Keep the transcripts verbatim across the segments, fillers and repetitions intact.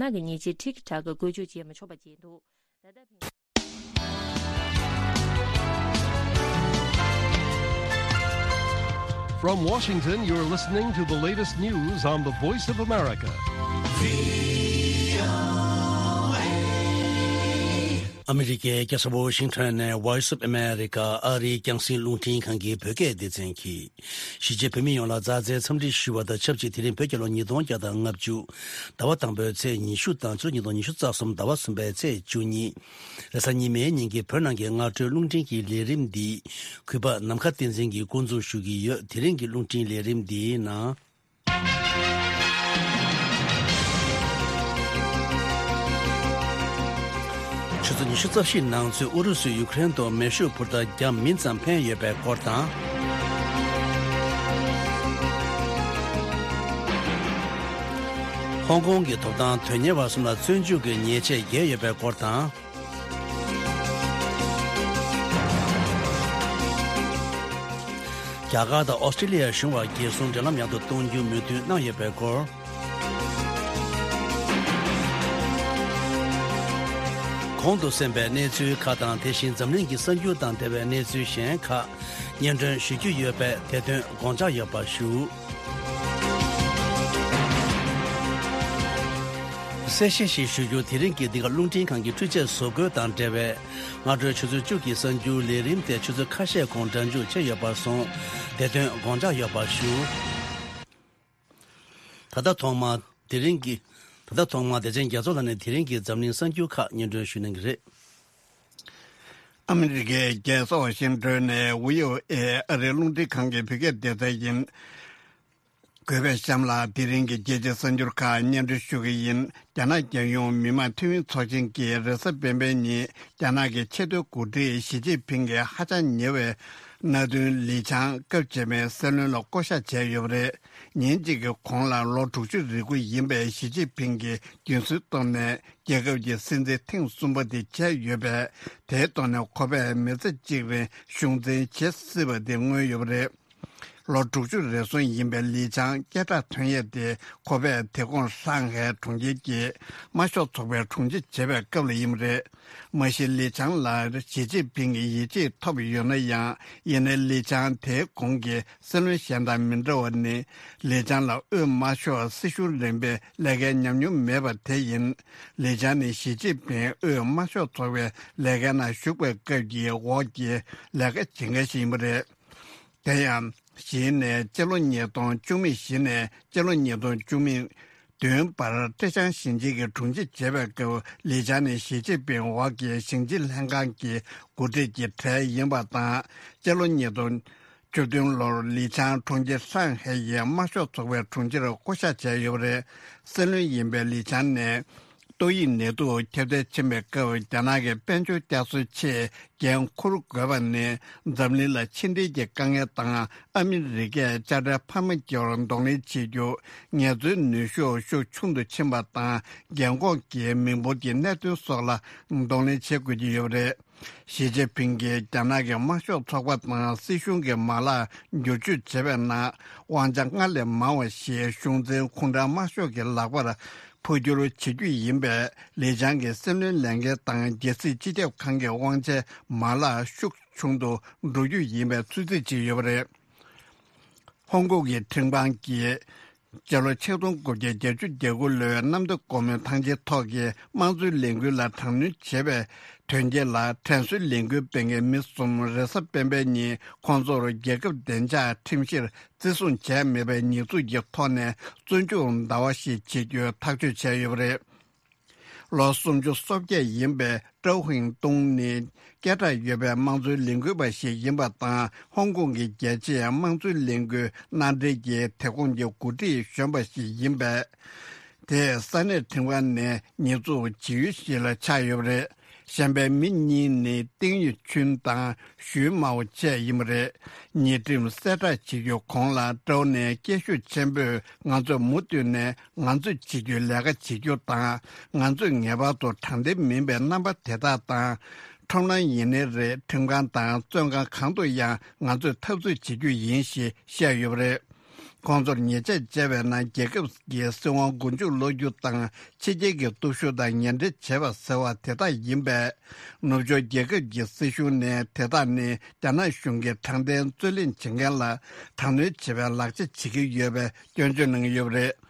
ནག་གི་ཉེས་ཆད་ཁྲིག་ཁྲག་གི་བཀོལ་སྤྱོད་བྱེད་མི་ཆོག་པ་བྱས་འདུག། ད་ལྟ་ཕན། From Washington, you're listening to the latest news on the Voice of America. ཨ་མི་རི་ཀའི་རྒྱལ་ས་ཝོ་ཤིང་ཊོན་ནས་Voice of America ཨ་རིའི་རྒྱང་སྲིང་རླུང་འཕྲིན་ཁང་གི་བོད་སྐད་སྡེ་ཚན་གྱིས། གཞིས་བྱེས་བོད་མི་ཡོངས་ལ་མཛའ་བརྩེའི་འཚམས་འདྲི་ཞུ་བ་དང་ཆབས་ཅིག་དེ་རིང་བོད་རྒྱལ་ལོ་ཉིས་སྟོང་བརྒྱ་དང་ལྔ་བཅུ་ཟླ་བ་དང་པོའི་ཚེས་ཉི་ཤུ་དང་ཕྱི་ལོ་ཉིས་སྟོང་ཉི་ཤུ་རྩ་གསུམ་ཟླ་བ་གསུམ་པའི་ཚེས་བཅུ་གཉིས། རེས་གཟའ་ཉི་མའི་ཉིན་གྱི་བོད་ནང་གི་སྔ་དྲོའི་རླུང་འཕྲིན་གྱི་ལས་རིམ་འདི་གུས་པ་ནམ་མཁའ་བསྟན་འཛིན་གྱིས་འགོ་འཛུགས་ཞུ་གི་ཡོད། དེ་རིང་གི་རླུང་འཕྲིན་ལས་རིམ་འདིའི་ནང་། ཆུ་ཚོད་ཉི་ཤུ་རྩ་བཞིའི་ནང་ཚུད་ཨུ་རུ་སུས་ཡུ་ཀེ་རེན་དུ་མེ་ཤུགས་འཕུར་མདའ་བརྒྱ་མིན་ཙམ་འཕེན་ཡོད་པའི་སྐོར་དང་། ཧོང་ཀོང་གི་ཐོབ་ཐང་དོན་གཉེར་བ་གསུམ་ལ་བཙོན་འཇུག་གི་ཉེས་ཆད་འགེལ་ཡོད་པའི་སྐོར་དང་། རྒྱ་གར་དང་ཨོ་སི་ཀྲི་ལི་ཡ་གཞུང་བར་རྒྱལ་སྲུང་འབྲེལ་ལམ་ཡག་ཏུ་གཏོང་རྒྱུ་མོས་མཐུན་གནང་ཡོད་པའི་སྐོར། གོང་དུ་གསན་པའི་གནས་ཚུལ་ཁག་དང་། དེ་བཞིན་འཛམ་གླིང་གི་གསར་འགྱུར་དང་འབྲེལ་བའི་གནས་ཚུལ་གཞན་ཁག་སྙན་སྒྲོན་ཞུ་རྒྱུ་ཡོད་པས། དེ་དོན་དགོངས་འཇགས་ཡོད་པ་ཞུ། གསལ་བཤད་ཞིག་ཞུ་རྒྱུ། དེ་རིང་གི་འདི་ག་རླུང་འཕྲིན་ཁང་གི་འཕྲུལ་ཆས་བཟོ་བཀོད་དང་འབྲེལ་བའི་སྔ་དྲོའི་ཆུ་ཚོད་བཅུ་གི་གསར་འགྱུར་ལས་རིམ་དེ་ཆུ་ཚོད་ཁ་ཤས་གོང་སྒྲ་འཇུག་བྱས་ཡོད་པར་སོང་། དེ་དོན་དགོངས་འཇགས་ཡོད་པ་ཞུ། ད་ལྟ་ཐོག་མར་དེ་རིང་གི། ད་ལྟ་ཐོག་མར་བདེ་ཆེན་རྒྱ་མཚོ་ལགས་ནས་དེ་རིང་གི་འཛམ་གླིང་གསར་འགྱུར་ཁག་སྙན་སྒྲོན་ཞུ་གནང་གི་རེད། ཨ་མི་རི་ཀའི་རྒྱལ་ས་ཝ་ཤིང་ཏོན་ནས་བྷི་ཨོ་ཨེ་ཨ་རིའི་རླུང་འཕྲིན་ཁང་གི་བོད་སྐད་སྡེ་ཚན་ཡིན། གུས་པས་གཤམ་ལ་དེ་རིང་གི་རྒྱལ་སྤྱིའི་གསར་འགྱུར་ཁག་སྙན་སྒྲོན་ཞུ་གི་ཡིན། རྒྱ་ནག་རྒྱལ་ཡོངས་མི་དམངས་འཐུས་མི་ཚོགས་ཆེན་གྱིས་རེས་གཟའ་སྤེན་པའི་ཉིན་རྒྱ་ནག་གི་ཆེས་མཐོའི་འགོ་ཁྲིད་ཞི་ཅིན་ཕིང་གི་ཧ་ཅང་ཉེ་བའི་མནའ་མཐུན་ལི་ཆང་སྐབས་རྗེས་མའི་སྲིད་བློན་ལ་བསྐོ་གཞག་བྱས་ཡོད་པ་རེད། ཉིན་གཅིག་གི་གོང་ལ་ལོ་དྲུག་ཅུ་རེ་དགུ་ཡིན་པའི་ཞི་ཅིན་ཕིང་གིས་རྒྱུན་སྲོལ་ཐོག་ནས་རྒྱལ་ཁབ་ཀྱི་སྲིད་འཛིན་ཐེངས་གསུམ་པ་དེ་བྱས་ཡོད་པས། དེའི་ཐོག་ནས་ཁོ་པས་མི་ཚེ་གཅིག་རིང་གཞུང་འཛིན་བྱེད་སྲིད་པ་དེ་མངོན་ཡོད་པ་རེད། ལོ་དྲུག་ཅུ་རེ་ཟུང་ཡིན་པའི་ལི་ཆང་སྐད་གྲགས་ཐོན་ཡས་དེ་ཁོ་པས་དེ་གོང་ཧྲང་ཧའེ་གྲོང་ཁྱེར་གྱི་དམར་ཤོག་ཚོགས་པའི་དྲུང་ཆེ་བྱེད་པའི་སྐབས་ལ་ཡིན་པ་རེད། མ་གཞི་ལི་ཆང་ལ་ཞི་ཅིན་ཕིང་གི་ཡིད་ཆེས་ཐོབ་ཡོད་ན་ཡང་། ཡིན་ནའི་ལི་ཆང་དེའི་གོང་གི་སྲིད་བློན་གཞན་དང་མི་འདྲ་བ་ནི། ལི་ཆང་ལ་དབུས་དམར་ཤོག་སྲིད་གཞུང་རིམ་པའི་ལས་འགན་ཉམས་མྱོང་མེད་པ་དེ་ཡིན། ལི་ཆང་ནི་ཞི་ཅིན་ཕིང་དབུས་དམར་ཤོག་ཚོགས་པའི་ལས་འགན་ནང་ཞུགས་པའི་སྐབས་ཀྱི་འོག་གི་ལས་ཀ་བྱེད་མཁན་ཞིག་ཡིན་པ་རེད། དེ་ཡང་། གཞི་ནས་སྤྱི་ལོ་ཉིས་སྟོང་བཅུ་གཅིག་གཞི་ནས་སྤྱི་ལོ་ཉིས་སྟོང་བཅུ་བདུན་བར་ཀྲེ་ཅང་ཞིང་ཆེན་གྱི་དྲུང་ཆེ་བྱེད་པའི་སྐབས། ལི་ཆང་ནི་ཞི་ཅིན་ཕིང་འོག་གི་ཞིང་ཆེན་ལྷན་ཁང་གི་འགོ་ཁྲིད་ཀྱི་གྲས་ཡིན་པ་དང་། སྤྱི་ལོ་ཉིས་སྟོང་བཅུ་བདུན་ལོར་ལི་ཆང་གྲོང་ཁྱེར་ཧྲང་ཧའེ་ཡི་དམར་ཤོག་ཚོགས་པའི་དྲུང་ཆེར་བསྐོ་གཞག་བྱས་ཡོད་པ་རེད། སྲིད་བློན་ཡིན་པའི་ལི་ཆང་ནས། ཏོག་དབྱིབས་ནད་དུག་ཁྱབ་གདལ་ཕྱིན་པའི་སྐབས། རྒྱ་ནག་གི་དཔལ་འབྱོར་བསྐྱར་གསོའི་ཆེད་འགན་འཁུར་དགོས་པ་ནི། འཛམ་གླིང་ལ་ཕྱི་འབྲེལ་གྱི་དཀའ་ངལ་དང་། ཨ་མི་རི་ཀས་དཔྱ་ཁྲལ་འཕར་མ་བརྒྱབ་པར་གདོང་ལེན་བྱེད་རྒྱུ། ངལ་རྩོལ་ནུས་ཤུགས་ཤུགས་ཆུང་དུ་ཕྱིན་པ་དང་། རྒན་འཁོགས་ཀྱི་མི་འབོར་གྱི་གནད་དོན་སོགས་ལ་གདོང་ལེན་བྱེད་དགོས་ཀྱི་ཡོད་པ་རེད། ཞི་ཅིན་ཕིང་གིས་རྒྱ་ནག་གི་དམར་ཤོག་ཚོགས་པ་དང་སྲིད་གཞུང་གི་མ་ལག་བསྒྱུར་བཅོས་བྱེད་པའི་ནང་། དབང་ཆ་སྔར་ལས་མང་བ་ཞིག་གཞུང་འཛིན་ཁུངས་དྲང་དམར་ཤོག་གི་ལག་པར་འཕོ་འགྱུར་བྱེད་རྒྱུ་ཡིན་པས། ལི་ཆང་གི་སྲིད་བློན་ལས་འགན་དང་། རྒྱལ་སྲིད་སྤྱི་ཁྱབ་ཁང་གི་དབང་ཆའི་མ་ལག་ཤུགས་ཆུང་དུ་འགྲོ་རྒྱུ་ཡིན་པའི་ཚོད་རྩིས་བྱས་ཡོད་པ་རེད། ཧོང་ཀོང་གི་ཁྲིམས་ཁང་གིས། སྤྱི་ལོ་ཆིག་སྟོང་དགུ་བརྒྱ་བརྒྱད་ཅུ་གྱ་དགུ་ལོའི་གནམ་བདེ་སྒོ་མོའི་ཐང་ཆེན་ཐོག་གི་དམངས་གཙོའི་ལས་འགུལ་ལ་དྲག་གནོན་བྱས་པའི་དོན་རྐྱེན་ལ། དྲན་གསོའི་ལས་འགུལ་སྤེལ་མཁན་མི་གསུམ་རེས་གཟའ་སྤེན་པའི་ཉིན་ཁོང་ཚོར་རྒྱལ་ཁབ་བདེ་འཇགས་ཁྲིམས་གཞིར་བརྩི་སྲུང་བྱས་མེད་པའི་ཉེས་འཛུགས་ཀྱི་ཐོག་ནས་བཙོན་འཇུག་ཟླ་བ་ཞིག་བྱེད་རྒྱུའི་ཐག་གཅོད་བྱས་ཡོད་པ་རེད། ལོ་སུམ་ཅུ་སོ་བརྒྱད་ཡིན་པའི་ཀྲའོ་ཧུང་ཏུང་ནི། སྐད་གྲགས་ཡོད་པའི་དམངས་གཙོའི་ལས་འགུལ་པ་ཞིག་ཡིན་པ་དང་། ཧོང་ཀོང་གི་རྒྱལ་སྤྱིའི་དམངས་གཙོའི་ལས་འགུལ་མནའ་འབྲེལ་གྱི་དེ་ཁོངས་ཀྱི་འགོ་ཁྲིད་གཞོན་པ་ཞིག་ཡིན་པས། དེས་ས་གནས་ཁྲིམས་ཁང་ནས་ཉེས་འཛུགས་བྱེད་ཡུལ་ཞིག་ལ་ཆགས་ཡོད་པ་རེད། གཞན་པའི་མི་གཉིས་ནི་ཏིང་ཡུས་ཆུན་དང་ཞུས་མའོ་བཅས་ཡིན་པ་རེད། ཉེས་ཁྲིམས་གསལ་བསྒྲགས་བྱེད་རྒྱུའི་གོང་ལ། ཀྲོའུ་ནས་སྐད་ཤུགས་ཆེན་པོས། ང་ཚོས་མུ་མཐུད་ནས་ང་ཚོས་བྱེད་རྒྱུའི་ལས་ཀ་བྱེད་རྒྱུ་དང་། ང་ཚོས་ངེས་པར་དུ་དྲང་བདེན་མིན་པའི་རྣམ་པ་དེ་དག་དང་། ཁྲོམ་ལམ་ཡིན་ནའི་རེད། ཁྲིམས་ཁང་དང་བཙོན་ཁང་གང་དུ་ཡང་ང་ཚོས་འཐབ་རྩོད་བྱེད་རྒྱུ་ཡིན་ཞེས་བཤད་ཡོད་པ་རེད། ཁོང་ཚོར་ཉེས་ཆད་བཅད་པའི་ནང་རྒྱལ་ཁབ་ཀྱི་སྲིད་དབང་མགོ་མཇུག་སློག་རྒྱུ་དང་། ཕྱི་རྒྱལ་གྱི་སྟོབས་ཤུགས་དང་ངན་འབྲེལ་བྱེད་པ་ཟེར་བ་དེ་དག་ཡིན་པས། ནུབ་ཕྱོགས་རྒྱལ་ཁབ་ཀྱི་སྲིད་གཞུང་ནས་དེ་དག་ནི་རྒྱ་ནག་གཞུང་གི་དྲང་བདེན་རྩོད་ལེན་བྱེད་མཁན་ལ་དྲག་གནོན་བྱེད་པའི་ལག་ཆ་བྱེད་ཀྱི་ཡོད་པའི་སྐྱོན་བརྗོད་གནང་གི་ཡོད་པ་རེད།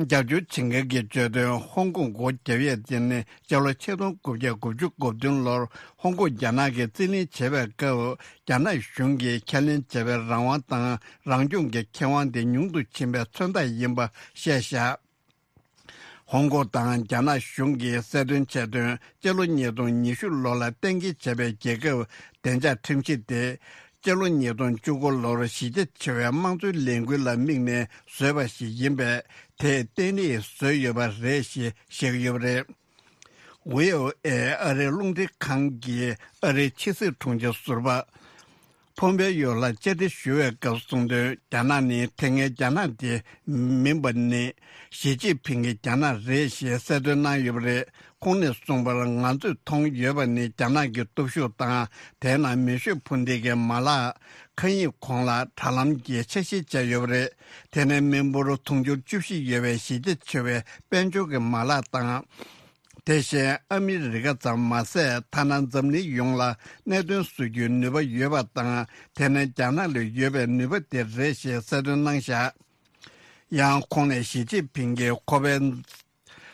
རྒྱབ་སྐྱོར་བྱེད་མཁན་གྱིས་བརྗོད་དོན། ཧོང་ཀོང་སྒོ་བརྒྱབ་ཡས་དེ་ནི་སྤྱི་ལོ་ཆིག་སྟོང་དགུ་བརྒྱ་དགུ་བཅུ་གོ་བདུན་ལོར་ཧོང་ཀོང་རྒྱ་ནག་གིས་རྩིས་ལེན་བྱེད་པའི་སྐབས། རྒྱ་ནག་གཞུང་གིས་ཁས་ལེན་བྱས་པའི་རང་དབང་དང་རང་སྐྱོང་གི་ཁེ་དབང་དེ་ཉུང་དུ་ཕྱིན་པའི་མཚོན་རྟགས་ཡིན་པ་བཤད་བཞག་ཧོང་ཀོང་དང་རྒྱ་ནག་གཞུང་གིས་གསལ་སྟོན་བྱས་དོན། སྤྱི་ལོ་ཉིས་སྟོང་ཉི་ཤུ་ལོ་ལ་གཏན་འཁེལ་བྱས་པའི་རྒྱལ་ཁབ་བདེ་འཇགས་ཁྲིམས་གཞི་དེ། སྤྱི་ལོ་ཉིས་སྟོང་བཅུ་དགུ་ལོར་གཞི་རྒྱ་ཆེ་བའི་དམངས་གཙོའི་ལས་འགུལ་ལ་དམིགས་ནས་བཟོས་པ་ཞིག་ཡིན་པས། དེས་བརྟན་ལྷིང་བཟོས་ཡོད་པ་རེད་ཞེས་བཤད་ཀྱི་ཡོད་པ་རེད། ཝི་ཨོ་ཨེ་ཨ་རིའི་རླུང་འཕྲིན་ཁང་གིས་ཨ་རིའི་ཕྱི་སྲིད་དྲུང་ཆེ་ཟུར་པ། ཕོམ་པེ་ཡོ་ལ་བཅར་འདྲི་ཞུ་བའི་སྐབས་གསུངས་དོན། རྒྱ་ནག་ནི་དེ་སྔའི་རྒྱ་ནག་དེ་མིན་པ་ནི། ཞི་ཅིན་ཕིང་གི་རྒྱ་ནག་རེད་ཞེས་གསལ་སྟོན་གནང་ཡོད་པ་རེད། ཁོང་ནས་གསུངས་པར། ང་ཚོས་མཐོང་ཡོད་པ་ནི་རྒྱ་ནག་གི་སྟོབས་ཤུགས་དང་། དེའི་ནང་མེ་ཤུགས་འཕུར་མདེལ་གྱི་མ་ལག་མཁའ་དབྱིངས་གོང་ལ་དྲ་ལམ་གྱི་འཆར་གཞི་བྱས་ཡོད་པ་རེད། དེ་ནི་མི་འབོར་དུང་ཕྱུར་བཅུ་བཞི་ཡོད་པའི་གཞི་རྒྱ་ཆེ་བའི་དཔལ་འབྱོར་གྱི་མ་ལག་དང་། དེ་བཞིན་ཨ་མི་རི་ཀ་ཙམ་མ་ཟད། ཐ་ན་འཛམ་གླིང་ཡོངས་ལ་གནད་དོན་བཟོ་རྒྱུའི་ནུས་པ་ཡོད་པ་དང་། དེ་ནི་རྒྱ་ནག་ལ་ཡོད་པའི་ནུས་པ་དེ་རེད་ཞེས་གསལ་སྟོན་གནང་བཞག་ཡང་ཁོང་ནས་ཞི་ཅིན་ཕིང་གིས་ཁོ་པའི་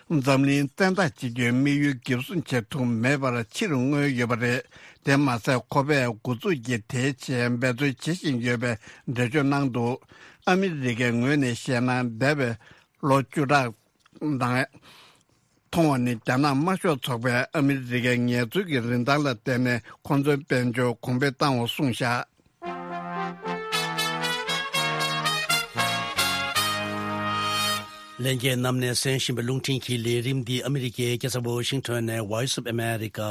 འཛམ་གླིང་བཙན་འཛུལ་བྱེད་རྒྱུའི་དམིགས་ཡུལ་འགེབས་སྲུང་བྱེད་ཐུབ་མེད་པར་ཕྱིར་མངོན་ཡོད་པ་རེད། དེ་མ་ཟད། ཁོ་པས་འགོ་འཛུགས་ཀྱིས་དེའི་ཆེད་འབད་རྩོལ་བྱེད་བཞིན་ཡོད་པའི་འགྲེལ་བརྗོད་གནང་འདུག་ཨ་མི་རི་ཀའི་ངོས་ནས་བཤད་ན། འདས་པའི་ལོ་བཅུ་ཕྲག་ནང་མཐོང་བ་ནི། རྒྱ་ནག་དམར་ཤོག་ཚོགས་པས་ཨ་མི་རི་ཀའི་ངལ་རྩོལ་གྱི་རིན་ཐང་ལ་བརྟེན་ནས་ཁོ་ཚོའི་དཔལ་འབྱོར་གོང་འཕེལ་བཏང་བ་གསུངས་བཞག་ལྷན་རྒྱས་རྣམས་ནས་གསན་བཞིན་པའི་རླུང་འཕྲིན་གྱི་ལས་རིམ་འདི་ཨ་མི་རི་ཀའི་རྒྱལ་ས་ཝ་ཤིང་ཊོན་ནས་Voice of America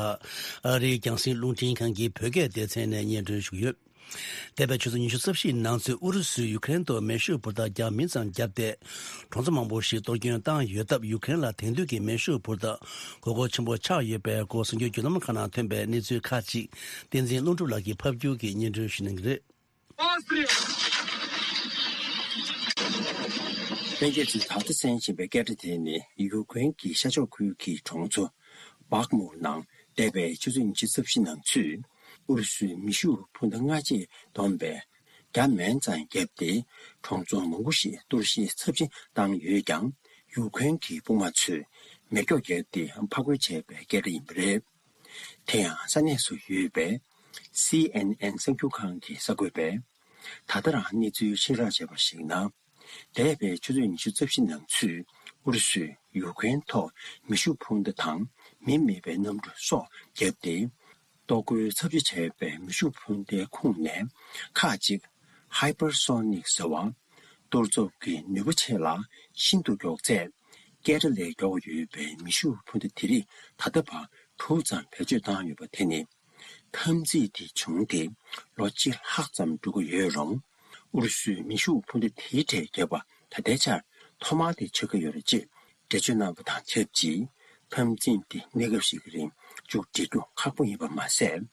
ཨ་རིའི་རྒྱང་སྲིང་རླུང་འཕྲིན་ཁང་གི་བོད་སྐད་སྡེ་ཚན་ནས་སྙན་སྒྲོན་ཞུ་གི་ཡོད། འདས་པའི་ཆུ་ཚོད་ཉི་ཤུ་རྩ་བཞིའི་ནང་ཚུད་ཨུ་རུ་སུས་ཡུ་ཀེ་རེན་དུ་མེ་ཤུགས་འཕུར་མདའ་བརྒྱ་མིན་ཙམ་བརྒྱབ་སྟེ། གྲོང་ཚོ་མང་པོ་ཞིག་གཏོར་སྐྱོན་བཏང་ཡོད་སྟབས། ཡུ་ཀེ་རེན་ལ་དེང་དུས་ཀྱི་མེ་ཤུགས་འཕུར་མདའ་དགོས་མཁོ་ཆེན་པོ་ཆགས་ཡོད་པའི་སྐོར་གསར་འགྱུར་བརྒྱུད་ལམ་ཁག་ནང་ཐོན་པའི་གནས་ཚུལ་ཁག་ཅིག་བསྟན་འཛིན་ཀློང་གྲུབ་ལགས་ཀྱིས་ཕབ་སྒྱུར་གྱིས་སྙན་སྒྲོན་ཞུ་གནང་གི་རེད། ལྷན་རྒྱས་ཚོས་ད་ལྟ་གསན་བཞིན་པའི་སྐད་སྒྲ་དེ་ནི་ཡུ་ཀེ་རེན་གྱི་ཤར་ཕྱོགས་ཁུལ་གྱི་གྲོང་ཚོ་བག་མུ་ནང་འདས་པའི་ཆུ་ཚོད་ཉི་ཤུ་རྩ་བཞི་ནང་ཚུད། ཨུ་རུ་སུའི་མེ་ཤུགས་འཕུར་མདའ་སྔ་རྗེས་བསྡོམས་པས་བརྒྱ་མན་ཙམ་བརྒྱབ་སྟེ། གྲོང་ཚོ་མང་པོ་ཞིག་གཏོར་བཤིག་ཚབས་ཆེན་བཏང་ཡོད་ཀྱང་། ཡུ་ཀེ་རེན་གྱི་དཔུང་དམག་ཚོས་མེ་སྒྱོགས་བརྒྱབ་སྟེ་ཕར་རྒོལ་བྱས་པའི་སྐད་སྒྲ་ཡིན་པ་རེད། དེ་ཡང་ས་གནས་སུ་ཡོད་པའི་སི་ཨེན་ཨེན་གསར་འགྱུར་ཁང་གི་གསར་འགོད་པས། ད་ལྟ་རང་གནས་ཚུལ་ཤེས་རྟོགས་བྱས་པར་གཞིགས་ན། འདས་པའི་ཆུ་ཚོད་ཉི་ཤུ་རྩ་བཞི་ནང་ཚུད་ཨུ་རུ་སུས་ཡུ་ཀེ་རེན་ཐོག་མེ་ཤུགས་འཕུར་མདའ་དང་མི་མེད་པའི་གནམ་གྲུ་སོགས་བརྒྱབ་སྟེ། གཏོར་རྒོལ་ཚབས་ཆེ་བྱས་པའི་མེ་ཤུགས་འཕུར་མདའི་ཁོངས་ནས་ཁག་ཅིག་Hypersonic ཟེར་བ། གཏོར་ཚོགས་ཀྱི་ནུས་པ་ཆེ་ལ་ཤིན་ཏུ་མགྱོགས་ཚད། སྐད་སྒྲ་ལས་མགྱོགས་ཡོད་པའི་མེ་ཤུགས་འཕུར་མདའ་དེ་རིགས་ད་ལྟ་བར་དྲུག་ཙམ་བེད་སྤྱོད་བཏང་ཡོད་པ་དེ་ནི། འཐབ་འཛིང་དེ་བྱུང་སྟེ་ལོ་གཅིག་ལྷག་ཙམ་འགྲོ་གི་ཡོད་རུང་། ཨུ་རུ་སུས་མེ་ཤུགས་འཕུར་མདའ་དེའི་གྲས་བརྒྱབ་པ་ད་ལྟའི་ཆར་ཐོག་མ་དེ་ཆགས་ཀྱི་ཡོད་རེད་ཅེས་འགྲེལ་བརྗོད་གནང་བ་དང་ཆབས་ཅིག་འཐབ་འཛིང་དེ་གནས་སྐབས་ཤིག་གི་རིང་མཇུག་སྒྲིལ་རྒྱུ་ཁག་པོ་ཡིན་པ་མ་ཟད།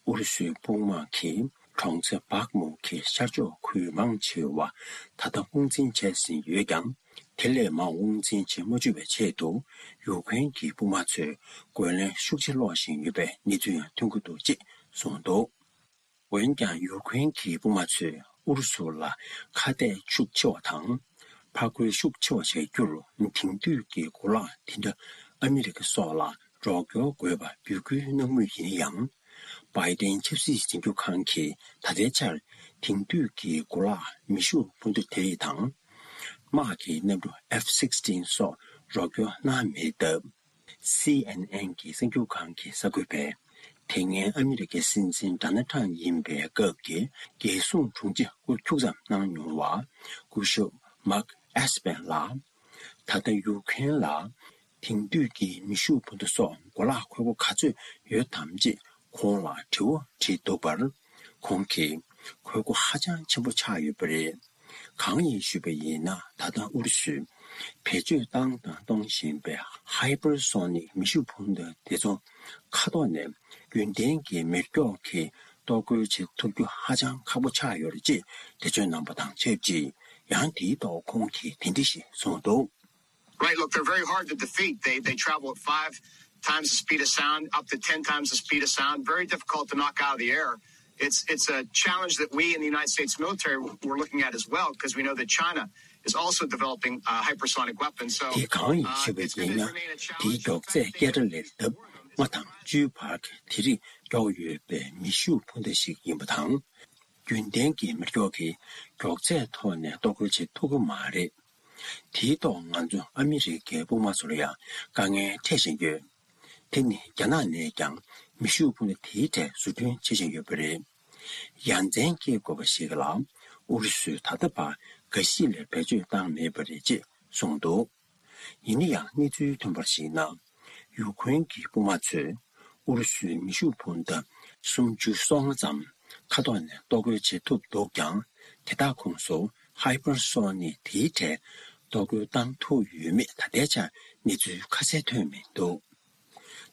ཨུ་རུ་སུའི་དཔུང་དམག་གིས་གྲོང་ཚོ་བག་མུ་གི་ཤར་ཕྱོགས་ཁུལ་མང་ཆེ་བ་ད་ལྟ་དབང་འཛིན་བྱས་ཟིན་ཡོད་ཀྱང་། དེ་ལས་མང་དབང་འཛིན་བྱེད་མ་བཅུག་པའི་ཆེད་དུ། ཡུ་ཀེ་རེན་གྱི་དཔུང་དམག་ཚོས་རྒོལ་ལན་ཤུགས་ཆེ་སློག་བཞིན་ཡོད་པའི་གནས་ཚུལ་ཡང་ཐོན་གྱི་འདུག་ཅེས་གསུངས་འདུག་འོན་ཀྱང་། ཡུ་ཀེ་རེན་གྱི་དཔུང་དམག་ཚོས་ཨུ་རུ་སུ་ལ་ཁ་གཏད་ཤུགས་ཆེ་བ་དང་། ཕར་རྒོལ་ཤུགས་ཆེ་བ་བྱ་རྒྱུར། དེང་དུས་ཀྱི་གོ་ལག་དེ་འདྲ་ཨ་མི་རི་ཀ་སོགས་ལ་རོགས་སྐྱོར་དགོས་པ་འབོད་སྐུལ་གནང་མུས་ཡིན་ཡང་། བྷའི་ཏིན་ཆབ་སྲིད་འཛིན་སྐྱོང་ཁང་གིས་ད་ལྟའི་ཆར་དེང་དུས་ཀྱི་གོ་ལག་མེ་ཤུགས་འཕུར་མདའ་དེ་རིགས་དང་། དམག་གི་གནམ་གྲུ་F sixteen་སོགས་རོགས་སྐྱོར་གནང་མེད་སྟབས། སི་ཨེན་ཨེན་གྱི་གསར་འགྱུར་ཁང་གི་གསར་འགོད་པས། དེ་སྔའི་ཨ་མི་རི་ཀའི་སྲིད་འཛིན་ཌོ་ནལ་ཊམ་ཡིན་པའི་སྐབས་ཀྱི་རྒྱལ་སྲུང་དྲུང་ཆེ་སྐུ་འཁྱུག་ཙམ་གནང་མྱོང་བ་སྐུ་ཞབས་མཱག་ཨེས་པན་ལགས། ད་ལྟ་ཡུ་ཁེན་ལ་དེང་དུས་ཀྱི་མེ་ཤུགས་འཕུར་མདའ་སོགས་གོ་ལག་མཁོ་པོ་ག་ཚོད་ཡོད་དམ་ཅེས་ཁོང་ལ་དྲི་བ་དྲིས་འདུག་པར། ཁོང་གིས་དགོས་མཁོ་ཧ་ཅང་ཆེན་པོ་ཆགས་ཡོད་པ་རེད། གང་ཡིན་ཞུས་པ་ཡིན་ན། ད་ལྟ་ཨུ་རུ་སུས་བེད་སྤྱོད་བཏང་དང་གཏོང་བཞིན་པའི་Hypersonic་མེ་ཤུགས་འཕུར་མདའ་དེ་ཚོ་མཁའ་ཐོག་ནས་རྒྱུན་ལྡན་གྱི་མེ་སྒྱོགས་ཀྱིས་གཏོར་རྒོལ་བྱེད་ཐུབ་རྒྱུ་ཧ་ཅང་ཁག་པོ་ཆགས་ཡོད་རེད་ཅེས་འགྲེལ་བརྗོད་གནང་པ་དང་ཆབས་ཅིག་ཡང་དེའི་ཐོག་ཁོང་གིས་དེ་འདྲ་ཞིག་གསུངས་འདུག། Right, look, they're very hard to defeat. They they travel at five times the speed of sound, up to ten times the speed of sound. Very difficult to knock out of the air. It's it's a challenge that we in the United States military were looking at as well, because we know that China is also developing uh, hypersonic weapons. So དེ་གང་ཡིན་uh, ཞུས་པ་it's going ཡིན་to ན། Remain a དེའི་challenge. མགྱོགས་ཚད་སྐད་གྲགས་ལས་ལྡབ་ལྔ་དང་བཅུའི་བར་གྱི་དེ་རིགས་མགྱོགས་ཡོད་པའི་མེ་ཤུགས་འཕུར་མདའ་ཞིག་ཡིན་པ་དང་། རྒྱུན་ལྡན་གྱི་མེ་སྒྱོགས་ཀྱི་མགྱོགས་ཚད་ཐོག་ནས་གཏོར་རྒོལ་བྱེད་ཐུབ་ཀྱི་མ་རེད། དེའི་ཐོག་ང་ཚོ་ཨ་མི་རི་ཀའི་དཔུང་དམག་ཚོ་ལ་ཡང་དཀའ་ངལ་འཕྲད་བཞིན་ཡོད། དེ་ནི་རྒྱ་ནག་ནས་ཀྱང་མེ་ཤུགས་འཕུར་མདའ་དེའི་གྲས་བཟོ་སྐྲུན་བྱེད་བཞིན་ཡོད་པ་རེད། ཡ་མཚན་སྐྱེ་དགོས་པ་ཞིག་ལ་ཨུ་རུ་སུས་ད་ལྟ་བར་འགའ་ཞིག་ལས་བེད་སྤྱོད་བཏང་མེད་པ་རེད་ཅེས་གསུངས་འདུག། ཡིན་ན་ཡང་གནས་ཚུལ་ཐོན་པར་གཞིགས་ན། ཡུ་ཁུ་རེན་གྱི་དཔུང་དམག་ཚོས་ཨུ་རུ་སུའི་མེ་ཤུགས་འཕུར་མདའ་སུམ་ཅུ་སོ་ལྔ་ཙམ་མཁའ་ཐོག་ནས་གཏོར་རྒོལ་བྱེད་ཐུབ་འདུག་ཀྱང་། དེ་དག་ཁོངས་སུ་ཧའི་པར་སོ་ནིག་དེའི་གྲས་གཏོར་རྒོལ་བཏང་ཐུབ་ཡོད་མེད་ད་ལྟའི་ཆར་གནས་ཚུལ་ཁ་གསལ་ཐོན་མི་འདུག།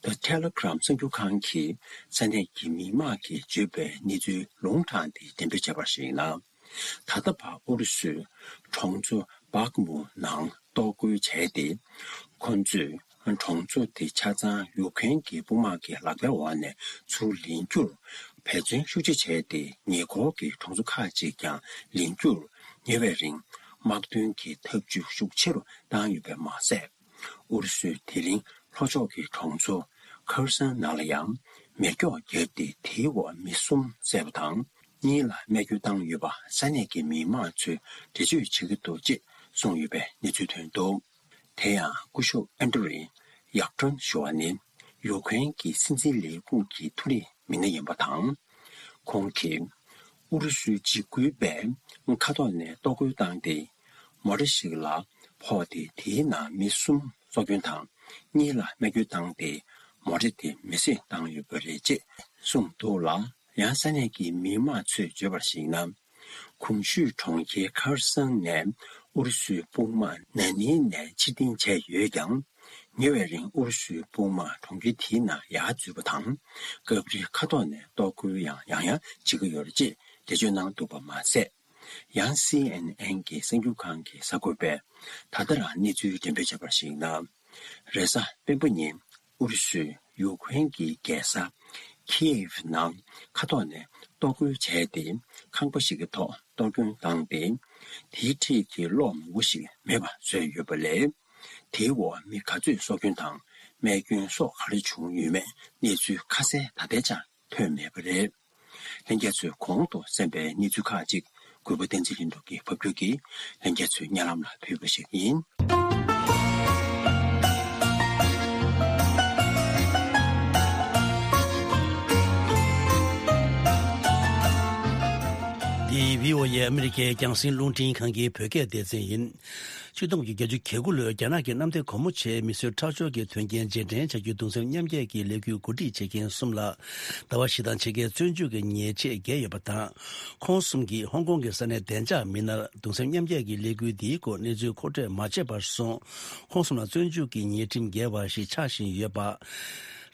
The Telegram་གསར་འགྱུར་ཁང་གིས་ས་གནས་ཀྱི་མི་མང་གིས་བརྗོད་པའི་གནས་ཚུལ་ལུང་དྲངས་ཏེ་འགྲེམས་སྤེལ་བྱས་པར་གཞིགས་ན། ད་ལྟ་བར་ཨུ་རུ་སུས་གྲོང་ཚོ་སྦག་མུ་ནང་གཏོར་རྒོལ་བྱས་ཏེ། ཁོ་ཚོས་གྲོང་ཚོ་དེ་ཆ་ཚང་ཡུ་ཁུ་རེན་གྱི་དཔུང་དམག་གི་ལག་པའི་འོག་ནས་ཚུར་ལེན་རྒྱུར་འབད་བརྩོན་ཤུགས་ཆེ་བྱས་ཏེ། ཉེ་འཁོར་གྱི་གྲོང་ཚོ་ཁག་ཅིག་ཀྱང་ལེན་རྒྱུར་ཉེ་བའི་རིང་དམག་དོན་གྱི་འཐབ་ཇུས་ཤུགས་ཆེ་རུ་བཏང་ཡོད་པ་མ་ཟད། ཨུ་རུ་སུས་དེ་རིང་ལྷོ་ཕྱོགས་ཀྱི་གྲོང་ཚོ་ཁར་སན་ནང་ལ་ཡང་མེ་སྒྱོགས་བརྒྱབ་སྟེ། དེའི་འོག་མི་གསུམ་བསད་པ་དང་གཉིས་ལ་རྨས་སྐྱོན་བཏང་ཡོད་པ་ས་གནས་ཀྱི་མི་མང་ཚོས་འགྲེལ་བརྗོད་བྱེད་ཀྱི་འདུག་ཅེས་གསུངས་ཡོད་པའི་གནས་ཚུལ་ཐོན་འདུག། དེ་ཡང་སྐུ་ཞབས་ཨན་ཏྲེ་ཡག་ཀྲོན་ཞུ་བ་ནི་ཡུ་ཁུ་རེན་གྱི་སྲིད་འཛིན་ལས་ཁུངས་ཀྱི་མཐོ་རིམ་མི་སྣ་ཡིན་པ་དང་། ཁོང་གིས་ཨུ་རུ་སུའི་འཇིགས་སྐུལ་པས་མཁའ་ཐོག་ནས་གཏོར་རྒོལ་བཏང་སྟེ། མོ་ཊ་ཞིག་ལ་ཕོག་སྟེ། དེའི་ནང་མི་གསུམ་སྲོག་སྐྱོན་དང་གཉིས་ལ་རྨས་སྐྱོན་བཏང་སྟེ། མོ་ཊ་དེ་མེ་བསྲེགས་བཏང་ཡོད་པ་རེད་ཅེས་གསུངས་འདུག་ལ། ཡང་ས་གནས་ཀྱི་མི་མང་ཚོས་བརྗོད་པར་གཞིགས་ན། གོང་ཞུས་གྲོང་ཁྱེར་ཁར་སན་ནས་ཨུ་རུ་སུའི་དཔུང་དམག་ན་ནིང་ནས་ཕྱིར་འཐེན་བྱས་ཡོད་ཀྱང་། ཉེ་བའི་རིང་ཨུ་རུ་སུའི་དཔུང་དམག་གྲོང་ཁྱེར་དེའི་ནང་ཡར་འཛུལ་བ་དང་། སྐབས་རེ་མཁའ་ཐོག་ནས་གཏོར་རྒོལ་ཡང་ཡང་ཡང་བྱེད་ཀྱི་ཡོད་རེད་ཅེས་འགྲེལ་བརྗོད་གནང་འདུག་པ་མ་ཟད། ཡང་སི་ཨེན་ཨེན་གྱི་གསར་འགྱུར་ཁང་གི་གསར་འགོད་པས་ད་ལྟ་རང་གནས་ཚུལ་འགྲེམས་སྤེལ་བྱས་པར་གཞིགས་ན། རེས་གཟའ་སྤེན་པ་ཉིན་ཨུ་རུ་སུས་ཡུ་ཁུ་རེན་གྱི་རྒྱལ་ས་ཁིའེབ་ནང་མཁའ་ཐོག་ནས་གཏོར་རྒོལ་བྱས་ཏེ། ཁང་པ་ཞིག་གི་ཐོག་གཏོར་སྐྱོན་བཏང་སྟེ། དེའི་འཁྲིས་ཀྱི་གློག་མང་པོ་ཞིག་མེད་པ་བཟོས་ཡོད་པ་ལས། དེའི་འོག་མི་ག་ཚོད་སྲོག་སྐྱོན་དང་རྨས་སྐྱོན་སོགས་ག་རེ་བྱུང་ཡོད་མེད་གནས་ཚུལ་ཁ་གསལ་ད་ལྟའི་ཆར་ཐོན་མེད་པ་རེད། ལྷན་རྒྱས་ཚོས་གོང་དུ་གསན་པའི་གནས་ཚུལ་ཁག་ཅིག་གུས་པ་བསྟན་འཛིན་ལྷུན་གྲུབ་ཀྱིས་ཕབ་སྒྱུར་གྱིས་ལྷན་རྒྱས་ཚོའི་སྙན་ལམ་ལ་ཕུལ་བ་ཞིག་ཡིན། འདི་བྷི་ཨོ་ཨེ་ཨ་མི་རི་ཀའི་རྒྱང་སྲིང་རླུང་འཕྲིན་ཁང་གི་བོད་སྐད་སྡེ་ཚན་ཡིན། ཆིག་སྟོང་དགུ་བརྒྱ་བརྒྱད་ཅུ་གྱ་དགུ་ལོའི་རྒྱ་ནག་གི་གནམ་བདེ་སྒོ་མོ་ཆེའི་མི་གསོད་ཁྲག་སྦྱོར་གྱི་དོན་རྐྱེན་རྗེས་དྲན་བྱ་རྒྱུའི་གདུང་སེམས་མཉམ་སྐྱེད་ཀྱི་ལས་འགུལ་གོ་སྒྲིག་བྱེད་མཁན་གསུམ་ལ་ཟླ་བ་བཞི་དང་ཕྱེད་ཀའི་བཙོན་འཇུག་གི་ཉེས་ཆད་བཀལ་ཡོད་པ་དང་། ཁོང་གསུམ་གྱིས་ཧོང་ཀོང་གི་ས་གནས་བདེ་འཇགས་མི་སྣར་གདུང་སེམས་མཉམ་སྐྱེད་ཀྱི་ལས་འགུལ་འདིའི་སྐོར་གནས་ཚུལ་མཁོ་སྤྲོད་མ་བྱས་པར་སོང་། ཁོང་གསུམ་ལ་བཙོན་འཇུག་གི་ཉེས་ཁྲིམས་འགལ་བ་ཞིག་ཆགས་བཞིན་ཡོད་པ།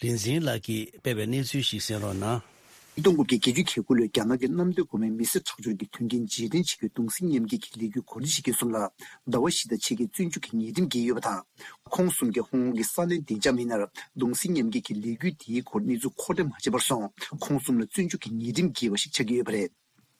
རིན་འཛིན་ལགས་ཀྱིས་སྤེལ་བའི་གནས་ཚུལ་ཞིག་གསན་རོགས་གནང་། ཆིག་སྟོང་དགུ་བརྒྱ་བརྒྱད་ཅུ་གྱ་དགུ་ལོའི་རྒྱ་ནག་གི་གནམ་བདེ་སྒོ་མོའི་མི་གསོད་ཁྲག་སྦྱོར་གྱི་དོན་རྐྱེན་རྗེས་དྲན་བྱེད་རྒྱུའི་གདུང་སེམས་མཉམ་སྐྱེད་ཀྱི་ལས་འགུལ་གོ་སྒྲིག་བྱེད་མཁན་གསུམ་ལ་ཟླ་བ་བཞི་དང་ཕྱེད་ཀའི་བཙོན་འཇུག་གི་ཉེས་ཁྲིམས་བཀལ་ཡོད་པ་དང་། ཁོང་གསུམ་གྱིས་ཧོང་ཀོང་གི་ས་གནས་བདེ་འཇགས་མི་སྣར་གདུང་སེམས་མཉམ་སྐྱེད་ཀྱི་ལས་འགུལ་དེའི་སྐོར་གནས་ཚུལ་མཁོ་སྤྲོད་མ་བྱས་པར་སོང་། ཁོང་གསུམ་ལ་བཙོན་འཇུག་གི་ཉེས་ཁྲིམས་བཀལ་བ་ཞིག་ཆགས་ཀྱི་ཡོད་པ་རེད།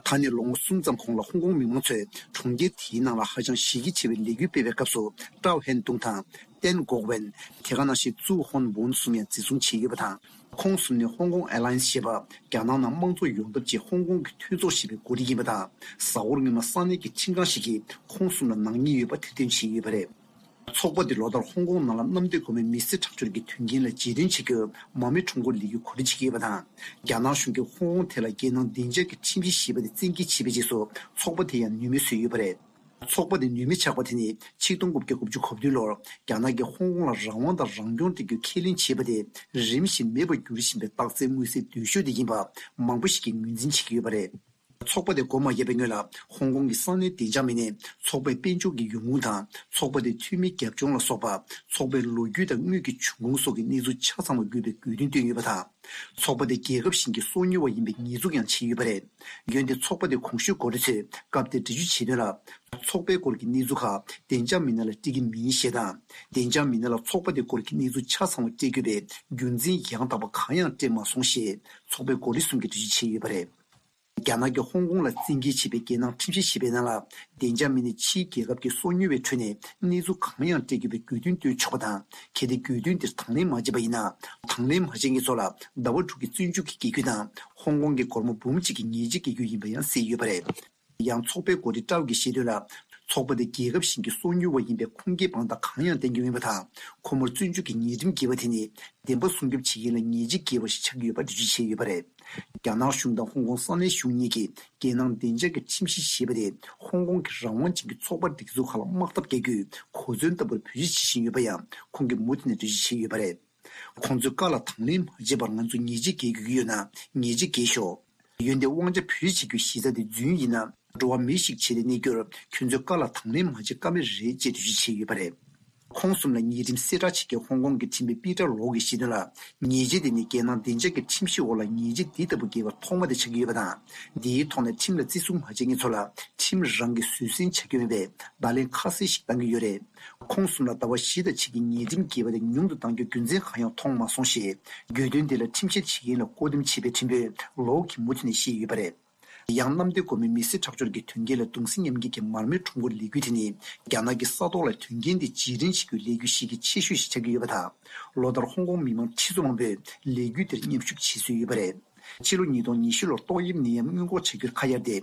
ད་ནས་ལོ་ངོ་གསུམ་ཙམ་གོང་ལ་ཧོང་ཀོང་མི་མང་ཚོས་གྲོང་ཁྱེར་དེའི་ནང་ལ་ཧ་ཅང་ཞི་རྒྱ་ཆེ་བའི་ལས་འགུལ་སྤེལ་བའི་སྐབས་སུ། ཀྲའོ་ཧན་ཏུང་དང་། ཏན་གོག་ཝན། དེ་ག་ནང་བཞིན་ཙུའུ་ཧོན་ཝུན་གསུམ་ཡང་འཛིན་བཟུང་བྱས་ཡོད་པ་དང་། ཁོང་གསུམ་ནི་ཧོང་ཀོང་ཨེ་ལ་ཡན་སི་ཞེས་པ་རྒྱ་ནག་ནང་དམངས་གཙོ་ཡོང་ཐབས་ཆེད་ཧོང་ཀོང་གི་མཐུན་ཚོགས་ཞེས་པའི་འགོ་ཁྲིད་ཡིན་པ་དང་། གཟའ་འཁོར་སྔོན་མ་ས་གནས་ཀྱི་ཁྲིམས་ཁང་ཞིག་གིས་ཁོང་གསུམ་ལ་ནག་ཉེས་ཡོད་པ་ཐེར་འདོན་བྱས་ཡོད་པ་རེད། ཚོགས་པ་འདི་ལོ་ལྟར་ཧོང་ཀོང་ནང་ལ་གནམ་བདེ་སྒོ་མོའི་མི་གསོད་ཁྲག་སྦྱོར་གྱི་དོན་རྐྱེན་ལ་རྗེས་དྲན་བྱེད་རྒྱུར་མ་རྨོས་ཁྲོམ་སྐོར་ལས་འགུལ་གོ་སྒྲིག་བྱེད་ཀྱི་ཡོད་པ་དང་། རྒྱ་ནག་གཞུང་གིས་ཧོང་ཀོང་དེ་ལ་རྒྱལ་ནང་བདེ་འཇགས་ཀྱི་ཁྲིམས་གཞི་ཞེས་པ་དེ་བཙན་འགེལ་བྱས་པའི་རྗེས་སུ་ཚོགས་པ་དེ་ཡང་ནུས་མེད་བཟོས་ཡོད་པ་རེད། ཚོགས་པ་དེ་ནུས་མེད་ཆགས་པ་དེ་ནི་ཆིག་སྟོང་དགུ་བརྒྱ་དགུ་བཅུ་གོ་བདུན་ལོར་རྒྱ་ནག་གིས་ཧོང་ཀོང་ལ་རང་དབང་དང་རང་སྐྱོང་སྤྲད་རྒྱུའི་ཁས་ལེན་བྱས་པ་དེ་རིམ་བཞིན་མེད་པར་འགྱུར་བཞིན་པའི་རྟགས་མཚན་མངོན་གསལ་དོད་ཤོས་དེ་ཡིན་པ་མང་པོ་ཞིག་གིས་ངོས་འཛིན་བྱེད་ཀྱི་ཡོད་པ་རེད། ཚོགས་པ་དེ་འགོ་མ་བརྒྱབ་པའི་སྔོན་ལ། ཧོང་ཀོང་གི་ས་གནས་བདེ་འཇགས་མི་སྣས་ཚོགས་པའི་དཔལ་འབྱོར་གྱི་ཡོང་ཁུངས་དང་། ཚོགས་པ་དེའི་འཐུས་མིའི་རྒྱབ་ལྗོངས་ལ་སོགས་པ། ཚོགས་པའི་ལོ་རྒྱུས་དང་དངུལ་གྱི་འབྱུང་ཁུངས་སོགས་ཀྱི་གནས་ཚུལ་ཆ་ཚང་བ་འགོད་པའི་དགོས་འདུན་བཏོན་ཡོད་པ་དང་། ཚོགས་པ་དེ་རྒྱལ་ཁབ་གཞན་གྱི་སོ་ཉུལ་བ་ཡིན་པའི་ཉེས་འཛུགས་ཀྱང་བྱས་ཡོད་པ་རེད། འོན་ཏེ་ཚོགས་པ་དེའི་གོང་ཞུས་འགོ་ཁྲིད་ཚོས་སྐབས་དེར་འགྲེལ་བརྗོད་བྱས་དོན་ལ། ཚོགས་པའི་སྐོར་གྱི་གནས་ཚུལ་ཁག་བདེ་འཇགས་མི་སྣ་ལ་སྤྲད་ཀྱི་མིན་ཞེས་དང་། བདེ་འཇགས་མི་སྣ་ལ་ཚོགས་པ་དེའི་སྐོར་གྱི་གནས་ཚུལ་ཆ་ཚང་བ་སྤྲད་དགོས་པའི་རྒྱུ་མཚན་ཡང་དག་པ་གང་ཡང་སྤྲད་མ་སོང་ཞེས་ཚོགས་པའི་འགོ་ཁྲིད་གསུམ་གྱིས་འགྲེལ་བརྗོད་བྱས་ཡོད་པ་རེད། རྒྱ་ནག་གིས་ཧོང་ཀོང་ལ་བཙན་འགེལ་བྱས་པའི་རྒྱལ་ནང་ཁྲིམས་གཞི་ཞེས་པའི་ནང་ལ། བདེ་འཇགས་མི་སྣས་ཕྱིའི་རྒྱལ་ཁབ་ཀྱི་སོ་ཉུལ་བའི་ཁྲོད་ནས་གནས་ཚུལ་གང་ཡང་སྤྲད་དགོས་པའི་དགོས་འདུན་བཏོན་ཆོག་པ་དང་། གལ་ཏེ་དགོས་འདུན་དེར་དང་ལེན་མ་བྱས་པ་ཡིན་ན། དང་ལེན་མ་བྱས་མཁན་ཚོ་ལ་ཟླ་བ་དྲུག་གི་བཙོན་འཇུག་གི་རྒྱལ་རྒྱུ་དང་། ཧོང་ཀོང་གི་སྒོར་མོ་འབུམ་གཅིག་གི་ཉེས་ཆད་འགེལ་རྒྱུ་ཡིན་པ་ཡང་གསལ་ཡོད་པ་རེད། ཡང་ཚོགས་པའི་འགོ་ཁྲིད་ཀྲའོ་གིས་བཤད་དོན་ལ། ཚོགས་པ་དེ་རྒྱལ་ཁབ་གཞན་གྱི་སོ་ཉུལ་བ་ཡིན་པའི་ཁུངས་སྐྱེལ་དཔང་རྟགས་གང་ཡང་བསྟན་གྱི་མེད་པ་དང་། ཁོ་མོར་བཙོན་འཇུག་གི་ཉེས་ཁྲིམས་འགེལ་བ་དེ་ནི། བདེན་པ་སྲུང་སྐྱོབ་བྱེད་མཁན་ལ་ཉེས་ཆད་འགེལ་བ་ཞིག་ཆགས་ཀྱི་ཡོད་པ་འགྲེལ་བརྗོད་བྱས་ཡོད་པ་རེད། རྒྱ་ནག་གཞུང་དང་ཧོང་ཀོང་ས་གནས་གཞུང་གཉིས་ཀྱིས་རྒྱལ་ནང་བདེ་འཇགས་ཀྱི་ཁྲིམས་གཞི་ཞེས་པ་དེ་ཧོང་ཀོང་གི་རང་དབང་ཅན་གྱི་ཚོགས་པ་སྒྲིག་འཛུགས་ཁག་ལ་དམག་འཐབ་རྒྱག་རྒྱུའི་གོ་མཚོན་ལྟ་བུར་བེད་སྤྱོད་བྱེད་བཞིན་ཡོད་པ་ཡང་ཁོང་གིས་མུ་མཐུད་ནས་འགྲེལ་བརྗོད་བྱས་ཡོད་པ་རེད། ཁོང་ཚོས་བཀའ་ལ་དང་ལེན་མ་བྱས་པར་ང་ཚོ་ཉེས་ཆད་འགེལ་དགོས་ཀྱི་ཡོད་ན་ཉེས་ཆད་འགེལ་ཤོག་འོན་ཏེ་དབང་ཆ་བེད་སྤྱོད་བྱེད་རྒྱུའི་གཞི་རྩ་དེ་རྫུན་ཡིན་ན། འགྲོ་བ་མི་ཞིག་བྱས་ཏེ་གནས་རྒྱུར་ཁྱོད་ཚོས་བཀའ་ལ་དང་ལེན་མ་བྱེད་ཀ་མེད་རེད་ཅེས་འགྲེལ་བརྗོད་བྱས་ཡོད་པ་རེད། ཁོང་གསུམ་ལ་ཉེས་ཁྲིམས་གསལ་བསྒྲགས་བྱེད་མཁན་ཧོང་ཀོང་གི་ཁྲིམས་དཔོན་པི་ཏར་ལོ་གིས་བཤད་དོན་ལ། ཉེས་ཆད་དེ་ནི་རྒྱལ་ནང་བདེ་འཇགས་ཀྱི་ཁྲིམས་གཞིའི་འོག་ལ་ཉེས་ཆད་འདི་ལྟ་བུ་འགེལ་བ་ཐོག་མ་དེ་ཆགས་ཀྱི་ཡོད་པ་དང་། འདིའི་ཐོག་ནས་ཁྲིམས་ལ་བརྩི་སྲུང་མ་བྱེད་མཁན་ཚོ་ལ་ཁྲིམས་རང་གིས་བཟོད་བསྲན་བྱ་རྒྱུ་མིན་པའི་བརྡ་ལན་ཁ་གསལ་ཞིག་བཏང་གི་ཡོད་རེད། ཁོང་གསུམ་ལ་ཟླ་བ་བཞི་དང་ཕྱེད་ཀྱི་ཉེས་ཁྲིམས་འགེལ་བ་དེ་ཉུང་དུ་གཏང་རྒྱུའི་རྒྱུ་མཚན་གང་ཡང་མཐོང་མ་སོང་ཞེས། དགོས་འདུན་དེ་ལ་ཁྲིམས་བཤེར་བྱེད་མཁན་ལ་བསྐོ་འདེམས་བྱས་པའི་ཁྲིམས་དཔོན་ལོ་གིས་མུ་མཐུད་ནས་བཤད་ཡོད་པ་རེད། ཡང་གནམ་བདེ་སྒོ་མོའི་མི་སེར་ཁྲག་སྦྱོར་གྱི་དོན་རྐྱེན་ལ་གདུང་སེམས་མཉམ་སྐྱེད་ཀྱི་མར་མེ་ཁྲོམ་སྐོར་ལས་འགུལ་དེ་ནི་རྒྱ་ནག་གི་ས་ཐོག་ལ་དོན་རྐྱེན་དེ་རྗེས་དྲན་བྱེད་རྒྱུའི་ལས་འགུལ་ཞིག་གི་ཆེ་ཤོས་ཤིག་ཆགས་ཀྱི་ཡོད་པ་དང་། ལོ་ལྟར་ཧོང་ཀོང་མི་མང་ཁྲི་ཚོ་མང་པོས་ལས་འགུལ་དེར་མཉམ་ཞུགས་བྱེད་སྲོལ་ཡོད་པ་རེད། ཕྱི་ལོ་ཉིས་སྟོང་ཉི་ཤུ་ལོར་ཏོག་དབྱིབས་ནད་ཡམས་སྔོན་འགོག་བྱ་རྒྱུར་ཁ་གཡར་ཏེ།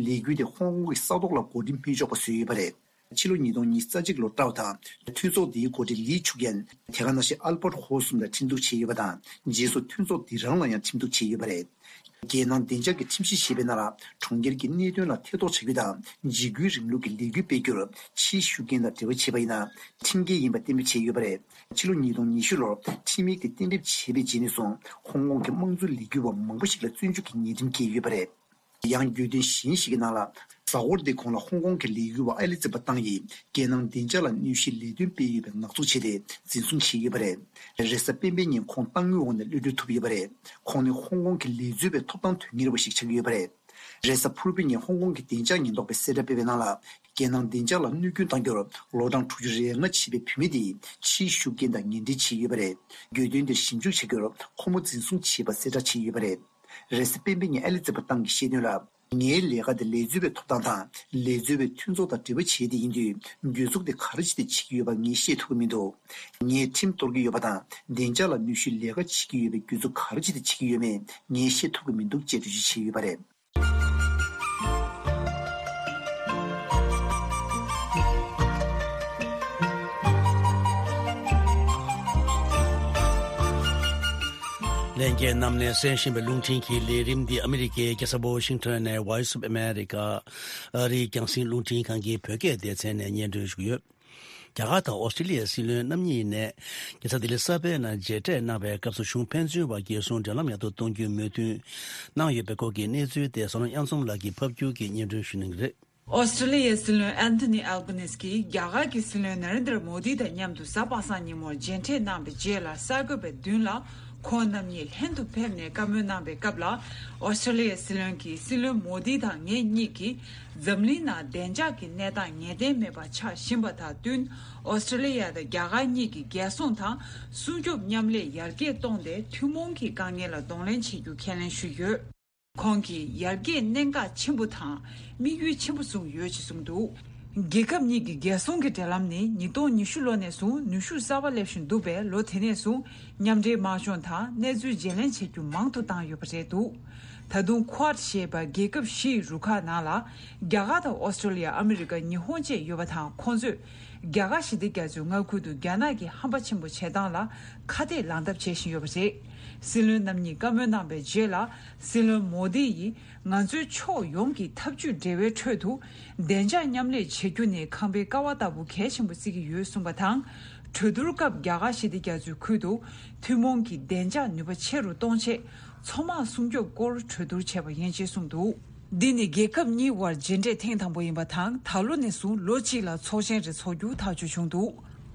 ལས་འགུལ་དེ་ཧོང་ཀོང་གི་ས་ཐོག་ལ་འགོ་འདྲེན་མི་ཆོག་པ་བཟོས་ཡོད་པ་རེད། ཕྱི་ལོ་ཉིས་སྟོང་ཉི་ཤུ་རྩ་གཅིག་ལོར་ཀྲའོ་དང་། འཐུས་ཚོགས་འདིའི་འགོ་ཁྲིད་ལི་ཆུག་ཡན། དེ་ག་ནང་བཞིན་ཨལ་པར་ཧོ་གསུམ་ལ་ཁྲིམས་གཏུག་བྱས་ཡོད་པ་དང་། རྗེས་སུ་འཐུས་ཚོགས་འདི་རང་ལ་ཡང་ཁྲིམས་གཏུག་བྱས་ཡོད་པ་རེད། རྒྱལ་ནང་བདེ་འཇགས་ཀྱི་ཁྲིམས་གཞི་ཞེས་པའི་ནང་ལ། གྲོང་ཁྱེར་གྱི་གནད་དོན་ལ་ཐེ་གཏོགས་བྱ་རྒྱུ་དང་། འཇིགས་སྐུལ་རིང་ལུགས་ཀྱི་ལས་འགུལ་སྤེལ་རྒྱུར་ཕྱིའི་ཤུགས་རྐྱེན་དང་འབྲེལ་བ་བྱས་པ་ཡིན་ན། ཁྲིམས་འགལ་ཡིན་པ་གཏན་འབེབས་བྱས་ཡོད་པ་རེད། ཕྱི་ལོ་ཉིས་སྟོང་ཉི་ཤུ་ལོར་ཁྲིམས་ཡིག་དེ་གཏན་འབེབས་བྱས་པའི་རྗེས་ནས་བཟུང་། ཧོང་ཀོང་གི་དམངས་གཙོའི་ལས་འགུལ་བ་མང་པོ་ཞིག་ལ་བཙོན་འཇུག་གི་ཉེས་ཁྲིམས་བཀལ་ཡོད་པ་རེད། ཡང་། དགོས་འདུན་གཞན་ཞིག་གི་ནང་ལ། གཟའ་འཁོར་འདིའི་གོང་ལ་ཧོང་ཀོང་གི་ལས་འགུལ་བ་ཨེ་ལི་ཙི་པ་ཏང་ཡིས་རྒྱལ་ནང་བདེ་འཇགས་ལ་གནོད་གཞིའི་ལས་དོན་སྤེལ་ཡོད་པའི་ངག་བཙུགས་བྱས་ཏེ་འཛིན་བཟུང་བྱས་ཡོད་པ་རེད། རེས་གཟའ་སྤེན་པའི་ཉིན་ཁོང་གཏང་དངུལ་འོག་ནས་གློད་གྲོལ་ཐུབ་ཡོད་པ་རེད། ཁོང་ནི་ཧོང་ཀོང་གི་ལས་རྩོལ་བའི་ཐོབ་ཐང་དོན་གཉེར་བ་ཞིག་ཆགས་ཀྱི་ཡོད་པ་རེད། རེས་གཟའ་ཕུར་བུའི་ཉིན་ཧོང་ཀོང་གི་བདེ་འཇགས་ཉེན་རྟོག་པས་གསལ་བསྒྲགས་སྤེལ་བའི་ནང་ལ། རྒྱལ་ནང་བདེ་འཇགས་ལ་གནོད་སྐྱོན་གཏང་རྒྱུར་ལོ་གྲངས་དྲུག་ཅུ་རེ་ལྔ་བྱས་པའི་བུད་མེད་དེས་ཕྱིའི་ཤུགས་རྐྱེན་དང་ངན་འབྲེལ་བྱས་ཡོད་པ་རེད། དགོས་འདུན་དེར་ཞིབ་འཇུག་བྱ་རྒྱུར་ཁོ་མོ་འཛིན་བཟུང་བྱས་པ་གསལ་བསྒྲགས་བྱས་ཡོད་པ་རེད། རེས་གཟའ་སྤེན་པའི་ཉིན་ཨེ་ལི་ཙི་པ་ཏང་གིས་བཤད་དོན་ལ། ངའི་ལས་ཀ་དེ་ལས་རྩོལ་བའི་ཐོབ་ཐང་དང་། ལས་རྩོལ་བའི་མཐུན་ཚོགས་དང་འབྲེལ་བ་བྱས་ཏེ་ཡིན་དུས། གྱོད་འཛུགས་དེ་ག་རེ་བྱས་ཏེ་བྱེད་ཀྱི་ཡོད་པ་ངས་ཤེས་ཐུབ་ཀྱི་མི་འདུག་ངས་ཁྲིམས་གཏོར་གྱི་ཡོད་པ་དང་། བདེ་འཇགས་ལ་གནོད་གཞིའི་ལས་ཀ་བྱེད་ཀྱི་ཡོད་པའི་གྱོད་འཛུགས་ག་རེ་བྱས་ཏེ་བྱེད་ཀྱི་ཡོད་མེད་ངས་ཤེས་ཐུབ་ཀྱི་མི་འདུག་ཅེས་འགྲེལ་བརྗོད་བྱས་ཡོད་པ་རེད། ལྷན་རྒྱས་རྣམས་ནས་གསན་བཞིན་པའི་རླུང་འཕྲིན་གྱི་ལས་རིམ་འདི་ཨ་མི་རི་ཀའི་རྒྱལ་ས་ཝོ་ཤིང་ཊོན་ནས་Voice of America ཨ་རིའི་རྒྱང་སྲིང་རླུང་འཕྲིན་ཁང་གི་བོད་སྐད་སྡེ་ཚན་ནས་སྙན་སྒྲོན་ཞུ་གི་ཡོད། རྒྱ་གར་དང་ཨོ་སི་ཀྲི་ལི་ཡའི་སྲིད་བློན་རྣམ་གཉིས་ནས་རྒྱལ་ས་ལྡི་ལི་གསར་པའི་ནང་མཇལ་འཕྲད་གནང་བའི་སྐབས་སུ་གཞུང་ཕན་ཚུན་བར་རྒྱལ་སྲུང་འབྲེལ་ལམ་ཡག་ཏུ་གཏོང་རྒྱུའི་མོས་མཐུན་གནང་ཡོད་པའི་སྐོར་གྱི་གནས་ཚུལ་དེ་ཟུར་སྣོན་གཡང་འཛོམས་ལགས་ཀྱིས་ཕབ་སྒྱུར་གྱིས་སྙན་སྒྲོན་ཞུ་གནང་གི་རེད། ཨོ་སི་ཀྲི་ལི་ཡའི་སྲིད་བློན་ཨན་ཐོ་ནི་ཨལ་བྷ་ནིས་ཀྱིས་རྒྱ་གར་གྱི་སྲིད་བློན་ནཱ་རེན་དྲ་མོ་དི་དང་མཉམ་དུ་གཟའ་པ་སངས་ཉིན་མོར་མཇལ་འཕྲད་གནང་བའི་རྗེས་ལ་གསར་འགོད་པའི་མདུན་ལ། ཁོང་རྣམ་གཉིས་ལྷན་དུ་ཕེབས་ནས་བཀའ་མོལ་གནང་བའི་སྐབས་ལ། ཨོ་སི་ཀྲི་ལི་ཡའི་སྲིད་བློན་གྱིས་སྲིད་བློན་མོ་དི་དང་ངེད་གཉིས་ཀྱིས་འཛམ་གླིང་ནང་བདེ་འཇགས་ཀྱི་གནས་སྟངས་ངེས་གཏན་མེད་པ་ཆགས་བཞིན་པ་དང་བསྟུན། ཨོ་སི་ཀྲི་ལི་ཡ་དང་རྒྱ་གར་གཉིས་ཀྱི་རྒྱལ་སྲུང་དང་སྲུང་སྐྱོབ་མཉམ་ལས་ཡར་རྒྱས་གཏོང་སྟེ་ཐུན་མོང་གི་དཀའ་ངལ་ལ་གདོང་ལེན་བྱེད་རྒྱུ་ཁས་ལེན་ཞུས་ཡོད། ཁོང་གིས་ཡར་རྒྱས་གནད་འགག་ཆེན་པོ་དང་དམིགས་ཡུལ་ཆེན་པོ་བཟུང་ཡོད་ཅེས་གསུངས་འདུག་རྒྱལ་ཁབ་གཉིས་ཀྱི་རྒྱལ་སྲུང་གི་འབྲེལ་ལམ་ནི་ཉིས་སྟོང་ཉི་ཤུ་ལོ་ནས་བཟུང་ནུས་ཤུགས་གསར་པ་སླེབས་བཞིན་འདུག་པས། ལོ་དེ་ནས་བཟུང་མཉམ་འབྲེལ་དམག་སྦྱོང་དང་གནས་ཚུལ་བརྗེ་ལེན་བྱེད་རྒྱུ་མང་དུ་བཏང་ཡོད་པ་རེད་འདུག་ད་དུང་Quad ཞེས་པ་རྒྱལ་ཁབ་བཞིའི་རུ་ཁག་ནང་ལ་རྒྱ་གར་དང་ཨོ་སི་ཀྲི་ལི་ཡ། ཨ་མི་རི་ཀ། ཉི་ཧོང་བཅས་ཡོད་པ་དང་། ཁོང་ཚོས་རྒྱ་གར་ཞི་བདེ་རྒྱ་མཚོའི་མངའ་ཁུལ་དུ་རྒྱ་ནག་གི་ཧམ་པ་ཆེན་པོ་བྱེད་སྟངས་ལ་ཁ་གཏད་ལངས་ཐབས་བྱེད་བཞིན་ཡོད་པ་རེད། སྲིད་བློན་རྣམ་གཉིས་བཀའ་མོལ་གནང་བའི་རྗེས་ལ། སྲིད་བློན་མོ་དི་ཡིས། ང་ཚོའི་ཕྱོགས་ཡོངས་ཀྱི་འཐབ་ཇུས་འབྲེལ་བའི་ཁྲོད་དུ། བདེ་འཇགས་མཉམ་ལས་བྱེད་རྒྱུ་ནི་ཁང་པའི་ཀ་བ་ལྟ་བུ་གལ་ཆེན་པོ་བརྩི་གི་ཡོད་གསུངས་པ་དང་། གྲོས་བསྡུར་སྐབས་རྒྱ་གར་ཞི་བདེ་རྒྱ་མཚོའི་ཁུལ་དུ་ཐུན་མོང་གི་བདེ་འཇགས་ནུས་པ་ཆེ་རུ་གཏོང་ཆེད། མཚོ་དམག་སྲུང་སྐྱོབ་སྐོར་གྲོས་བསྡུར་བྱས་པ་ཡིན་ཅེས་གསུངས་འདུག་འདི་ནི་རྒྱལ་ཁབ་གཉིས་དབར་མཇལ་འཕྲད་ཐེངས་དང་པོ་ཡིན་པ་དང་། ད་ལོ་ནས་བཟུང་ལོ་གཅིག་ལ་ཚོགས་ཆེན་རེ་འཚོགས་རྒྱུ་ཐག་གཅོད་བྱུང་འདུག་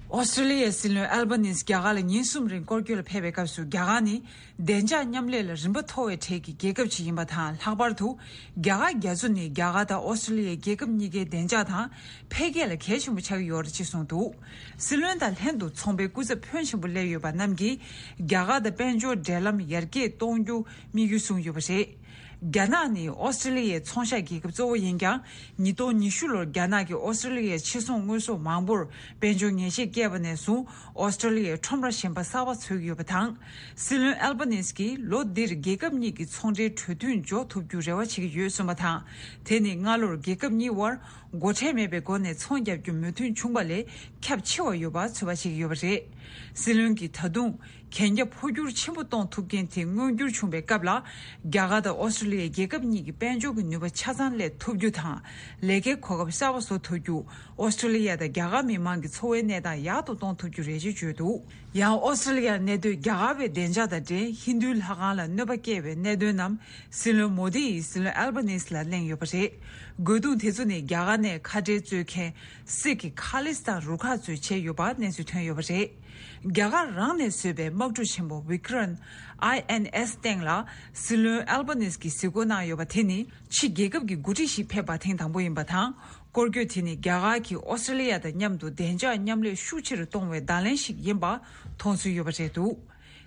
ཨོ་སི་ཀྲི་ལི་ཡའི་སྲིད་བློན་ཨལ་བྷ་ནིས་རྒྱ་གར་ལ་ཉིན་གསུམ་རིང་སྐོར་སྐྱོད་ལ་ཕེབས་པའི་སྐབས་སུ། རྒྱ་གར་ནི་བདེ་འཇགས་མཉམ་ལས་ལ་རིམ་པ་མཐོ་བའི་གྲས་ཀྱི་རྒྱལ་ཁབ་ཅིག་ཡིན་པ་དང་། ལྷག་པར་དུ་རྒྱ་གར་རྒྱ་མཚོ་ནི་རྒྱ་གར་དང་ཨོ་སི་ཀྲི་ལི་ཡའི་རྒྱལ་ཁབ་གཉིས་ཀའི་བདེ་འཇགས་དང་འཕེལ་རྒྱས་ལ་གལ་ཆེན་པོ་ཆགས་ཀྱི་ཡོད་རེད་ཅེས་གསུངས་འདུག་སྲིད་བློན་དང་ལྷན་དུ་ཚོང་པའི་སྐུ་ཚབ་ཕོན་ཆེན་པོ་སླེབས་ཡོད་པ་རྣམས་ཀྱིས་རྒྱ་གར་དང་དཔལ་འབྱོར་འབྲེལ་ལམ་ཡར་རྒྱས་གཏོང་རྒྱུ་དམིགས་ཡུལ་བཟུང་ཡོད་པ་རེད། རྒྱ་ནག་ནི་ཨོ་སི་ཀྲི་ལི་ཡའི་ཚོང་ཤག་རྒྱལ་ཁབ་གཙོ་བོ་ཡིན་ཀྱང་། ཉིས་སྟོང་ཉི་ཤུ་ལོར་རྒྱ་ནག་གིས་ཨོ་སི་ཀྲི་ལི་ཡའི་ཕྱིར་ཚོང་དངོས་ཟོག་མང་པོར་དཔལ་འབྱོར་ཉེས་ཆད་བཀལ་བ་ནས་བཟུང་། ཨོ་སི་ཀྲི་ལི་ཡས་ཁྲོམ་ར་གཞན་པ་གསར་པ་འཚོལ་གྱི་ཡོད་པ་དང་། སྲིད་བློན་ཨལ་བྷ་ནིས་ཀྱིས་ལོ་འདིར་རྒྱལ་ཁབ་གཉིས་ཀྱི་ཚོང་འབྲེལ་གྲོས་མཐུན་འཇོག་ཐུབ་རྒྱུ་རེ་བ་བྱེད་ཀྱི་ཡོད་གསུངས་པ་དང་། དེ་ནི་སྔ་ལོར་རྒྱལ་ཁབ་གཉིས་དབར་སྒོ་ཁྲལ་མེད་པའི་སྒོ་ནས་ཚོང་བརྒྱབ་རྒྱུ་མོས་མཐུན་བྱུང་བ་ལས་ཁྱབ་ཆེ་བ་ཡོད་པ་ཚོད་དཔག་བྱེད་ཀྱི་ཡོད་པ་རེད། སྲིད་བློན་གྱིས་ད་དུང་གན་རྒྱ་འཕོ་འགྱུར་ཆེན་པོ་གཏོང་ཐུབ་མཁན་དེ་མངོན་འགྱུར་བྱུང་བའི་སྐབས་ལ། རྒྱ་གར་དང་ཨོ་སི་ཀྲི་ལི་ཡའི་རྒྱལ་ཁབ་གཉིས་ཀྱི་དཔལ་འབྱོར་གྱི་ནུས་པ་ཆ་ཚང་སླེབས་ཐུབ་རྒྱུ་དང་། ལས་ཀའི་གོ་སྐབས་གསར་པ་བཟོ་ཐུབ་རྒྱུ། ཨོ་སི་ཀྲི་ལི་ཡ་དང་རྒྱ་གར་མི་མང་གི་འཚོ་བའི་གནས་སྟངས་ཡག་ཏུ་གཏོང་ཐུབ་རྒྱུ་རེད་ཅེས་བརྗོད་འདུག་ཡང་ཨོ་སི་ཀྲི་ལི་ཡར་གནས་སྡོད་རྒྱ་གར་བའི་བདེ་འཇགས་དང་འབྲེལ་ཧིན་རྡུའི་ལྷ་ཁང་ལ་གནོད་པ་བསྐྱལ་བའི་གནད་དོན་རྣམས་སྲིད་བློན་མོ་དི་ཡིས་སྲིད་བློན་ཨལ་བྷ་ནིས་ལ་གླེང་ཡོད་པ་རེད། རྒོལ་རྡུང་དེ་ཚོ་ནི་རྒྱ་གར་ནས་ཁ་བྲལ་རྩོད་མཁན་སིག་གི་ཁ་ལི་སི་ཐན་རུ་ཁག་ཚོས་བྱས་ཡོད་པ་གནས་ཚུལ་ཐོན་ཡོད་པ་རེད། རྒྱ་གར་རང་ནས་བཟོས་པའི་དམག་གྲུ་ཆེན་པོ་བི་ཀྲན་ཨའི་ཨེན་ཨེས་སྟེང་ལ་སྲིད་བློན་ཨལ་བྷ་ནིས་ཀྱིས་གཟིགས་སྐོར་གནང་ཡོད་པ་དེ་ནི་ཕྱི་རྒྱལ་ཁབ་ཀྱི་འགོ་ཁྲིད་ཞིག་ཕེབས་པ་ཐེངས་དང་པོ་ཡིན་པ་དང་། སྐོར་སྐྱོད་དེ་ནི་རྒྱ་གར་གྱིས་ཨོ་སི་ཀྲི་ལི་ཡ་དང་མཉམ་དུ་བདེ་འཇགས་མཉམ་ལས་ཤུགས་ཆེ་རུ་གཏོང་བའི་བརྡ་ལན་ཞིག་ཡིན་པ་མཐོང་ཚུལ་ཡོད་པ་རེད་འདུག་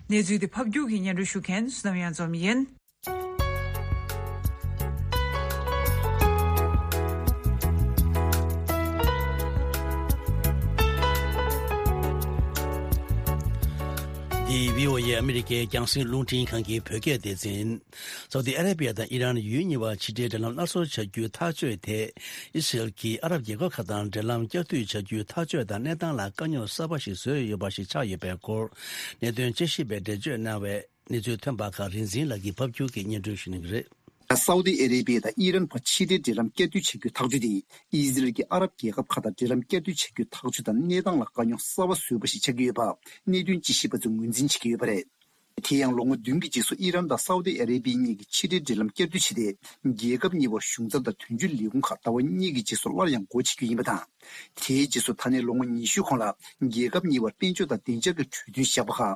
གནས་ཚུལ་དེ་ཕབ་སྒྱུར་གྱིས་སྙན་སྒྲོན་ཞུ་མཁན་བསོད་ནམས་གཡང་འཛོམས་ཡིན། འདི་བྷི་ཨོ་ཨེ་ཨ་མི་རི་ཀའི་རྒྱང་སྲིང་རླུང་འཕྲིན་ཁང་གི་བོད་སྐད་སྡེ་ཚན། སའུ་ཏི་ཨ་ར་པི་ཡ་དང་ཨི་རན་ཡུལ་གཉིས་བར་ཕྱི་འབྲེལ་འབྲེལ་ལམ་སླར་གསོ་བྱ་རྒྱུའི་ཐག་གཅོད་དེ། ཨི་སི་རེལ་གྱིས་ཨ་རབ་རྒྱལ་ཁབ་ཁག་དང་འབྲེལ་ལམ་བསྐྱར་མཐུད་བྱ་རྒྱུའི་ཐག་གཅོད་དང་གནས་སྟངས་ལ་དཀའ་རྙོག་གསར་པ་ཞིག་བཟོས་ཡོད་པ་ཞིག་ཆགས་ཡོད་པའི་སྐོར། གནད་དོན་དཔྱད་ཞིབ་པས་འགྲེལ་བརྗོད་གནང་བའི་གནས་ཚུལ་ཐོན་པ་ཁག་རིག་འཛིན་ལགས་ཀྱིས་ཕབ་སྒྱུར་གྱིས་སྙན་སྒྲོན་ཞུ་གནང་གི་རེད། སའུ་ཏི་ཨ་རེ་བི་ཡ་དང་ཨི་རན་བར་ཕྱི་འབྲེལ་འབྲེལ་ལམ་བསྐྱར་མཐུད་བྱ་རྒྱུའི་ཐག་གཅོད་དེ། ཨི་ཟི་རལ་གྱིས་ཨ་རབ་རྒྱལ་ཁབ་ཁག་དང་འབྲེལ་ལམ་བསྐྱར་མཐུད་བྱ་རྒྱུའི་ཐག་གཅོད་དང་གནས་སྟངས་ལ་དཀའ་རྙོག་གསར་པ་བཟོས་པ་ཞིག་ཆགས་ཀྱི་ཡོད་པ་གནད་དོན་དཔྱད་ཞིབ་པ་ཚོས་ངོས་འཛིན་བྱེད་ཀྱི་ཡོད་པ་རེད། དེ་ཡང་ལོ་ངོ་བདུན་གྱི་རྗེས་སུ་ཨི་རན་དང་སའུ་ཏི་ཨ་རེ་བི་ཡའི་གཉིས་ཀྱིས་ཕྱི་འབྲེལ་འབྲེལ་ལམ་བསྐྱར་མཐུད་བྱས་ཏེ། རྒྱལ་ཁབ་གཉིས་བར་གཞུང་ཚབ་དང་དོན་གཅོད་ལས་ཁུངས་ཁག་ཟླ་བ་གཉིས་ཀྱི་རྗེས་སུ་སླར་ཡང་སྒོ་ཕྱེ་རྒྱུ་ཡིན་པ་དང་། དེའི་རྗེས་སུ་ད་ནས་ལོ་ངོ་ཉི་ཤུ་གོང་ལ་རྒྱལ་ཁབ་གཉིས་བར་དཔལ་འབྱོར་དང་བདེ་འཇགས་ཀྱི་གྲོས་མཐུན་བཞག་པ་ཁག་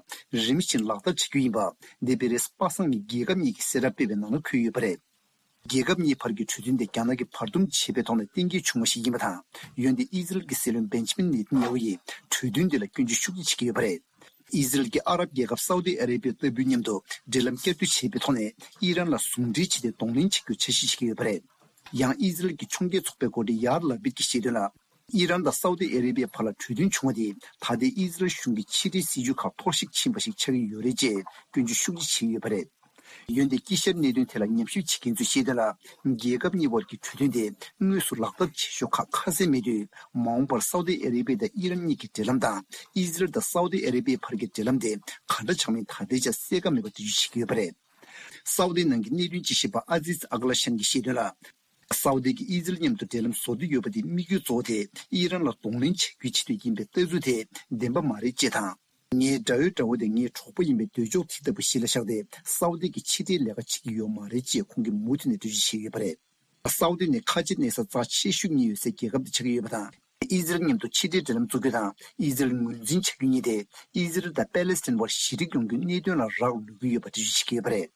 རིམ་བཞིན་ལག་བསྟར་བྱེད་རྒྱུ་ཡིན་པ། འདི་པེ་རེ་སི་པ་སངས་ཀྱི་རྒྱལ་ཁབ་གཉིས་ཀྱིས་གསལ་བསྒྲགས་སྤེལ་བའི་ནང་ལ་འཁོད་ཡོད་པ་རེད། རྒྱལ་ཁབ་གཉིས་བར་གྱི་གྲོས་མཐུན་དེ་རྒྱ་ནག་གིས་བར་འདུམ་བྱས་པའི་ཐོག་ནས་གཏན་འཁེལ་བྱུང་བ་ཞིག་ཡིན་པ་དང་། འོན་ཏེ་ཨི་ཟི་རལ་གྱི་སྲིད་བློན་བེན་ཇི་མིན་ནེ་ཏན་ཡ་ཧུ་ཡིས་གྲོས་མཐུན་དེ་ལ་སྐྱོན་བརྗོད་ཤུགས་ཆེ་བྱེད་ཀྱི་ཡོད་པ་རེད། ཨི་ཟི་རལ་གྱིས་ཨ་རབ་རྒྱལ་ཁབ་སའུ་ཏི་ཨ་རེ་བི་ཡ་ལྟ་བུའི་མཉམ་དུ་འབྲེལ་ལམ་བསྐྱར་མཐུད་བྱས་པའི་ཐོག་ནས་ཨི་རན་ལ་ཟུང་འབྲེལ་བྱས་ཏེ་གདོང་ལེན་བྱེད་རྒྱུར་འཆར་གཞི་བྱེད་ཀྱི་ཡོད་པ་རེད། ཡང་ཨི་ཟི་རལ་གྱི་ཕྱོགས་འགལ་ཚོགས་པའི་འགོ་ཁྲིད་ཡཱར་ལ་པིད་ཀྱིས་བཤད་དོན་ལ། ཨི་རན་དང་སའུ་ཏི་ཨ་རེ་བི་ཡའི་བར་ལ་གྲོས་མཐུན་བྱུང་བ་དེ་ད་ལྟའི་ཨི་ཟི་རལ་གཞུང་གི་ཕྱི་འབྲེལ་སྲིད་ཇུས་ཁག་འཐོར་ཞིག་ཕྱིན་པ་ཞིག་ཆགས་ཀྱི་ཡོད་རེད་ཅེས་སྐྱོན་བརྗོད་ཤུགས་ཆེ་བྱས་ཡོད་པ་རེད། འོན་ཏེ་དཀྱིལ་ཤར་གནད་དོན་ཐད་ལ་ཉམས་ཞིབ་བྱེད་མཁན་ཚོས་བཤད་དོན་ལ། རྒྱལ་ཁབ་གཉིས་བར་གྱི་གྲོས་མཐུན་དེ་དངོས་སུ་ལག་བསྟར་བྱེད་ཕྱོགས་ཁག་ཁ་གསལ་མེད་དུས། མ་འོངས་པར་སའུ་ཏི་ཨ་རེ་བི་ཡ་དང་ཨི་རན་གཉིས་ཀྱི་འབྲེལ་ལམ་དང་། ཨི་ཟི་རལ་དང་སའུ་ཏི་ཨ་རེ་བི་ཡའི་བར་གྱི་འབྲེལ་ལམ་དེ་ག་འདྲ་ཆགས་མིན་ད་ལྟའི་ཆར་གསལ་ཁ་མེད་པ་འགྲེལ་བརྗོད་བྱེད་ཀྱི་ཡོད་པ་རེད། སའུ་ཏི་ནང་གི་གནད་དོན་དཔྱད་ཞིབ་པ་ཨ་ཛིཛ་ཨག་ལ་ཤན་གྱིས་བཤད་དོན་ལ། སའུ་ཏི་གིས་ཨི་ཟི་རལ་མཉམ་དུ་འབྲེལ་ལམ་བཟོ་འདོད་ཡོད་པ་དེ་དམིགས་ཡུལ་གཙོ་བོ་དེ་ཨི་རན་ལ་གདོང་ལེན་བྱ་རྒྱུའི་ཆེད་དུ་ཡིན་པའི་ལྟ་ཚུལ་དེ་བདེན་པ་མ་རེད་ཅེས་དང་། ངའི་དགྲ་བོའི་དགྲ་བོ་དེ་ངའི་གྲོགས་པོ་ཡིན་པའི་འདོད་ཕྱོགས་དེ་ལྟ་བུ་གཞི་ལ་བཞག་སྟེ། སའུ་ཏི་གིས་ཕྱི་འབྲེལ་ལས་ཀ་བྱེད་ཀྱི་ཡོད་མ་རེད་ཅེས་ཁོང་གིས་མུ་མཐུད་ནས་འགྲེལ་བརྗོད་བྱས་ཡོད་པ་རེད། སའུ་ཏི་ནི་ཁ་ཆེ་གནས་ས་རྩ་ཆེ་ཤོས་གཉིས་ཡོད་སའི་རྒྱལ་ཁབ་དེ་ཆགས་ཀྱི་ཡོད་པ་དང་། ཨི་ཟི་རལ་མཉམ་དུ་ཕྱི་འབྲེལ་འབྲེལ་ལམ་བཙུགས་རྒྱུ་དང་། ཨི་ཟི་རལ་ངོས་འཛིན་བྱ་རྒྱུ་གཉིས་དེ། ཨི་ཟི་རལ་དང་པེ་ལེ་སི་ཐན་བར་ཞི་འགྲིག་ཡོང་རྒྱུའི་གནད་དོན་ལ་རག་ལུས་ཀྱི་ཡོད་པ་འགྲེལ་བརྗོད་བྱེད་ཀྱི་ཡོད་པ་རེད།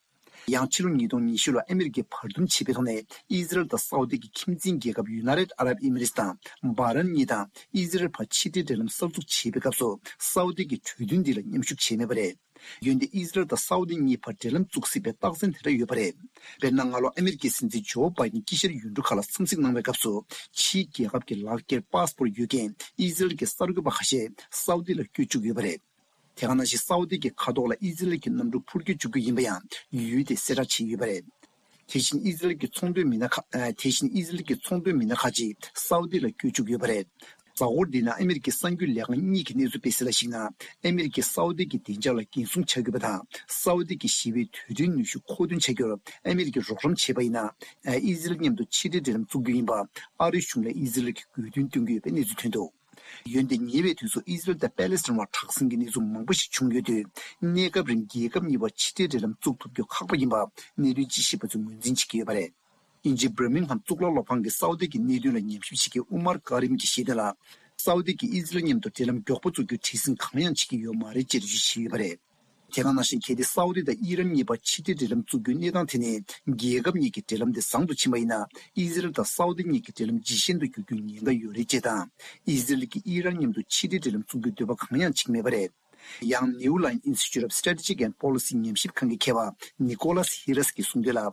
ཡང་ཕྱི་ལོ་ཉིས་སྟོང་ཉི་ཤུ་ལོར་ཨ་མི་རི་ཀས་བར་འདུམ་བྱས་པའི་ཐོག་ནས། ཨི་ཟི་རལ་དང་སའུ་ཏི་གི་ཁྱིམ་མཚེས་རྒྱལ་ཁབ་ཡུ་ནའི་ཊེཌ་ཨ་རབ་ཨི་མི་རེ་ཊི་དང་། བྷ་རན་གཉིས་དང་ཨི་ཟི་རལ་བར་ཕྱི་འབྲེལ་འབྲེལ་ལམ་གསར་འཛུགས་བྱེད་པའི་སྐབས་སུ། སའུ་ཏི་གིས་གྲོས་མཐུན་འདི་ལ་མཉམ་ཞུགས་བྱས་མེད་པ་རེད། འོན་ཏེ་ཨི་ཟི་རལ་དང་སའུ་ཏི་གཉིས་བར་འབྲེལ་ལམ་བཙུགས་སྲིད་པའི་རྟགས་མཚན་དེ་འདྲ་ཡོད་པ་རེད། དཔེར་ན། སྔ་ལོ་ཨ་མི་རི་ཀའི་སྲིད་འཛིན་ཇོ་བྷའི་ཏིན་དཀྱིལ་ཤར་ཡུལ་གྲུ་ཁག་ལ་འཚམས་གཟིགས་གནང་བའི་སྐབས་སུ། ཕྱིའི་རྒྱལ་ཁབ་ཀྱི་ལག་འཁྱེར་པཱ་སི་པོར་ཡོད་མཁན་ཨི་ཟི་རལ་གྱི་གསར་འགོད་པ་ཁ་ཤས་སའུ་ཏི་ལ་བསྐྱོད་བཅུག་ཡོད་པ་རེད། དེ་ག་ནང་བཞིན་སའུ་ཏི་གི་མཁའ་ཐོག་ལ་ཨི་ཟི་རལ་གྱི་གནམ་གྲུ་འཕུར་སྐྱོད་བཅུག་རྒྱུ་ཡིན་པ་ཡང་ཡུལ་དེས་གསལ་བསྒྲགས་བྱས་ཡོད་པ་རེད། དེ་བཞིན་ཨི་ཟི་རལ་གྱི་ཚོང་དོན་མི་སྣ་ཁག་ཨ། དེ་བཞིན་ཨི་ཟི་རལ་གྱི་ཚོང་དོན་མི་སྣ་ཁག་ཅིག་སའུ་ཏི་ལ་བསྐྱོད་བཅུག་ཡོད་པ་རེད། གཟའ་འཁོར་འདིའི་ནང་ཨ་མི་རི་ཀའི་གསར་འགོད་ལས་ཁང་གཉིས་ཀྱིས་གནས་ཚུལ་སྤེལ་གསལ་ལ་གཞིགས་ན། ཨ་མི་རི་ཀས་སའུ་ཏི་གི་བདེ་འཇགས་ལ་འགན་སྲུང་བྱ་དགོས་པ་དང་། སའུ་ཏི་གིས་ཞི་བའི་དུས་མཐུན་ནུས་ཤུགས་མཁོ་འདོན་བྱ་རྒྱུར་ཨ་མི་རི་ཀས་རོགས་རམ་བྱས་པ་ཡིན་ན། ཨ། ཨི་ཟི་རལ་མཉམ་དུ་ཕྱི་འབྲེལ་འབྲེལ་ལམ་བཙུགས་རྒྱུ་ཡིན་པ་ཨ་རིའི་གཞུང་ལ་ཨི་ཟི་རལ་གྱིས་དགོས་འདུན་བཏོན་གྱི་ཡོད་པའི་གནས་ཚུལ་ཐོན་འདུག་འོན་ཏེ་ཉེ་བའི་དུས་སུ་ཨི་ཟི་རལ་དང་པེ་ལེ་སི་ཐན་བར་དྲག་ཟིང་གི་གནས་ཚུལ་མང་པོ་ཞིག་བྱུང་ཡོད་དུས། གནས་སྐབས་རིང་རྒྱལ་ཁབ་གཉིས་བར་ཕྱི་འབྲེལ་འབྲེལ་ལམ་བཙུགས་ཐུབ་རྒྱུ་ཁག་པོ་ཡིན་པ་གནད་དོན་དཔྱད་ཞིབ་པ་ཚོས་ངོས་འཛིན་བྱེད་ཀྱི་ཡོད་པ་རེད། དབྱིན་ཇིའི་བྷར་མིང་ཧམ་གཙུག་ལག་སློབ་ཁང་གིས་སའུ་དི་གི་གནད་དོན་ལ་ཉམས་ཞིབ་བྱེད་མཁན་ཨུ་མར་ཀ་རིམ་གྱིས་བཤད་དོན་ལ། སའུ་དི་གིས་ཨི་ཟི་རལ་མཉམ་དུ་འབྲེལ་ལམ་མགྱོགས་པོ་བཙུགས་རྒྱུའི་བྲེལ་ཟིང་གང་ཡང་བྱེད་ཀྱི་ཡོད་མ་རེད་ཅེས་འགྲེལ་བརྗོད་བྱས་ཡོད་པ་རེད། དེ་ག་ནང་བཞིན་གལ་ཏེ་སའུ་དི་དང་ཨི་རན་གཉིས་བར་ཕྱི་འབྲེལ་འབྲེལ་ལམ་བཙུགས་རྒྱུའི་གནས་སྟངས་དེ་ནི་རྒྱལ་ཁབ་གཉིས་ཀྱི་འབྲེལ་ལམ་དེ་བཟང་དུ་ཕྱིན་པ་ཡིན་ན། ཨི་ཟི་རལ་དང་སའུ་དི་གཉིས་ཀྱི་འབྲེལ་ལམ་ཇེ་ཞན་དུ་འགྱུར་རྒྱུའི་ཉེན་ཁ་ཡོད་རེད་ཅེས་དང་། ཨི་ཟི་རལ་གྱིས་ཨི་རན་མཉམ་དུ་ཕྱི་འབྲེལ་འབྲེལ་ལམ་བཙུགས་རྒྱུའི་འདོད་པ་གང་ཡང་བྱེད་ཀྱི་མེད་པ་རེད། ཡང་New Line Institute of Strategic and Policy ཉམས་ཞིབ་ཁང་གི་མཁས་པ་Nicholas Hirous གིས་གསུངས་དོན་ལ།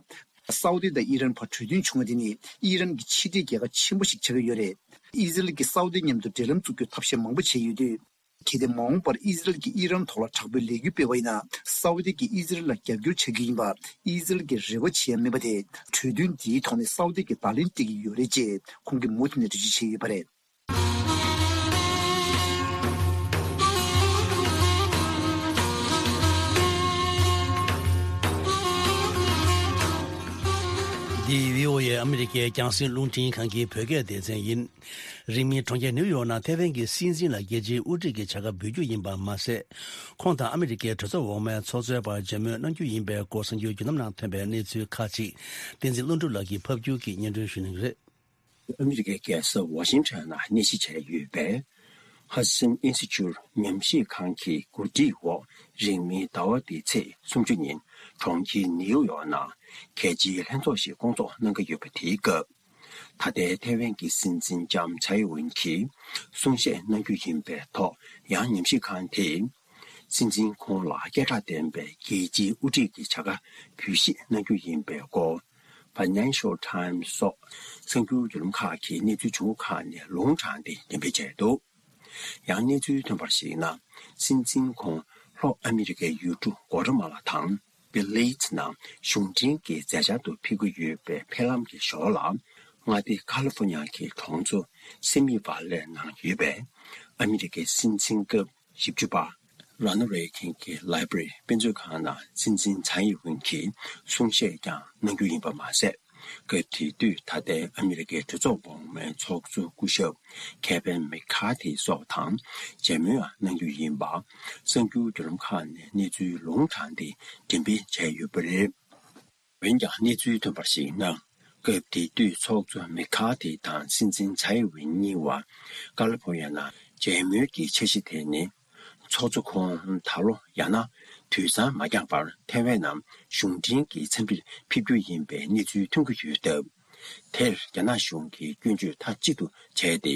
སའུ་དི་དང་ཨི་རན་བར་གྲོས་མཐུན་བྱུང་བ་དེ་ནི་ཨི་རན་གྱི་ཕྱི་འབྲེལ་རྒྱལ་ཁ་ཆེན་པོ་ཞིག་ཆགས་ཀྱི་ཡོད་རེད། ཨི་ཟི་རལ་གྱིས་སའུ་དི་མཉམ་དུ་འབྲེལ་ལམ་བཙུགས་རྒྱུའི་ཐབས་ཤེས་མང་པོ་བྱས་ཡོད་དུས། གལ་ཏེ་མ་འོངས་པར་ཨི་ཟི་རལ་གྱིས་ཨི་རན་ཐོག་ལ་དྲག་པོའི་ལས་འགུལ་སྤེལ་བ་ཡིན་ན། སའུ་དི་གིས་ཨི་ཟི་རལ་ལ་རྒྱབ་སྐྱོར་བྱ་རྒྱུ་ཡིན་པ་ཨི་ཟི་རལ་གྱིས་རེ་བ་བྱེད་ཡ་མིན་པ་དེ། གྲོས་མཐུན་འདིའི་ཐོག་ནས་སའུ་དི་གིས་བརྡ་ལན་སྤྲད་ཀྱི་ཡོད་རེད་ཅེས་ཁོང་གིས་མུ་མཐུད་ནས་འགྲེལ་བརྗོད་བྱས་ཡོད་པ་རེད། འདི་བྷི་ཨོ་ཨེ་ཨ་མི་རི་ཀའི་རྒྱང་སྲིང་རླུང་འཕྲིན་ཁང་གི་བོད་སྐད་སྡེ་ཚན་ཡིན། རིང་མིན་གྲོང་ཁྱེར་ནིའུ་ཡོག་ནང་ཐའེ་ཝན་གྱི་སྲིད་འཛིན་ལ་རྒྱལ་སྤྱིའི་དབུ་ཁྲིད་ཀྱི་བྱ་དགའ་འབུལ་རྒྱུ་ཡིན་པ་མ་ཟད། ཁོང་དང་ཨ་མི་རི་ཀའི་གྲོས་ཚོགས་འོག་མའི་ཚོགས་གཙོའི་བར་མཇལ་མོལ་གནང་རྒྱུ་ཡིན་པའི་སྐོར་གསར་འགྱུར་བརྒྱུད་ལམ་ནང་ཐོན་པའི་གནས་ཚུལ་ཁག་ཅིག་བསྟན་འཛིན་ཀླུ་སྒྲུབ་ལགས་ཀྱིས་ཕབ་སྒྱུར་གྱིས་སྙན་སྒྲོན་ཞུ་གནང་གི་རེད། ཨ་མི་རི་ཀའི་རྒྱལ་ས་ཝ་ཤིང་ཊོན་ནང་གནས་གཞི་བྱས་ཡོད་པའི་Hudson Institute ཉམས་ཞིབ་ཁང་གི་གོ་སྒྲིག་འོག་རིང་མིན་ཟླ་བ་འདིའི་ཚེས་སུམ་ཅུ་ཉིན་གྲོང་ཁྱེར་ནིའུ་ཡོག་ནང་གལ་ཆེའི་ལྷན་ཚོགས་ཤིག་སྐོང་ཚོགས་གནང་གི་ཡོད་པ་དེའི་སྐབས། ད་ལྟའི་ཐའེ་ཝན་གྱི་སྲིད་འཛིན་ལྕམ་ཚའེ་ཝེན་གྱིས་གསུང་བཤད་གནང་རྒྱུ་ཡིན་པའི་ཐོག་ཡང་ཉམས་ཞིབ་ཁང་དེས། སྲིད་འཛིན་ཁོང་ལ་སྐད་གྲགས་ལྡན་པའི་རྒྱལ་སྤྱིའི་དབུ་ཁྲིད་ཀྱི་བྱ་དགའ་འབུལ་བཞེས་གནང་རྒྱུ་ཡིན་པའི་སྐོར། Financial Times སོགས་གསར་འགྱུར་བརྒྱུད་ལམ་ཁག་གིས་གནས་ཚུལ་བྱུང་བ་ཁག་ནས་ལུང་དྲངས་ཏེ་འགྲེམས་སྤེལ་བྱས་འདུག་ཡང་གནས་ཚུལ་ཐོན་པར་གཞིགས་ན། སྲིད་འཛིན་ཁོང་ལྷོ་ཨ་མི་རི་ཀའི་ཡུལ་གྲུ་གོ་ཏ་མ་ལ་དང་བེ་ལི་ཛི་ནང་གཞུང་འབྲེལ་གྱི་མཛད་འཆར་དུ་ཕེབས་ཀྱི་ཡོད་པའི་ཕེབས་ལམ་གྱི་ཞོར་ལ། མངའ་སྡེ་ཀ་ལི་ཧྥོ་ནི་ཡ་གི་གྲོང་ཚོ་སེ་མི་ཝ་ལེ་ནང་ཡོད་པའི་ཨ་མི་རི་ཀའི་སྲིད་འཛིན་སྐབས་བཞི་བཅུ་པ་རོ་ན་རེ་གན་གྱི་ལའི་བྷ་རི་དཔེ་མཛོད་ཁང་ནང་སྲིད་འཛིན་ཚའེ་ཝེན་གྱིས་གསུང་བཤད་ཀྱང་གནང་རྒྱུ་ཡིན་པ་མ་ཟད། སྐབས་དེ་དུས་ད་ལྟའི་ཨ་མི་རི་ཀའི་གྲོས་ཚོགས་འོག་མའི་ཚོགས་གཙོ་སྐུ་ཞབས་ཁེ་ཝིན་མེག་ཁ་ཐི་སོགས་དང་མཇལ་མོལ་ཡང་གནང་རྒྱུ་ཡིན་པ་གསར་འགྱུར་བརྒྱུད་ལམ་ཁག་ནས་གནས་ཚུལ་ལུང་དྲངས་ཏེ་འགྲེམས་སྤེལ་བྱས་ཡོད་པ་རེད། འོན་ཀྱང་གནས་ཚུལ་ཐོན་པར་གཞིགས་ན། སྐབས་དེ་དུས་ཚོགས་གཙོ་མེག་ཁ་ཐི་དང་སྲིད་འཛིན་ཚའེ་ཝེན་གཉིས་བར་ཀ་ལི་ཧྥོ་ནི་ཡ་ནང་མཇལ་མོལ་གྱི་འཆར་གཞི་དེ་ནི། ཚོགས་གཙོ་ཁོང་ད་ལོ་ཡང་ན་དུས་སང་མ་འགྱངས་པར་ཐའེ་ཝན་ནང་གཞུང་འབྲེལ་གྱི་འཚམས་འདྲིར་ཕེབས་རྒྱུ་ཡིན་པའི་གནས་ཚུལ་ཐོན་གྱི་ཡོད་སྟབས། དེར་རྒྱ་ནག་གཞུང་གིས་སྐྱོན་བརྗོད་མཐའ་གཅིག་ཏུ་བྱས་ཏེ། དེ་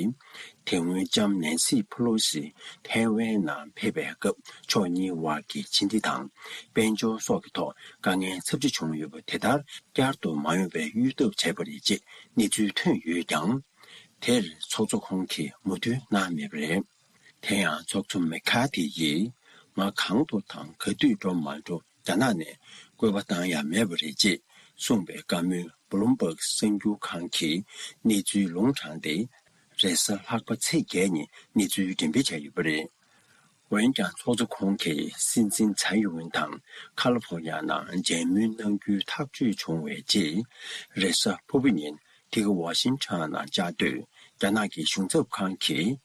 སྔོན་ལྕམ་ནན་སི་ཕུ་ལོ་སི་ཐའེ་ཝན་ནང་ཕེབས་པའི་སྐབས་ཕྱོགས་གཉིས་བར་གྱི་ཕྱི་འབྲེལ་དང་དཔལ་འབྱོར་སོགས་ཀྱི་ཐོག་དཀའ་ངལ་ཚབས་ཆེ་བྱུང་ཡོད་པ་དེ་ལྟར་བསྐྱར་དུ་མ་ཡོང་བའི་གཡོལ་ཐབས་བྱས་པ་རེད་ཅེས་གནས་ཚུལ་ཐོན་ཡོད་ཀྱང་། དེར་ཚོགས་གཙོ་ཁོང་གིས་མོས་མཐུན་གནང་མེད་པ་རེད། དེ་ཡང་ཚོགས་གཙོ་མེག་ཁ་ཐི་ཡིས་ང་གང་དུ་དང་ག་དུས་འགྲོ་མ་འགྲོ་རྒྱ་ནག་ནས་བསྐུལ་བ་བཏང་ཡ་མེད་པ་རེད་ཅེས་གསུངས་པའི་བཀའ་མོལ་བྷུ་ལུམ་བྷག་གསར་འགྱུར་ཁང་གིས་གནས་ཚུལ་ལུང་དྲངས་ཏེ། རེས་གཟའ་ལྷག་པ་ཚེས་བརྒྱད་ཉིན་གནས་ཚུལ་འགྲེམས་སྤེལ་བྱས་ཡོད་པ་རེད། འོན་ཀྱང་ཚོགས་གཙོ་ཁོང་གིས་སྲིད་འཛིན་ཚའེ་ཝེན་དང་ཀ་ལི་ཧྥོ་ནི་ཡ་ནང་མཇལ་མོལ་གནང་རྒྱུའི་ཐག་གཅོད་བྱུང་བའི་རྗེས། རེས་གཟའ་ཕུར་བུ་ཉིན་དེ་ག་ཝ་ཤིང་ཊོན་ནང་བཅའ་སྡོད་རྒྱ་ནག་གི་གཞུང་ཚབ་ཁང་གིས།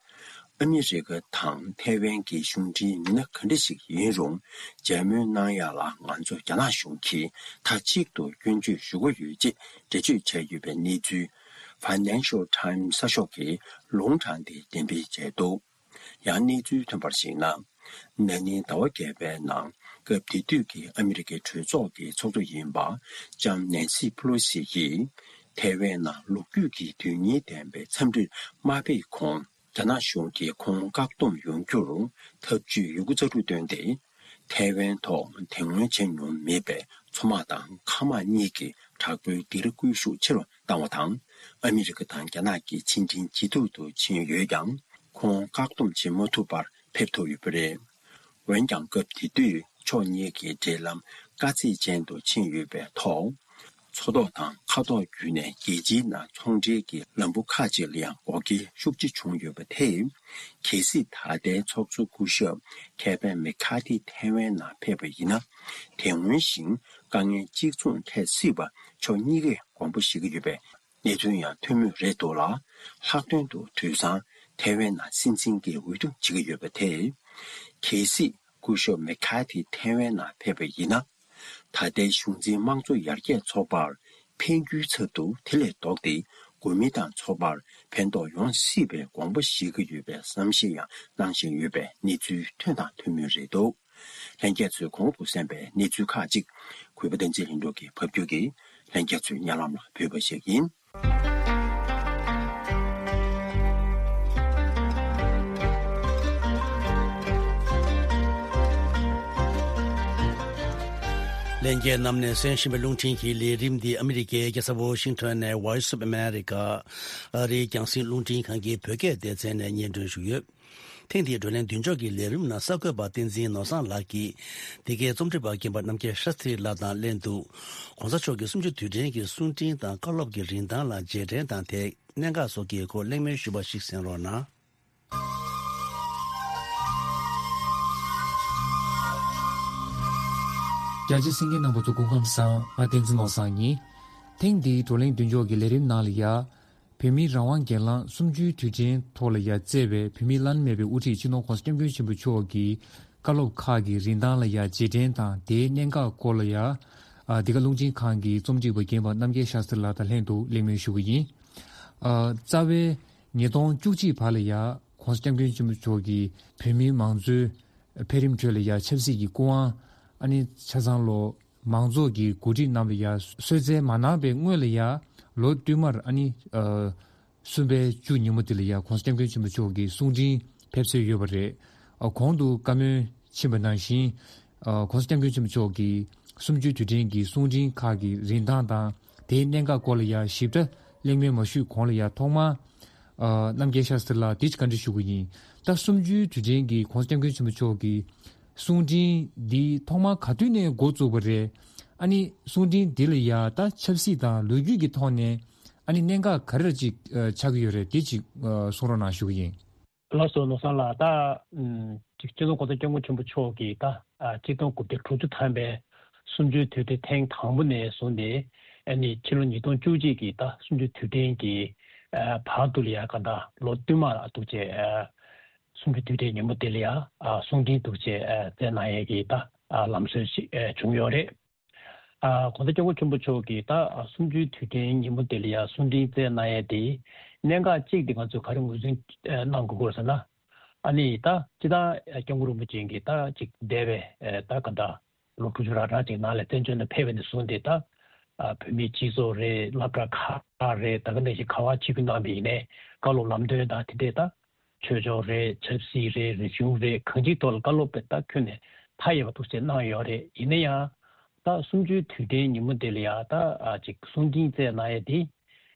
ཨ་མི་རི་ཀ་དང་ཐའེ་ཝན་གྱི་གཞུང་འབྲེལ་མི་སྣ་ག་འདྲ་ཞིག་ཡིན་རུང་། མཇལ་མོལ་གནང་ཡ་ལ་ང་ཚོ་རྒྱ་ནག་གཞུང་གིས་མཐའ་གཅིག་ཏུ་སྐྱོན་བརྗོད་ཞུ་གི་ཡོད་ཅེས་འགྲེལ་བརྗོད་བྱས་ཡོད་པའི་གནས་ཚུལ། Financial Times གསར་ཤོག་གིས་ལུང་དྲངས་ཏེ་འགྲེམས་སྤེལ་བྱས་འདུག་ཡང་གནས་ཚུལ་ཐོན་པར་གཞིགས་ན། ན་ནིང་ཟླ་བ་བརྒྱད་པའི་ནང་སྐབས་དེ་དུས་ཀྱི་ཨ་མི་རི་ཀའི་གྲོས་ཚོགས་ཀྱི་ཚོགས་གཙོ་ཡིན་པ་ལྕམ་ནན་སི་ཕུ་ལོ་སི་ཡིས་ཐའེ་ཝན་ནང་ལོ་རྒྱུས་ཀྱི་དོན་སྙིང་ལྡན་པའི་འཚམས་འདྲིར་མ་ཕེབས་གོང་། རྒྱ་ནག་གཞུང་གིས་ཁོང་བཀག་སྡོམ་ཡོང་རྒྱུར་ཐབས་ཇུས་ཡོད་རྒུ་རྩལ་སྤྲུགས་བཏོན་ཏེ། ཐའེ་ཝན་ཐོག་དེ་སྔོན་བྱས་མྱོང་མེད་པའི་མཚོ་དམག་དང་མཁའ་དམག་གཉིས་ཀྱི་དྲག་པོའི་སྡེ་ར་སྐུལ་ཤུགས་ཆེ་རུ་བཏང་བ་དང་། ཨ་མི་རི་ཀ་དང་རྒྱ་ནག་གི་ཕྱི་འབྲེལ་ཇེ་སྡུག་ཏུ་ཕྱིན་ཡོད་ཀྱང་། ཁོང་བཀག་སྡོམ་བྱེད་མ་ཐུབ་པར་ཕེབས་ཐུབ་ཡོད་པ་རེད། འོན་ཀྱང་སྐབས་དེ་དུས་ཕྱོགས་གཉིས་ཀྱི་འབྲེལ་ལམ་དཀའ་ཚེགས་ཅན་དུ་ཕྱིན་ཡོད་པའི་ཐོག་མཚོ་ཐོག་དང་མཁའ་ཐོག་བརྒྱུད་ནས་རྒྱལ་སྤྱིའི་ནང་ཚོང་འབྲེལ་གྱི་ལམ་བུ་ཁག་ཅིག་ལ་ཡང་འགོག་རྐྱེན་ཤུགས་ཆེ་བྱུང་ཡོད་པ་དེས། གལ་སྲིད་ད་ལྟའི་ཚོགས་གཙོ་སྐུ་ཞབས་ཁེ་ཝིན་མེ་ཁ་ཐི་ཐའེ་ཝན་ནང་ཕེབས་པ་ཡིན་ན། དེ་སྔོན་བཞིན་དཀའ་ངལ་གཅིག་མཚུངས་འཕྲད་སྲིད་པ་ཕྱོགས་གཉིས་ཀས་དགོངས་པ་བཞེས་ཀྱི་ཡོད་པའི་གནད་དོན་ཡང་ཐོན་མུས་རེད་འདུག་ལ། ལྷག་དོན་དུ་དུས་སང་ཐའེ་ཝན་ནང་སྲིད་འཛིན་གྱི་འོས་བསྡུ་བྱེད་ཀྱི་ཡོད་པ་དེས། གལ་སྲིད་སྐུ་ཞབས་མེ་ཁ་ཐི་ཐའེ་ཝན་ནང་ཕེབས་པ་ཡིན་ན། ད་ལྟའི་གཞུང་འཛིན་དམངས་གཙོ་ཡར་རྒྱས་ཚོགས་པར་ འཕེལ་འགྱུར་ཚབ་ཏུ་དེ་ལས་ལྡོག་སྟེ། གོ་མི་དང་ཚོགས་པར་ཕན་ཐོགས་ཡོང་སྲིད་པའི་དགོངས་པ་བཞེས་ཀྱི་ཡོད་པའི་བསམ་ཤེས་ཡང་གནང་བཞིན་ཡོད་པའི་གནས་ཚུལ་ཐོན་དང་ཐོན་མུས་རེད་འདུག། ལྷན་རྒྱས་ཚོས་གོང་དུ་གསན་པའི་གནས་ཚུལ་ཁག་ཅིག་གུས་པ་བསྟན་འཛིན་ལྷུན་གྲུབ་ཀྱིས་ཕབ་སྒྱུར་གྱིས་ལྷན་རྒྱས་ཚོའི་སྙན་ལམ་ལ་ཕུལ་བ་ཞིག་ཡིན། ལྷན་རྒྱས་རྣམས་ནས་གསན་བཞིན་པའི་རླུང་འཕྲིན་གྱི་ལས་རིམ་འདི་ཨ་མི་རི་ཀའི་རྒྱལ་ས་ཝོ་ཤིང་ཊོན་ནས་Voice of America ཨ་རིའི་རྒྱང་སྲིང་རླུང་འཕྲིན་ཁང་གི་བོད་སྐད་སྡེ་ཚན་ནས་སྙན་སྒྲོན་ཞུས་ཡོད། ཐེངས་འདིའི་བགྲོ་གླེང་མདུན་ལྕོག་གི་ལས་རིམ་ནང་གསར་འགོད་པ་བསྟན་འཛིན་ནོར་བཟང་ལགས་ཀྱིས། འདི་གའི་རྩོམ་སྒྲིག་པ་རྒན་པ་རྣམ་རྒྱལ་ཤཱསྟྲི་ལགས་དང་ལྷན་དུ། ༸གོང་ས་མཆོག་གི་གསུམ་བཅུའི་དུས་དྲན་གྱི་གསུང་འཕྲིན་དང་བཀའ་སློབ་ཀྱི་རིན་ཐང་ལ་རྗེས་དྲན་དང་དེའི་གནད་འགག་སོགས་ཀྱི་སྐོར་གླེང་མོལ་ཞུས་པ་ཞིག་གསན་རོགས་གནང་། རྒྱ་ཆེ་གསན་མཁན་རྣམ་པ་ཚོ་སྐུ་ཁམས་བཟང་། ང་བསྟན་འཛིན་ནོར་བཟང་ཡིན། ཐེངས་འདིའི་བགྲོ་གླེང་མདུན་ལྕོག་གི་ལས་རིམ་ནང་ལ་ཡ། བོད་མིའི་རང་དབང་སྒེར་ལངས་གསུམ་བཅུའི་དུས་དྲན་ཐོག་ལ་ཡ་བསྩལ་བའི་བོད་མིའི་བླ་ན་མེད་པའི་དབུ་ཁྲིད་སྤྱི་ནོར་༸གོང་ས་༸སྐྱབས་མགོན་ཆེན་པོ་མཆོག་གི་བཀའ་སློབ་ཁག་གི་རིན་ཐང་ལ་ཡ་རྗེས་དྲན་དང་དེའི་གནད་འགག་སྐོར་ལ་ཡ། ཨ། འདི་ག་རླུང་འཕྲིན་ཁང་གི་རྩོམ་སྒྲིག་པ་རྒན་པ་རྣམ་རྒྱལ་ཤཱསྟྲི་ལགས་དང་ལྷན་དུ་གླེང་མོལ་ཞུ་གི་ཡིན། ཨ། རྩ་བའི་ཉིས་སྟོང་བཅུ་གཅིག་བར་ལ་ཡ་༸གོང་ས་༸སྐྱབས་མགོན་ཆེན་པོ་མཆོག་གིས་བོད་མིའི་མང་གཙོའི་འཕེལ་རིམ་ཁྲོད་ལ་ཡ་ཆབ་སྲིད་ཀྱི་སྐུ་དབང་། ཨ་ནི་ཆ་ཚང་ལོ། མང་ཚོགས་ཀྱི་འགོ་ཁྲིད་རྣམས་ལ་ཡ་གསོལ་སྩལ་མ་གནང་པའི་སྔོན་ལ་ཡ། ལོ་བསྟུད་མར་ཨ་ནི། ཨ། གསུམ་པའི་བཅུ་ཉིན་མོ་དེ་ལ་ཡ་༸གོང་ས་༸སྐྱབས་མགོན་ཆེན་པོ་མཆོག་གི་གསུང་འཕྲིན་ཕེབས་སྲོལ་ཡོད་པ་རེད། ཨ། གོང་དུ་བཀའ་མོལ་ཕྱིན་པ་ནང་བཞིན། ཨ། ༸གོང་ས་༸སྐྱབས་མགོན་ཆེན་པོ་མཆོག་གི་གསུམ་བཅུའི་དུས་དྲན་གྱི་གསུང་འཕྲིན་ཁག་གི་རིན་ཐང་དང་དེའི་གནད་འགག་སྐོར་ལ་ཡ་ཞིབ་ཕྲ་གླེང་མོལ་མ་ཞུས་གོང་ལ་ཡ་ཐོག་མར། ཨ། རྣམ་རྒྱལ་ཤཱསྟྲི་ལགས་དེ་བཀའ་འདྲི་ཞུ་གི་ཡིན། ད་གསུམ་བཅུའི་དུས་དྲན་གྱི་༸གོང་ས་༸སྐྱབས་མགོན་ཆེན་པོ་མཆོག་གི་གསུང་འཕྲིན་འདི་ཐོག་མར་ག་དུས་ནས་འགོ་བཙུགས་པ་རེད། ཨ་ནི་གསུང་འཕྲིན་འདི་ལ་ཡ་ད་ཆབ་སྲིད་དང་ལོ་རྒྱུས་ཀྱི་ཐོག་ནས་ཨ་ནི་གནད་འགག་ག་རེ་ཅིག་ཨ། ཆགས་ཀྱི་ཡོད་རེད། དེ་ཅིག་ཨ། གསུང་རོགས་གནང་ཞུ་གི་ཡིན། ལགས་སོ། ནོར་བཟང་ལགས། ད་ཨམ། ཅིག་སྤྱི་ནོར་༸གོང་ས་༸སྐྱབས་མགོན་ཆེན་པོ་མཆོག་གིས་ད་ཨ། གཅིག་སྟོང་དགུ་བརྒྱ་དྲུག་ཅུ་ཐམ་པའི་གསུམ་བཅུའི་དུས་དྲན་ཐེངས་དང་པོ་ནས་བཟུང་སྟེ། ཨ་ནི་ཕྱི་ལོ་ཉིས་སྟོང་བཅུ་གཅིག་གི་ད་གསུམ་བཅུའི་དུས་དྲན་གྱི་ཨ། བར་དུ་ལ་ཡ་ག་ད་ལོ་བསྟུད་མར་འདུག་བྱས་ཨ། གསུམ་བཅུའི་དུས་དྲན་ཉིན་མོ་དེ་ལ་ཡ། ཨ། གསུང་འཕྲིན་འདུག་བྱས་ཨ། བསྩལ་གནང་ཡས་ཀྱི་ད་ཨ། ལམ་སྲོལ་ཞིག་ཨ། བྱུང་ཡོད་རེད། ཨ། ༸གོང་ས་༸སྐྱབས་མགོན་ཆེན་པོ་མཆོག་གིས་ད་ཨ། གསུམ་བཅུའི་དུས་དྲན་ཉིན་མོ་དེ་ལ་ཡ་གསུང་འཕྲིན་བསྩལ་གནང་ཡས་དེ་གནད་འགག་གཅིག་དེ་ང་ཚོས་ག་རེ་ངོས་འཛིན་ཨ། གནང་དགོས་ཀྱི་ཡོད་ཟེར་ན། ཨ་ནི་ད་སྤྱིར་བཏང་ཨ། སྐྱབས་མགོན་རིན་པོ་ཆེ་གིས་ད་ཅིག་འདས་པའི་ཨ། ད་ག་ད་ལོ་དྲུག་ཅུ་རེ་གྲངས་ཅིག་ནང་ལ་བཙན་བྱོལ་ནང་ཕེབས་པ་ནས་བཟུང་སྟེ་ད་ཨ། བོད་མིའི་སྤྱི་ཚོགས་རེད། སློབ་གྲྭ་ཁག་རེད། ད་ག་ནང་བཞིན་ག་པར་ཆིབས་བསྒྱུར་གནང་བ་ཡིན་ནའི་བཀའ་སློབ་ལམ་སྟོན་དང་དེ་འདྲས་ད་ཆོས་ཕྱོགས་རེད། ཆབ་སྲིད་རེད། རིག་གཞུང་རེད། གང་ཅིའི་ཐོག་ལ་བཀའ་སློབ་དཔེ་ད་ཁྱོན་ནས་མཐའ་ཡས་པ་འདུག་སེ་གནང་ཡོད་རེད། ཡིན་ན་ཡང་ད་གསུམ་བཅུའི་དུས་དྲན་ཉིན་མོ་དེ་ལ་ཡ་ད་ཨ། ཅིག་གསུང་འཕྲིན་བསྩལ་གནང་ཡས་དེ་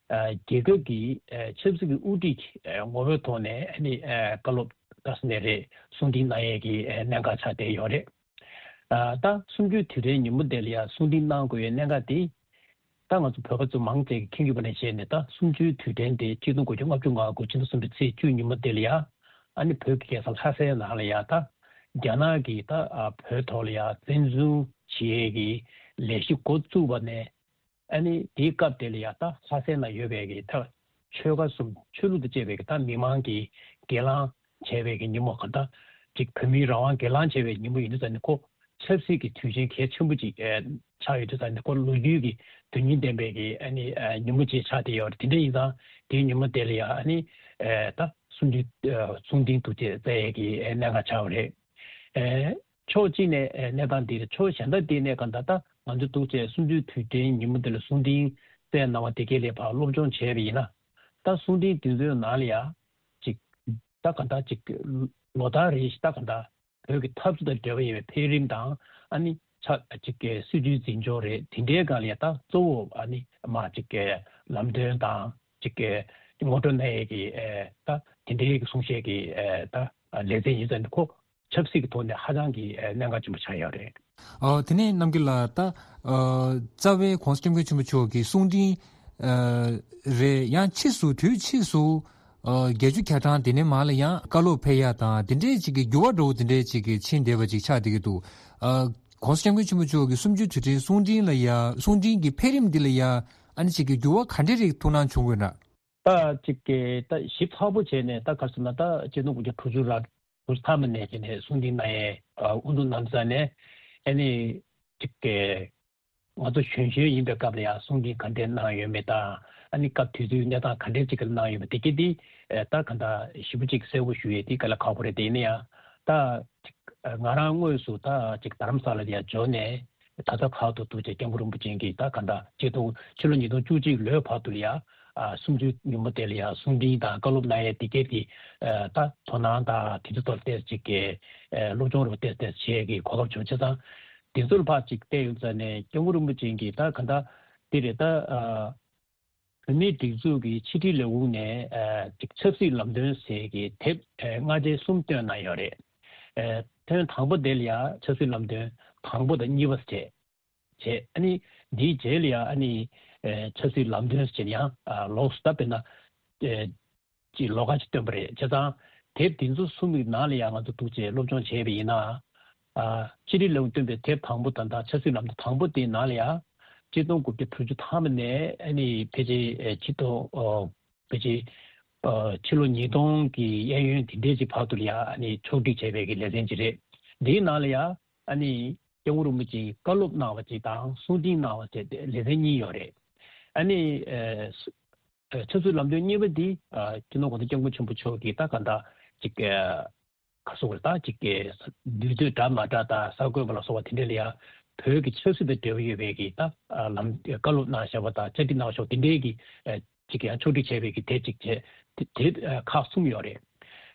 ཨ། རྒྱལ་ཁབ་ཀྱི་ཨ། ཆབ་སྲིད་ཀྱི་དབུ་ཁྲིད་ཀྱི་ཨ། ངོ་བོའི་ཐོག་ནས་ཨ་ནི་ཨ། བཀའ་སློབ་ད་ཟེར་ནའི་རེད། གསུང་འཕྲིན་གནང་ཡས་ཀྱི་ཨ། གནད་འགག་ཆགས་བསྡད་ཡོད་རེད། ཨ། ད་གསུམ་བཅུའི་དུས་དྲན་ཉིན་མོ་དེ་ལ་ཡ་གསུང་འཕྲིན་གནང་དགོས་ཡས་གནད་འགག་དེ། ད་ང་ཚོ་བོད་པ་ཚོ་མང་ཆེ་གིས་མཁྱེན་གྱི་ཡོད་པ་ནང་བཞིན་ནས་ད་གསུམ་བཅུའི་དུས་དྲན་དེ་ཆིག་སྟོང་དགུ་བརྒྱ་ལྔ་བཅུ་ང་དགུ་ཕྱི་ཟླ་གསུམ་པའི་ཚེས་བཅུ་ཉིན་མོ་དེ་ལ་ཡ། ཨ་ནི་བོད་ཀྱི་རྒྱལ་ས་ལྷ་སའི་ནང་ལ་ཡ་ད་རྒྱ་ནག་གིས་ད་ཨ། བོད་ཐོག་ལ་ཡ་བཙན་འཛུལ་བྱེད་ཡས་ཀྱི་ལས་གཞི་འགོ་བཙུགས་པ་ནས། ཨ་ནི་དེའི་སྐབས་དེ་ལ་ཡ་ད་ལྷ་སའི་ནང་ཡོད་པའི་གི་ད་ཆོལ་ཁ་གསུམ། ཆོས་ལུགས་དང་བཅས་པའི་གི་ད་མི་མང་གིས་སྒེར་ལངས་བྱས་པའི་གི་ཉིན་མོ། གང་ལྟར་ཅིག་བོད་མིའི་རང་དབང་སྒེར་ལངས་བྱས་པའི་ཉིན་མོ་ཡིན་དུས་ཙང་ནས་ཁོ་ཆབ་སྲིད་ཀྱི་དུས་ཆེན་གལ་ཆེན་པོ་ཅིག་ཨེ་ཆགས་ཡོད་དུས་ཙང་ནས་ཁོ་ལོ་རྒྱུས་ཀྱི་དོན་སྙིང་ལྡན་པའི་གི་ཨ་ནི་ཨེ་ཉིན་མོ་ཅིག་ཆགས་བསྡད་ཡོད་རེད། དེ་འདྲ་ཡིན་ཙང་དེའི་ཉིན་མོ་དེ་ལ་ཡ་ཨ་ནི་ཨེ་ད་གསུང་འཕྲིན་ཨེ་གསུང་འཕྲིན་འདུག་ཅེས་བསྩལ་ཡས་ཀྱི་ཨེ་གནད་འགག་ཆགས་པ་རེད། ཨེ། ཕྱོགས་གཅིག་ནས་ཨེ་གནས་སྟངས་འདི་རེད། ཕྱོགས་གཞན་དག་དེ་ནས་གང་ལྟར་ད་ང་ཚོ་འདུག་ཅེས་གསུམ་བཅུའི་དུས་དྲན་ཉིན་མོ་འདི་ལ་གསུང་འཕྲིན་བསྩལ་གནང་བ་དེ་གའི་ལས་ཕར་སློབ་སྦྱོང་བྱས་པ་ཡིན་ན། ད་གསུང་འཕྲིན་འདི་ཚོའི་ནང་ལ་ཡ་ཅིག་ད་གང་ལྟར་ཅིག་ལོ་ལྟར་རེ་བཞིན་ད་གང་ལྟར་བོད་ཀྱི་འཐབ་རྩོད་དང་འབྲེལ་བ་ཡོད་པའི་འཕེལ་རིམ་དང་། ཨ་ནི་ཆ་ཅིག་གི་སྲིད་བྱུས་འཛིན་སྐྱོང་རེད། དེ་འདྲའི་སྒང་ལ་ཡ་ད་གཙོ་བོ་ཨ་ནི་མ་ཅིག་གི་ལམ་སྟོན་དང་ཅིག་གི་ངོ་སྤྲོད་གནང་ཡས་ཀྱི་ཨེ་ད་དེ་འདྲའི་གི་གསུང་བཤད་ཀྱི་ཨེ་ད་ལེ་ཚན་ཡིན་ཙང་ནི་ཁོ། ཆབ་སྲིད་ཀྱི་ཐོག་ནས་ཧ་ཅང་གི་ཨ་གནད་འགག་ཆེན་པོ་ཆགས་ཡོད་རེད། ཨ། དེ་ནས་རྣམ་རྒྱལ་ལགས། ད་ཨ་རྩ་བའི་༸གོང་ས་༸སྐྱབས་མགོན་ཆེན་པོ་མཆོག་གི་གསུང་འཕྲིན་ཨ་རེད། ཡང་ཕྱིས་སུ་དུས་ཕྱིས་སུ་ཨ་བརྒྱད་ཅུ་གྱ་གྲངས་དེ་ནས་མར་ལ་ཡང་བཀའ་སློབ་ཕེབས་ཡ་དང་དེ་འདྲའི་ཅིག་གི་འགྱུར་བ་འགྲོ་བོ་དེ་འདྲའི་ཅིག་གི་ཕྱིན་བསྡད་པ་ཅིག་ཆགས་བསྡད་ཀྱི་འདུག། ཨ་༸གོང་ས་༸སྐྱབས་མགོན་ཆེན་པོ་མཆོག་གི་གསུམ་བཅུའི་དུས་དྲན་གསུང་འཕྲིན་ལ་ཡ་གསུང་འཕྲིན་གྱི་འཕེལ་རིམ་འདི་ལ་ཡ་ཨ་ནི་ཅིག་གི་འགྱུར་བ་ག་འདྲའི་རིགས་ཐུགས་སྣང་བྱུང་དགོས་ན། ད་ཅིག་གི་ད་ཞིབ་ཚགས་པོ་བྱས་ནས་ད་ག་རེ་ཟེར་ན་ད་ཆིག་སྟོང་དགུ་བརྒྱ་དྲུག་ཅུ་ར་དྲུག་ཅུ་ཐམ་པ་ནས་བྱས་ནས་གསུང་འཕྲིན་གནང་ཡས་ཨ་དབུ་འཛུགས་གནང་ས་ནས་ཨ་ནི་ཅིག་གི་ ང་ཚོ་གཞོན་གཞོན་ཡིན་པའི་སྐབས་ལ་ཡང་གསུང་འཕྲིན་ག་འདྲས་གནང་ཡོད་མེད་དང་། ཨ་ནི་སྐབས་དེ་དུས་གནས་སྟངས་ག་འདྲས་ཅིག་གནང་ཡོད་མེད་དེ་གས་དེ་ད་ག་འདྲ་ཞིབ་པོ་ཅིག་གསལ་པོ་ཞུ་ཡས་དེ་དཀའ་ལས་ཁག་པོ་རེད། དེ་ཡིན་ན་ཡང་ད་ཅིག་ང་རང་དངོས་སུ་ད་ཅིག་རྡ་རམ་ས་ལ་ལ་ཡང་འབྱོར་ནས། ད་ལྟ་བར་དུ་འདུག་ཅེས་སྐྱབས་མགོན་རིན་པོ་ཆེ་གིས་ད་ག་འདྲ་ཅིག་ཏུ་ཕྱི་ལོ་ཉིས་སྟོང་བཅུ་གཅིག་ལོའི་བར་དུ་ལ་ཡ། ཨ་གསུམ་བཅུའི་ཉིན་མོ་དེ་ལ་ཡ་གསུང་འཕྲིན་དང་བཀའ་སློབ་གནང་ཡས་དེ་གས་དེ། ད་དོ་སྣང་དང་དེ་ཚོ་ཐོག་ཏོག་ཙམ་ཅིག་གི་སློབ་སྦྱོང་རུ་ཏོག་ཙམ་བྱེད་ཀྱི་གོ་སྐབས་བྱུང་། བྱས་ཙང་དེ་ཚོར་ཕར་ཅིག་བལྟས་ཡོང་ཙང་ནས་སྐྱབས་མགོན་རིན་པོ་ཆེ་གིས་ད་ག་འདྲ་དེ་རེད། ད་ཨ་བོད་མིའི་སྒྲིག་འཛུགས་ཀྱི་ཕྱི་དྲིལ་ལས་ཁུངས་ནས་ཨ་ཅིག་ཆབ་སྲིད་ལམ་སྟོན་ཟེར་གྱི་དེབ་ཨ་སྔ་རྗེས་གསུམ་བཏོན་གནང་ཡོད་རེད། ཨ་ཐེངས་དང་པོ་དེ་ལ་ཡང་ཆབ་སྲིད་ལམ་སྟོན་དང་པོ་དང་གཉིས་པ་བྱས། བྱས། ཨ་ནི་འདིའི་རྗེས་ལ་ཡང་ཨ་ནི་ཨ་ཆབ་སྲིད་ལམ་སྟོན་ཟེར་ཡང་ཨ་ལོགས་སུ་ད་དཔེར་ན་ཨ་ཅིག་ལོགས་ཀ་ཅིག་བཏོན་པ་རེད། བྱས་ཙང་དེབ་འདི་ཚོ་གསུམ་གྱི་ནང་ལ་ཡང་ང་ཚོ་འདུག་ཅེས་སློབ་སྦྱོང་བྱས་པ་ཡིན་ན། ཨ་ཕྱི་དྲིལ་ལས་ཁུངས་བཏོན་པའི་དེབ་དང་པོ་དང་ད་ཆབ་སྲིད་ལམ་སྟོན་དང་པོ་དེའི་ནང་ལ་ཡང་ཆིག་སྟོང་དགུ་བརྒྱ་དྲུག་ཅུ་ཐམ་པ་ནས་ཨ་ནི་ཕལ་ཆེར་ཨ་ཆིག་སྟོང་ཨོ་ཕལ་ཆེར་ཨ་ཕྱི་ལོ་ཉིས་སྟོང་གི་གཡས་གཡོན་དེ་འདྲའི་ཅིག་བར་དུ་ལ་ཡང་ཨ་ནི་ཕྱོགས་སྒྲིག་བྱས་པའི་གི་ལེ་ཚན་ཅིག་རེད། འདིའི་ནང་ལ་ཡང་ཨ་ནི་སྐྱབས་མགོན་རིན་པོ་ཆེས་བཀའ་སློབ་གནང་བ་ཅིག་དང་གསུང་འཕྲིན་གནང་བ་བཅས་ཏེ་ལེ་ཚན་གཉིས་ཡོད་རེད། ཨ་ནི་ཨ་ཆབ་སྲིད་ལམ་སྟོན་གཉིས་པ་འདི་ཨ་སྤྱི་ནོར་༸གོང་ས་༸སྐྱབས་མགོན་ཆེན་པོ་མཆོག་གིས་ད་ག་འདྲ་ཅིག་ཨ་ག་སོགས་རེད། ད་ཅིག་གི་འདུས་སྡོད་འདྲ་མ་འདྲ་དང་གསར་འགོད་པ་ལ་སོགས་པ་དེ་འདྲ་ལ་ཡང་བོད་ཀྱི་ཆབ་སྲིད་དང་འབྲེལ་བ་ཡོད་པའི་གི་ད་ཨ་ལམ་བཀའ་སློབ་གནང་བཞག་པ་དང་བཅར་འདྲི་གནང་བཞག་པ་དེ་འདྲའི་གི་ཨ་ཅིག་ཡང་ཕྱོགས་སྒྲིག་བྱས་པའི་གི་དེབ་ཅིག་བྱས། དེ་དེབ་ཨ་ཁག་གསུམ་ཡོད་རེད།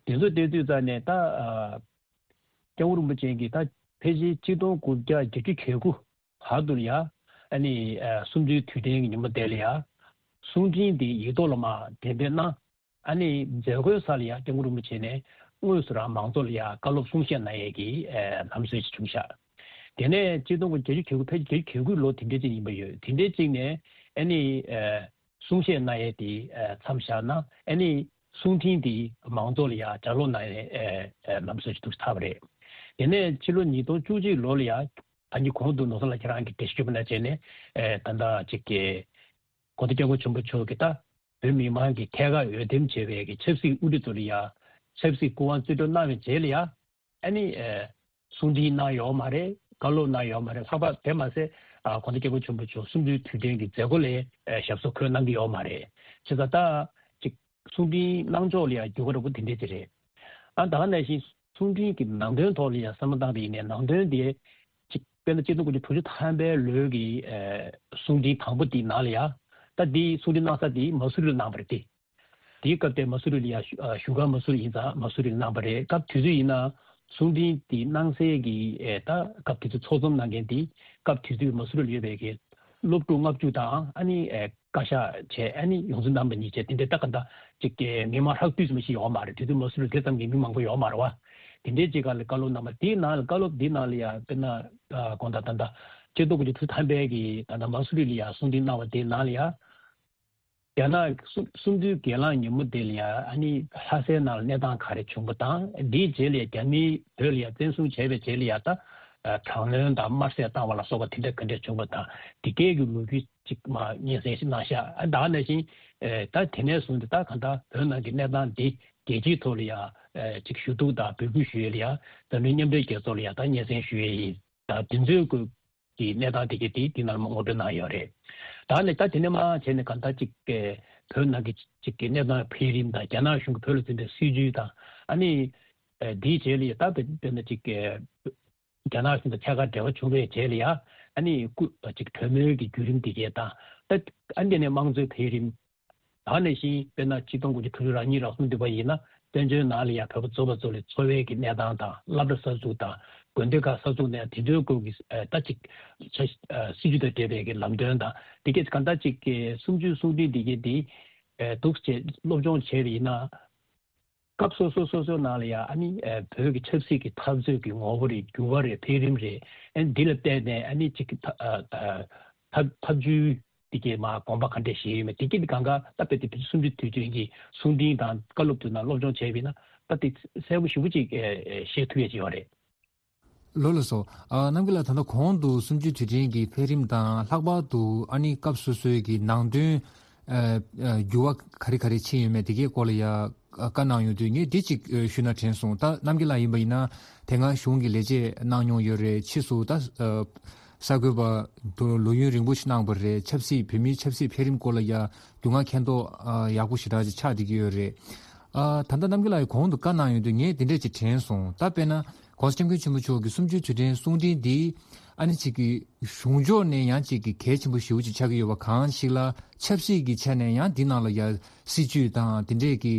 དེ་ཚོ་བལྟས་དུས་ཙང་ནས་ད་ཨ་སྐྱབས་མགོན་རིན་པོ་ཆེ་གིས་ད་ཕལ་ཆེར་ཆིག་སྟོང་དགུ་བརྒྱ་བརྒྱད་ཅུ་གྱ་དགུ་བར་དུ་ལ་ཡ། ཨ་ནི་ཨ་གསུམ་བཅུའི་དུས་དྲན་གྱི་ཉིན་མོ་དེ་ལ་ཡ། གསུང་འཕྲིན་འདི་ཡིག་ཐོག་ལ་མར་འགྲེམས་སྤེལ་གནང་། ཨ་ནི་མཛད་སྒོའི་ས་ལ་ཡ་སྐྱབས་མགོན་རིན་པོ་ཆེ་ནས་དངོས་སུ་རང་མང་ཚོགས་ལ་ཡ་བཀའ་སློབ་གསུང་བཤད་གནང་ཡས་ཀྱི་ཨ་ལམ་སྲོལ་ཞིག་བྱུང་ཤག་དེ་ནས་ཆིག་སྟོང་དགུ་བརྒྱ་བརྒྱད་ཅུ་གྱ་དགུ་ཕལ་ཆེར་བརྒྱད་ཅུ་གྱ་དགུ་ལོ་དེ་འདྲའི་ཅིག་ཡིན་པ་ཡོད། དེ་འདྲའི་ཅིག་ནས་ཨ་ནི་ཨ་གསུང་བཤད་གནང་ཡས་དེ་ཨ་མཚམས་བཞག་ན། ཨ་ནི་གསུང་འཕྲིན་དེ་མང་ཚོགས་ལ་ཡ་ལྗགས་ཀློག་གནང་ཡས་ཨ་ཨ་ལམ་སྲོལ་ཞིག་འདུག་ཐབས་རེད། དེ་ནས་ཕྱི་ལོ་ཉིས་སྟོང་བཅུ་གཅིག་ལོ་ལ་ཡ། ད་ནི་གོང་དུ་ནོར་བཟང་ལགས་ཁྱེད་རང་གིས་འགྲེལ་བཤད་ཞུས་པ་ནང་བཞིན་ནས་ཨ་ད་ལྟ་ཅིག་གི་༸གོང་ས་༸སྐྱབས་མགོན་ཆེན་པོ་མཆོག་གིས་ད་བོད་མི་མང་གི་ཐད་ཀར་འོས་འདེམས་བྱས་པའི་གི་ཆབ་སྲིད་དབུ་ཁྲིད་ཚོ་ལ་ཡ་ཆབ་སྲིད་སྐུ་དབང་རྩིས་སྤྲོད་གནང་བའི་རྗེས་ལ་ཡ། ཨ་ནི་ཨ་གསུང་འཕྲིན་གནང་ཡོད་མ་རེད། བཀའ་སློབ་གནང་ཡོད་མ་རེད། ལྷག་པར་དེ་མ་ཟད་ཨ་༸གོང་ས་༸སྐྱབས་མགོན་ཆེན་པོ་མཆོག་གསུམ་བཅུའི་དུས་དྲན་གྱི་མཛད་སྒོ་ལ་ཨ་ཞབས་སོར་འཁོད་གནང་གི་ཡོད་མ་རེད། བྱས་ཙང་ད་ཅིག་གསུང་འཕྲིན་གནང་ཕྱོགས་ལ་ཡང་འགྱུར་བ་འདྲ་པོ་དེ་འདྲས་ཅིག་རེད། ཨ་ད་ག་ནང་བཞིན་གསུང་འཕྲིན་གྱི་ནང་དོན་ཐོག་ལ་ཡང་བསམ་བློ་བཏང་པ་ཡིན་ནའི་ནང་དོན་དེ་ཅིག་དཔེར་ན་ཆིག་སྟོང་དགུ་བརྒྱ་དྲུག་ཅུ་ཐམ་པའི་ལོའི་གི་ཨ་གསུང་འཕྲིན་དང་པོ་དེའི་ནང་ལ་ཡང་། ད་དེའི་གསུང་འཕྲིན་གནང་ས་དེ་མ་སུ་རི་ལ་གནང་བ་རེད་དེ། དེའི་སྐབས་དེ་མ་སུ་རི་ལ་ཡ་བཞུགས་སྒར་མ་སུ་རི་ཡིན་ཙང་མ་སུ་རི་ལ་གནང་བ་རེད། སྐབས་དུས་ཚོད་ཡིན་ན་གསུང་འཕྲིན་དེ་གནང་སའི་གི་ཨེ་ད་སྐབས་དུས་ཚོད་ཚོགས་འཛོམས་གནང་མཁན་དེ་སྐབས་དུས་ཚོད་མ་སུ་རི་ལ་ཡོད་པའི་གི་སློབ་ཕྲུག་ལྔ་བཅུ་དང་ཨ་ནི་ཨེ་བཀའ་ཤག་བྱས་ཨ་ནི་ཡོངས་འཛིན་རྣམ་པ་གཉིས་བྱས་དེ་འདྲའི་ད་ག་འདྲ་ཅིག་གི་མི་མང་ཧྲག་བསྡུས་ཙམ་ཞིག་ཡོད་མ་རེད། དུས་ཚོད་མ་སུ་རི་དེ་ཙམ་གྱི་མི་མང་པོ་ཡོད་མ་རེད་བ། དེ་འདྲའི་ཅིག་ག་ལ་བཀའ་སློབ་གནང་བ་དེའི་ནང་ལ་བཀའ་སློབ་དེའི་ནང་ལ་ཡ་དཔེར་ན་དགོངས་དག་ད་ལྟ་ཆིག་སྟོང་དགུ་བརྒྱ་དྲུག་ཅུ་ཐམ་པའི་གི་ད་ལྟ་མ་སུ་རི་ལ་ཡ་གསུང་འཕྲིན་གནང་བ་དེའི་ནང་ལ་ཡ། རྒྱ་ནག་གསུམ་གསུམ་བཅུའི་སྒེར་ལངས་ཉིན་མོ་དེ་ལ་ཡང་ཨ་ནི་ལྷ་སའི་ནང་ལ་གནས་སྟངས་ག་རེ་བྱུང་བ་དང་། འདིའི་རྗེས་ལ་རྒྱ་མིས་བོད་ལ་ཡང་བཙན་བཟུང་བྱས་པའི་རྗེས་ལ་ཡང་ད་དྲག་གནོན་དང་དམར་གསོད་བཏང་བ་ལ་སོགས་པ་དེ་འདྲ་ག་འདྲ་བྱུང་བ་དང་། འདི་གའི་གི་ལོ་རྒྱུས་ཅིག་མ་སྙན་སེང་ཞིག་གནང་ཤག་ཨ་ད་ནང་བཞིན་ད་དེ་ནས་བཟུང་སྟེ་ད་གང་ལྟར་བོད་ནང་གི་གནས་སྟངས་འདི་རྒྱལ་སྤྱིའི་ཐོག་ལ་ཡང་ཅིག་ཞུ་གཏུག་དང་འབོད་སྐུལ་ཞུ་ཡས་ལ་ཡང་འཛམ་གླིང་མཉམ་འབྲེལ་རྒྱལ་ཚོགས་ལ་ཡང་ད་སྙན་སེང་ཞུ་ཡས་ཡིན། ད་དེ་ཚོའི་སྐོར་གྱི་གནས་སྟངས་དེ་གའི་དེ་དེ་ནང་ལ་ངོ་སྤྲོད་གནང་ཡོད་རེད། ད་ནི་ད་དེ་ནས་མར་བྱས་ནས་གང་ལྟར་ཅིག་གི་བོད་ནང་གི་ཅིག་གི་གནས་སྟངས་འཕེལ་རིམ་དང་། རྒྱ་ནག་གཞུང་གིས་བོད་ལ་འཛིན་པའི་སྲིད་བྱུས་དང་། ཨ་ནི་ཨ་འདིའི་རྗེས་ལ་ཡ་ད་དཔེར་ན་ཅིག་གི་རྒྱ་ནག་གཞུང་དང་ཐད་ཀར་འབྲེལ་བ་བྱུང་བའི་རྗེས་ལ་ཡ། ཨ་ནི་སྐུ་ཅིག་གྲོས་མོལ་གྱི་བརྒྱུད་རིམ་དེ་གའི་དང་། ད་ཨ་འདི་ནས་དམངས་གཙོའི་འཕེལ་རིམ། ད་ནང་བཞིན་དཔེར་ན་ཆིག་སྟོང་དགུ་བརྒྱ་དྲུག་ཅུ་རེ་གཉིས་རེ་གསུམ་འདི་པ་ཡིན་ན་བཙན་བྱོལ་ནང་ལ་ཡང་བོད་པ་རྫོགས་པ་ཚོ་ལ་འཚོ་བའི་གི་གནས་སྟངས་དང་། སློབ་གྲྭ་གསར་འཛུགས་དང་། དགོན་སྡེ་ཁག་གསར་འཛུགས་ནས་དེ་ཚོའི་སྐོར་གྱི་ཨ་ད་ཅིག་ཆ་ཨ་སྲིད་བྱུས་དང་འབྲེལ་བའི་གི་ལམ་སྟོན་དང་། འདི་གས་གང་ལྟར་ཅིག་གི་གསུམ་བཅུའི་གསུང་འཕྲིན་འདི་གས་འདི་ཨ་འདུག་ཅེས་སློབ་སྦྱོང་བྱས་པ་ཡིན་ན། སྐབས་སོ་སོ་སོ་སོའི་ནང་ལ་ཡང་ཨ་ནི་ཨ་བོད་ཀྱི་ཆབ་སྲིད་ཀྱི་འཐབ་རྩོད་ཀྱི་ངོ་བོ་རེད། འགྱུར་བ་རེད། འཕེལ་རིམ་རེད། ཨ་ནི་འདི་ལ་བལྟས་ནས་ཨ་ནི་ཅིག་གི་ཐ་ཨ་ཨ་ཐབས་ཐབས་ཇུས་འདི་གའི་མར་དགོངས་པ་ག་འདྲས་བཞེས་ཡོད་མེད། དེ་གི་གང་ག་ད་དཔེ་དེ་བོད་གསུམ་བཅུའི་དུས་དྲན་གྱི་གསུང་འཕྲིན་དང་བཀའ་སློབ་དེ་ནང་སློབ་སྦྱོང་བྱས་པ་ཡིན་ན། ད་དེ་གསལ་པོ་ཞེ་པོ་ཅིག་ཨེ་ཨེ་ཤེས་ཐུབ་ཡས་ཅིག་ཡོད་རེད། ལགས་ལགས་སོ། ཨ་རྣམ་རྒྱལ་ལགས། ད་ལྟ་གོང་དུ་གསུམ་བཅུའི་དུས་དྲན་གྱི་འཕེལ་རིམ་དང་། ལྷག་པར་དུ་ཨ་ནི་སྐབས་སོ་སོའི་གི་ནང་དོན་ཨ་ཨ་འགྱུར་བ་ག་རེ་ག་རེ་ཕྱིན་ཡོད་མེད་དེ་གའི་སྐོར་ལ་ཡ་ཨ་བཀའ་གནང་ཡོང་དུས། ངས་འདི་གཅིག་ཨ་ཞུས་ན་དྲན་སོང་། ད་རྣམ་རྒྱལ་ལགས་ཡིན་པ་ཡིན་ན་དེ་སྔ་གཞུང་གི་ལས་བྱེད་གནང་མྱོང་ཡོད་རེད། ཕྱིས་སུ་ད་ཨ་ གསར་འགོད་པ་དུ་ལོ་ཡུན་རིང་པོ་ཞིག་གནང་བ་རེད། ཆབ་སྲིད་བོད་མིའི་ཆབ་སྲིད་འཕེལ་རིམ་སྐོར་ལ་ཡ་རྒྱུས་མངའ་མཁྱེན་རྟོགས་ཨ་ཡག་པོ་ཞེ་དྲག་ཅིག་ཆགས་བསྡད་ཀྱི་ཡོད་རེད། ཨ་ད་ལྟ་རྣམ་རྒྱལ་ལགས་ཀྱིས་གོང་དུ་བཀའ་གནང་ཡོང་དུས་ངས་འདི་འདྲས་ཅིག་དྲན་སོང་། ད་དཔེར་ན་༸གོང་ས་༸སྐྱབས་མགོན་ཆེན་པོ་མཆོག་གི་གསུམ་བཅུའི་དུས་དྲན་གསུང་འཕྲིན་འདི་ཨ་ནི་ཅིག་གི་གཞུང་ཕྱོགས་ནས་ཡང་ཅིག་གི་གལ་ཆེན་པོ་ཞེ་པོ་ཅིག་ཆགས་ཀྱི་ཡོད་པ་གང་ཞིག་ལ། ཆབ་སྲིད་ཀྱི་ཆ་ནས་ཡང་འདི་ནང་ལ་ཡ་སྲིད་ཇུས་དང་དེ་འདྲས་ཀྱི་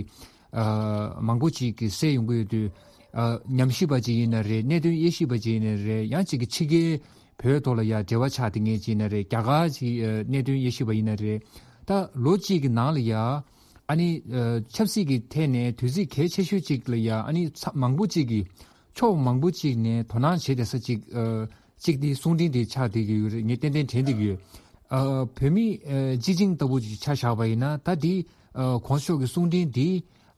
ཨ་མང་པོ་ཅིག་གི་གསལ་ཡོང་གི་ཡོད་དུས། ཨ་ཉམས་ཞིབ་པ་ཅིག་ཡིན་ན་རེད། གནད་དོན་དབྱེ་ཞིབ་པ་ཅིག་ཡིན་ན་རེད། ཡང་ཅིག་གི་ཕྱི་རྒྱལ་བོད་ཐོག་ལ་ཡ་འབྲེལ་བ་ཆགས་བསྡད་མཁན་ཅིག་ཡིན་ན་རེད། རྒྱ་གར་ཅིག་ཨ་གནད་དོན་དབྱེ་ཞིབ་པ་ཡིན་ན་རེད། ད་ལོ་གཅིག་གི་ནང་ལ་ཡ་ཨ་ནི་ཨ་ཆབ་སྲིད་ཀྱི་ཐད་ནས་དུས་ཚིགས་གལ་ཆེ་ཤོས་ཅིག་ལ་ཡ་ཨ་ནི་ཚ་མང་པོ་ཅིག་གིས་ཕྱོགས་མང་པོ་ཅིག་ནས་དོ་སྣང་བྱེད་བསྡད་ས་ཅིག་ཨ་ཅིག་དེ་གསུང་འཕྲིན་དེ་ཆགས་བསྡད་ཀྱི་ཡོད་རེད། ངས་ཏན་ཏན་དྲན་བསྡད་ཀྱི་ཡོད། ཨ་བོད་མི་ཨ་སྤྱི་བྱིངས་ལྟ་བུ་ཅིག་ཆ་བཞག་པ་ཡིན་ན། ད་དེ་ཨ་གོང་ས་མཆོག་གི་གསུང་འཕྲིན་དེ་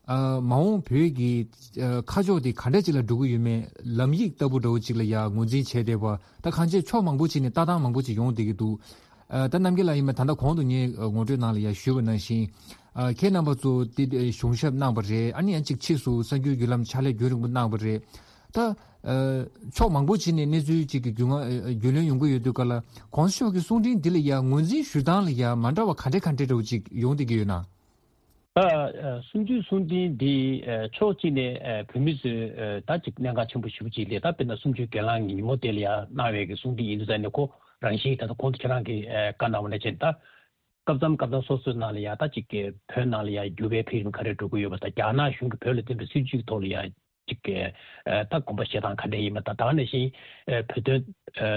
ཨ་མ་འོངས་བོད་ཀྱི་ཨ་ཁ་ཕྱོགས་དེ་ག་འདྲ་ཅིག་ལ་འགྲོ་གི་ཡོད་མེད་ལམ་ཡིག་ལྟ་བུ་འདྲ་བོ་ཅིག་ལ་ཡ་ངོས་འཛིན་བྱས་བསྡད་པ། ད་གང་ཅི་ཕྱོགས་མང་པོ་ཅིག་ནས་ལྟ་སྟངས་མང་པོ་ཅིག་ཡོང་བསྡད་ཀྱི་འདུག་ཨ་ད་རྣམ་རྒྱལ་ལགས་ཡིན་པ་ད་ལྟ་གོང་དུ་ངས་ཨ་ངོ་སྤྲོད་ནང་ལ་ཡ་ཞུས་པ་ནང་བཞིན། ཨ་ཁྱེད་རྣམ་པ་ཚོ་དེ་གཞུང་ཞབས་གནང་བ་རེད། ཨ་ནི་ཡང་ཅིག་ཕྱིས་སུ་གསར་འགྱུར་བརྒྱུད་ལམ་ཕྱག་ལས་རྒྱུན་རིང་པོ་གནང་བ་རེད། ད་ཨ་ཕྱོགས་མང་པོ་ཅིག་ནས་གནས་ཚུལ་ཅིག་གི་རྒྱུས་མངའ་ཨ་རྒྱུས་ལོན་ཡོང་གི་ཡོད་དུས་ག་ལ་གོང་ས་མཆོག་གི་གསུང་འཕྲིན་འདི་ལ་ཡ་ངོས་འཛིན་ཞུ་སྟངས་ལ་ཡ་མ་འདྲ་བ་ག་འདྲ་ག་འདྲ་འདྲ་བོ་ཅིག་ཡོང་བསྡད་ཀྱི་ཡོད་ན། ད་ཨ་གསུམ་བཅུའི་གསུང་འཕྲིན་འདི་ཨ་ཕྱོགས་གཅིག་ནས་ཨ་བོད་མི་ཚོས་ཨ་ད་ཅིག་གནད་འགག་ཆེན་པོ་ཞེ་པོ་ཅིག་རེད། ད་དཔེར་ན་གསུམ་བཅུའི་སྒེར་ལངས་ཀྱི་ཉིན་མོ་དེ་ལ་ཡ་གནང་བའི་གི་གསུང་འཕྲིན་ཡིན་དུས་ཙང་ནས་ཁོ་རང་བཞིན་ད་ལྟ་གོང་དུ་ཁྱེད་རང་གིས་ཨ་བཀའ་གནང་བ་ནང་བཞིན་ད། སྐབས་མཚམས་སྐབས་མཚམས་སོ་སོའི་ནང་ལ་ཡ་ད་ཅིག་གི་བོད་ནང་ལ་ཡ་འགྱུར་བའི་འཕེལ་རིམ་ག་རེ་འགྲོ་གི་ཡོད་པ་དང་། རྒྱ་ནག་གཞུང་གིས་བོད་ལ་བཏིང་བའི་སྲིད་ཇུས་ཐོག་ལ་ཡ་ཅིག་གི་ཨ་ད་དགོངས་པ་བཞེས་སྟངས་ག་འདྲ་ཡིན་མིན་དང་། ད་ག་ནང་བཞིན་ཨ་བོད་དོན་ཨ་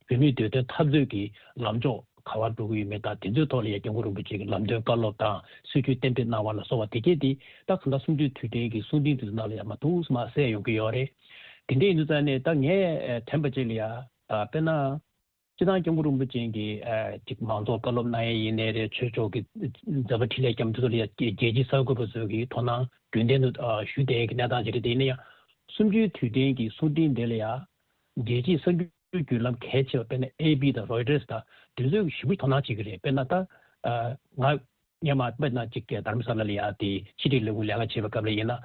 བོད་མིའི་བདེ་དོན་འཐབ་རྩོད་ཀྱི་ལམ་ཕྱོགས་ག་པར་འགྲོ་གི་ཡོད་མེད་དང་། དེ་ཚོའི་ཐོག་ལ་ཡ་སྐྱབས་མགོན་རིན་པོ་ཆེ་གི་ལམ་སྟོན་བཀའ་སློབ་དང་སྲིད་ཇུས་གཏན་འབེབས་གནང་བ་ལ་སོགས་པ་དེ་གས་དེ་ད་གང་ལྟར་གསུམ་བཅུའི་དུས་དྲན་གྱི་གསུང་འཕྲིན་དེ་ཚོ་ནང་ལ་ཡ་མ་འདུག་སེ་མར་གསལ་ཡོང་གི་ཡོད་རེད། དེ་འདྲ་ཡིན་དུས་ཙང་ནས་ད་ངས་ཨ་དྲན་པ་ཅིག་ལ་ཡ་ཨ་དཔེར་ན། སྤྱིར་བཏང་སྐྱབས་མགོན་རིན་པོ་ཆེ་གིས་ཨ་ཅིག་མང་ཚོགས་བཀའ་སློབ་གནང་ཡས་ཡིན་ནའི་རེད། ཆོས་ཕྱོགས་ཀྱི་མཛད་པ་འཕྲིན་ལས་བསྐྱངས་དེ་ཚོ་ལ་ཡ་རྒྱལ་སྤྱིའི་གསར་འགོད་པ་ཚོས་ཀྱི་དོ་སྣང་རྒྱུན་ལྡན་དུ་ཨ་ཞུ་བསྡད་ཀྱི་གནས་སྟངས་ཅིག་རེད། དེ་ཡིན་ན་ཡང་གསུམ་བཅུའི་དུས་དྲན་གྱི་གསུང་འཕྲིན་དེ་ལ་ཡ་རྒྱལ་སྤྱིའི་གསར་འགྱུར་བརྒྱུད་ལམ་གལ་ཆེ་བ་དཔེར་ན་ཨེ་པི་དང་རོའི་ཊར་དང་དེ་ཚོས་ཞེ་པོ་དོ་སྣང་བྱེད་ཀྱི་རེད། དཔེར་ན་ད་ཨ་ང་སྔོན་མ་དཔེར་ན་ཅིག་གི་དྷ་རམ་ས་ལ་ལ་ཡ་དེ་ཕྱི་དྲིལ་ལས་ཁུངས་ལས་ཀ་བྱེད་པའི་སྐབས་ལ་ཡིན་ན།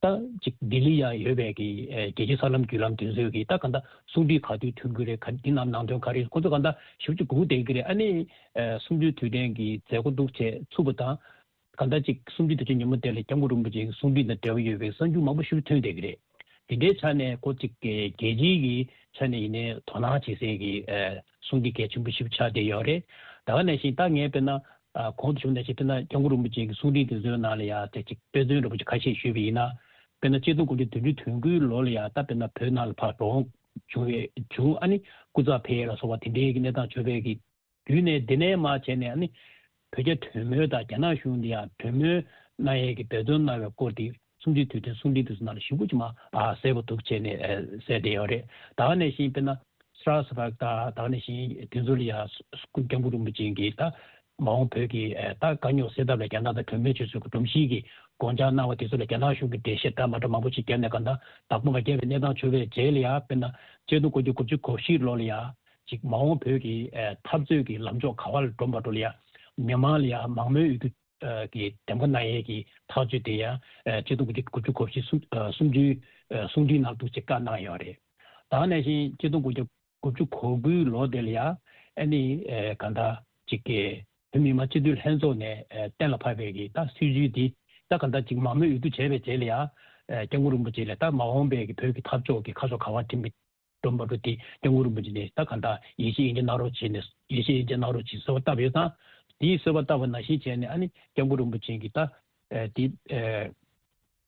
ད་ཅིག་ལྡི་ལི་ཡ་ཡོད་པའི་གི་ཨེ་རྒྱལ་སྤྱིའི་གསར་ལམ་བརྒྱུད་ལམ་དེ་ཚོས་ཀྱི་ད་ག་འདྲ་གསུང་འཕྲིན་ག་དུས་ཐོན་གྱི་རེད། ག་འདི་ནང་ནང་དོན་ག་རེ་ཁོ་ཚོ་ག་འདྲ་ཞིབ་ཅིག་སྒུག་བསྡད་ཀྱི་རེད། ཨ་ནི་ཨེ་གསུམ་བཅུའི་དུས་དྲན་གྱི་མཛད་སྒོ་འདུག་བྱས་ཚུགས་པ་དང་། ག་འདྲ་ཅིག་གསུམ་བཅུའི་དུས་དྲན་ཉིན་མོ་དེ་ལ་སྐྱབས་མགོན་རིན་པོ་ཆེ་གི་གསུང་འཕྲིན་དང་འབྲེལ་བ་ཡོད་པའི་གསར་འགྱུར་མང་པོ་ཞིག་ཐོན་བསྡད་ཀྱི་རེད། དེ་འདྲའི་ཆ་ནས་ཁོ་ཅིག་གི་རྒྱལ་སྤྱིའི་གི་ཆ་ནས་ཡིན་ནའི་དོ་སྣང་བྱེད་སའི་གི་ཨེ་གསུང་འཕྲིན་གལ་ཆེན་པོ་ཞིག་ཆགས་བསྡད་ཡོད་རེད། ད་ག་ནང་བཞིན་ད་ངས་དཔེར་ན་ཨ་གོང་དུ་ཞུས་ནང་བཞིན་དཔེར་ན་སྐྱབས་མགོན་རིན་པོ་ཆེ་གི་གསུང་འཕྲིན་དེ་ཚོའི་ནང་ལ་ཡ་དེ་ཅིག་དཔེ་མཚོན་འདྲ་པོ་ཅིག་ཁ་ཤས་ཞུས་པ་ཡིན་ན། དཔེར་ན་ཆིག་སྟོང་དགུ་བརྒྱ་བདུན་ཅུ་དོན་དགུའི་ལོ་ལ་ཡ་ད་དཔེར་ན་བོད་ནང་ལ་ཕར་འགྲོ་འོང་བྱུང་བའི་བྱུང་། ཨ་ནི་སྐུ་ཚབ་ཕེབས་ཡས་ལ་སོགས་པ་དེ་འདྲའི་གི་གནས་སྟངས་བྱུང་བའི་གི་བརྒྱུད་ནས། དེ་ནས་མར་བྱས་ནས་ཨ་ནི་བོད་རྒྱ་གྲོས་མོལ་དང་རྒྱ་ནག་གཞུང་གིས་ཡང་གྲོས་མོལ་གནང་ཡས་ཀྱི་འབད་བརྩོན་གནང་བའི་སྐོར་དེ་གསུམ་བཅུའི་དུས་དྲན་གསུང་འཕྲིན་དེ་ཚོ་ནང་ལ་ཞིབ་པོ་ཅིག་མར་ཨ་གསལ་པོ་འདུག་བྱས་ནས་ཨ་གསལ་བསྡད་ཡོད་རེད། ད་ག་ནང་བཞིན་དཔེར་ན་སི་རཱ་སི་བྷག་དང་། ད་ག་ནང་བཞིན་དེ་ཚོ་ལ་ཡང་སྐུ་སྐྱབས་མགོན་རིན་པོ་ཆེ་གིས་ད་མ་འོངས་བོད་ཀྱི་ཨ་ད་དཀའ་རྙོག་སེལ་ཐབས་ལ་རྒྱ་ནག་དང་གྲོས་མོལ་བྱེད་ཚུལ་གྱི་སྒྲོམ་གཞི་གི་དགོངས་འཆར་གནང་བ་དེ་ཚོ་ལ་རྒྱ་ནག་གཞུང་གིས་འགྲེལ་བཤད་འདྲ་མ་འདྲ་མང་པོ་ཞིག་བརྒྱབ་ནས་གང་ལྟར་བདག་པོ་མ་རྒྱག་པའི་གནས་སྟངས་བྱུང་བའི་རྗེས་ལ་ཡང་། དཔེར་ན་ཆིག་སྟོང་དགུ་བརྒྱ་དགུ་བཅུ་གོ་བཞི་ལོ་ལ་ཡང་ཅིག་མ་འོངས་བོད་ཀྱི་ཨ་འཐབ་རྩོད་ཀྱི་ལམ་ཕྱོགས་ག་པར་འགྲོ་བ་འགྲོ་ལ་ཡང་མི་མང་ལ་ཡང་མང་མོས་འོས་བསྡུ་ཨ་གི་འདེམས་ཀ་གནང་ཡས་ཀྱི་ཐག་གཅོད་དེ་ཡང་ཨ་ཆིག་སྟོང་དགུ་བརྒྱ་དགུ་བཅུ་གོ་བཞི་གསུམ་ཨ་གསུམ་བཅུའི་ཨ་གསུང་འཕྲིན་ནང་འདུག་ཅེས་བཀའ་གནང་ཡོད་རེད། ད་ག་ནང་བཞིན་ཆིག་སྟོང་དགུ་བརྒྱ་དགུ་བཅུ་གོ་དགུའི་ལོ་དེ་ལ་ཡང་ཨ་ནི་ཨ་གང་ལྟར་ཅིག་གི་བོད་མི་མང་སྤྱི་འཐུས་ལྷན་ཚོགས་ནས་ཨ་གཏན་ལ་ཕབ་པའི་གི་ད་སྲིད་ཇུས་འདི་ད་གང་ལྟར་ཅིག་མང་མོས་འོས་བསྡུ་བྱས་པའི་རྗེས་ལ་ཡང་ཨ་སྐྱབས་མགོན་རིན་པོ་ཆེ་ལ་ད་མ་འོངས་པའི་གི་བོད་ཀྱི་འཐབ་ཕྱོགས་ཀྱི་ཁ་ཕྱོགས་ག་པར་འགྲིམ་པའི་སྒྲོམ་བར་དུ་དེ་སྐྱབས་མགོན་རིན་པོ་ཆེ་ནས་ད་གང་ལྟར་ཡིད་ཆེས་ཡིན་གཅིག་གནང་རོགས་བྱས་ནས། ཡིད་ཆེས་ཡིན་གཅིག་གནང་རོགས་བྱས་གསོལ་བ་བཏབ་ཡོད་ཙང་། དེའི་གསོལ་བ་བཏབ་པ་ནང་བཞིན་བྱས་ནས་ཨ་ནི་སྐྱབས་མགོན་རིན་པོ་ཆེ་གིས་ད་ཨེ་དེ་ཨེ་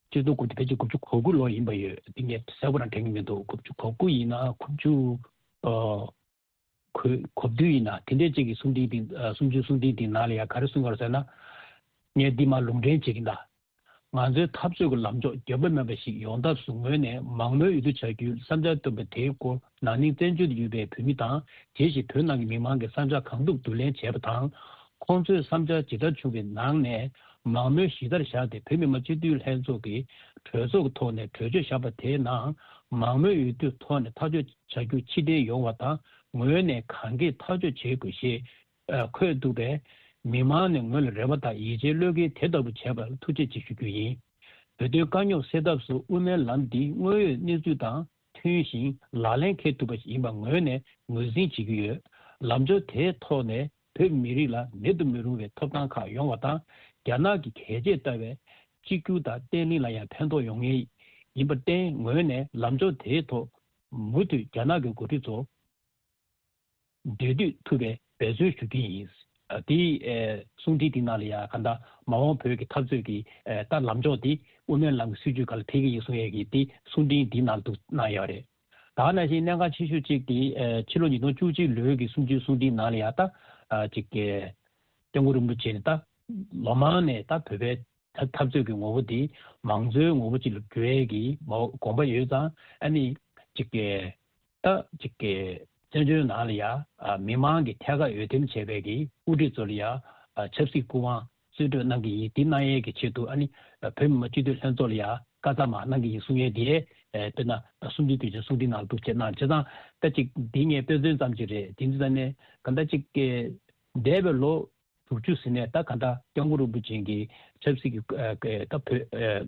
སྤྱི་ཚོགས་སྐུ་དེ་ཕལ་ཆེར་དགུ་བཅུ་གོ་དགུ་ལོ་ཡིན་པ་ཡོད། དེ་ངས་གསལ་པོ་རང་དྲན་གྱི་མི་འདུག་དགུ་བཅུ་གོ་དགུ་ཡིན་ན་དགུ་བཅུ་ཨ་གོ་གོ་བདུན་ཡིན་ན་དེ་འདྲའི་ཅིག་གི་གསུང་འཕྲིན་དེ་ཨ་གསུང་ཆོས་གསུང་འཕྲིན་དེ་ནང་ལ་ཡང་ག་རེ་གསུངས་པ་རེད་ཟེར་ན། ངས་འདི་མར་ལུང་འདྲེན་བྱེད་ཀྱིན་གདའ། ང་ཚོའི་འཐབ་རྩོད་ཀྱི་ལམ་ཕྱོགས་འགྱོད་པ་མེད་པ་ཞིག་ཡོང་ཐབས་སུ་ངོས་ནས་མང་མོས་འོས་བསྡུ་བྱ་རྒྱུའི་བསམ་འཆར་བཏོན་པ་དེའི་སྐོར་ན་ནིང་བཙན་བྱོལ་དུ་ཡོད་པའི་བོད་མི་དང་། དེ་བཞིན་བོད་ནང་གི་མི་མང་གི་བསམ་འཆར་གང་ཐུབ་བསྡུ་ལེན་བྱས་པ་དང་། ཁོང་ཚོའི་བསམ་འཆར་ཇི་ལྟར་བྱུང་བའི་ནང་ནས་མང་མོས་གཞི་རྩར་བཞག་སྟེ་བོད་མི་མང་སྤྱི་འཐུས་ལྷན་ཚོགས་ཀྱི་གྲོས་ཚོགས་ཀྱི་ཐོག་ནས་གྲོས་ཆོད་བཞག་པ་དེའི་ནང་མང་མོས་འོས་བསྡུའི་ཐོག་ནས་ཐག་གཅོད་བྱ་རྒྱུ་ཕྱིར་འཐེན་ཡོང་བ་དང་། ངོས་ནས་གང་གིས་ཐག་གཅོད་བྱེད་དགོས་ཞེས་འཁོད་འདུག་པས། མི་མང་ནས་ངོས་ལ་རེ་བ་དང་ཡིད་ཆེས་བློས་འགེལ་དེ་ལྟ་བུ་བྱས་པར་ཐུགས་རྗེ་ཆེ་ཞུ་རྒྱུ་ཡིན། བོད་དོན་དཀའ་རྙོག་སེལ་ཐབས་སུ་དབུ་མའི་ལམ་འདི་དངོས་ཡོད་གནས་ཚུལ་དང་ མཐུན་ཞིང་ལག་ལེན་འཁེལ་ཐུབ་པ་ཞིག་ཡིན་པ་ངོས་ནས་ངོས་འཛིན་བྱེད་ཀྱི་ཡོད། ལམ་ཕྱོགས་དེའི་ཐོག་ནས་བོད་མི་རིགས་ལ་མེད་དུ་མི་རུང་བའི་ཐོབ་ཐང་ཁག་ཡོང་བ་དང་། རྒྱ་ནག་གི་གལ་ཆེར་ལྟ་བའི་གཅིག་གྱུར་དང་བརྟན་ལྷིང་ལ་ཡང་ཕན་ཐོགས་ཡོང་ངེས་ཡིན་པར་བརྟེན། ངོས་ནས་ལམ་ཕྱོགས་དེའི་ཐོག་མུ་མཐུད་རྒྱ་ནག་གི་འགོ་ཁྲིད་ཚོ་འབྲེལ་མཐུད་ཐུབ་པའི་འབད་བརྩོན་ཞུ་གི་ཡིན། ཨ། དེའི་ཨེ་གསུང་འཕྲིན་དེའི་ནང་ལ་ཡང་གང་ལྟར་མ་འོངས་བོད་ཀྱི་འཐབ་རྩོད་ཀྱི་ཨེ་ད་ལམ་ཕྱོགས་དེ་དབུ་མའི་ལམ་གྱི་སྲིད་བྱུས་སྒང་ལ་ཕེབས་ཀྱི་ཡིན་གསུང་ཡས་ཀྱི་དེ་གསུང་འཕྲིན་འདིའི་ནང་དུ་གནང་ཡོད་རེད། ད་ག་ནང་བཞིན་གནད་འགག་ཆེ་ཤོས་གཅིག་དེ་ཨེ་ཕྱི་ལོ་ཉིས་སྟོང་བཅུ་གཅིག་ལོའི་གི་གསུམ་བཅུའི་གསུང་འཕྲིན་ནང་ལ་ཡང་ད་ཨ་གཅིག་གི་སྐྱབས་མགོན་རིན་པོ་ཆེ་ནས་ད་ལོ་མང་ནས་ད་བོད་པའི་འཐབ་འཐབ་རྩོད་ཀྱི་ངོ་བོ་དེ་མང་གཙོའི་ངོ་བོ་ཅིག་ལ་བསྒྱུར་ཡས་ཀྱི་མ་དགོངས་པ་ཡོད་ཙང་། ཨ་ནི་གཅིག་གི་ད་གཅིག་གི་བཙན་བྱོལ་ནང་ལ་ཡ་ཨ་མི་མང་གི་ཐད་ཀར་འོས་འདེམས་བྱས་པའི་གི་དབུ་ཁྲིད་ཚོ་ལ་ཡ་ཨ་ཆབ་སྲིད་སྐུ་དབང་གསོལ་སྤྲོད་གནང་གི་ཡིན། དེ་གནང་ཡས་ཀྱི་ཆེད་དུ་ཨ་ནི་བོད་མི་མང་སྤྱི་འཐུས་ལྷན་ཚོགས་ལ་ཡ་བཀའ་རྩ་མར་གནང་གི་ཡིན་གསུང་ཡས་དེ་ཨེ་དཔེར་ན་གསུམ་བཅུའི་དུས་ཆེན་གསུང་འཕྲིན་ནང་འདུག་བྱས་གནང་བྱས་ཙང་། ད་ཅིག་འདི་ངས་དཔེ་མཚོན་ཙམ་ཅིག་རེད། དེ་འདི་ཙང་ནས་ག་ད་ཅིག་གི་འདས་པའི་ལོ་དྲུག་ཅུ་ཟིན་ནས་ད་ག་ད་སྐྱབས་མགོན་རིན་པོ་ཆེ་གི་ཆབ་སྲིད་ཀྱི་ཨ་ད་བོད་ཨ་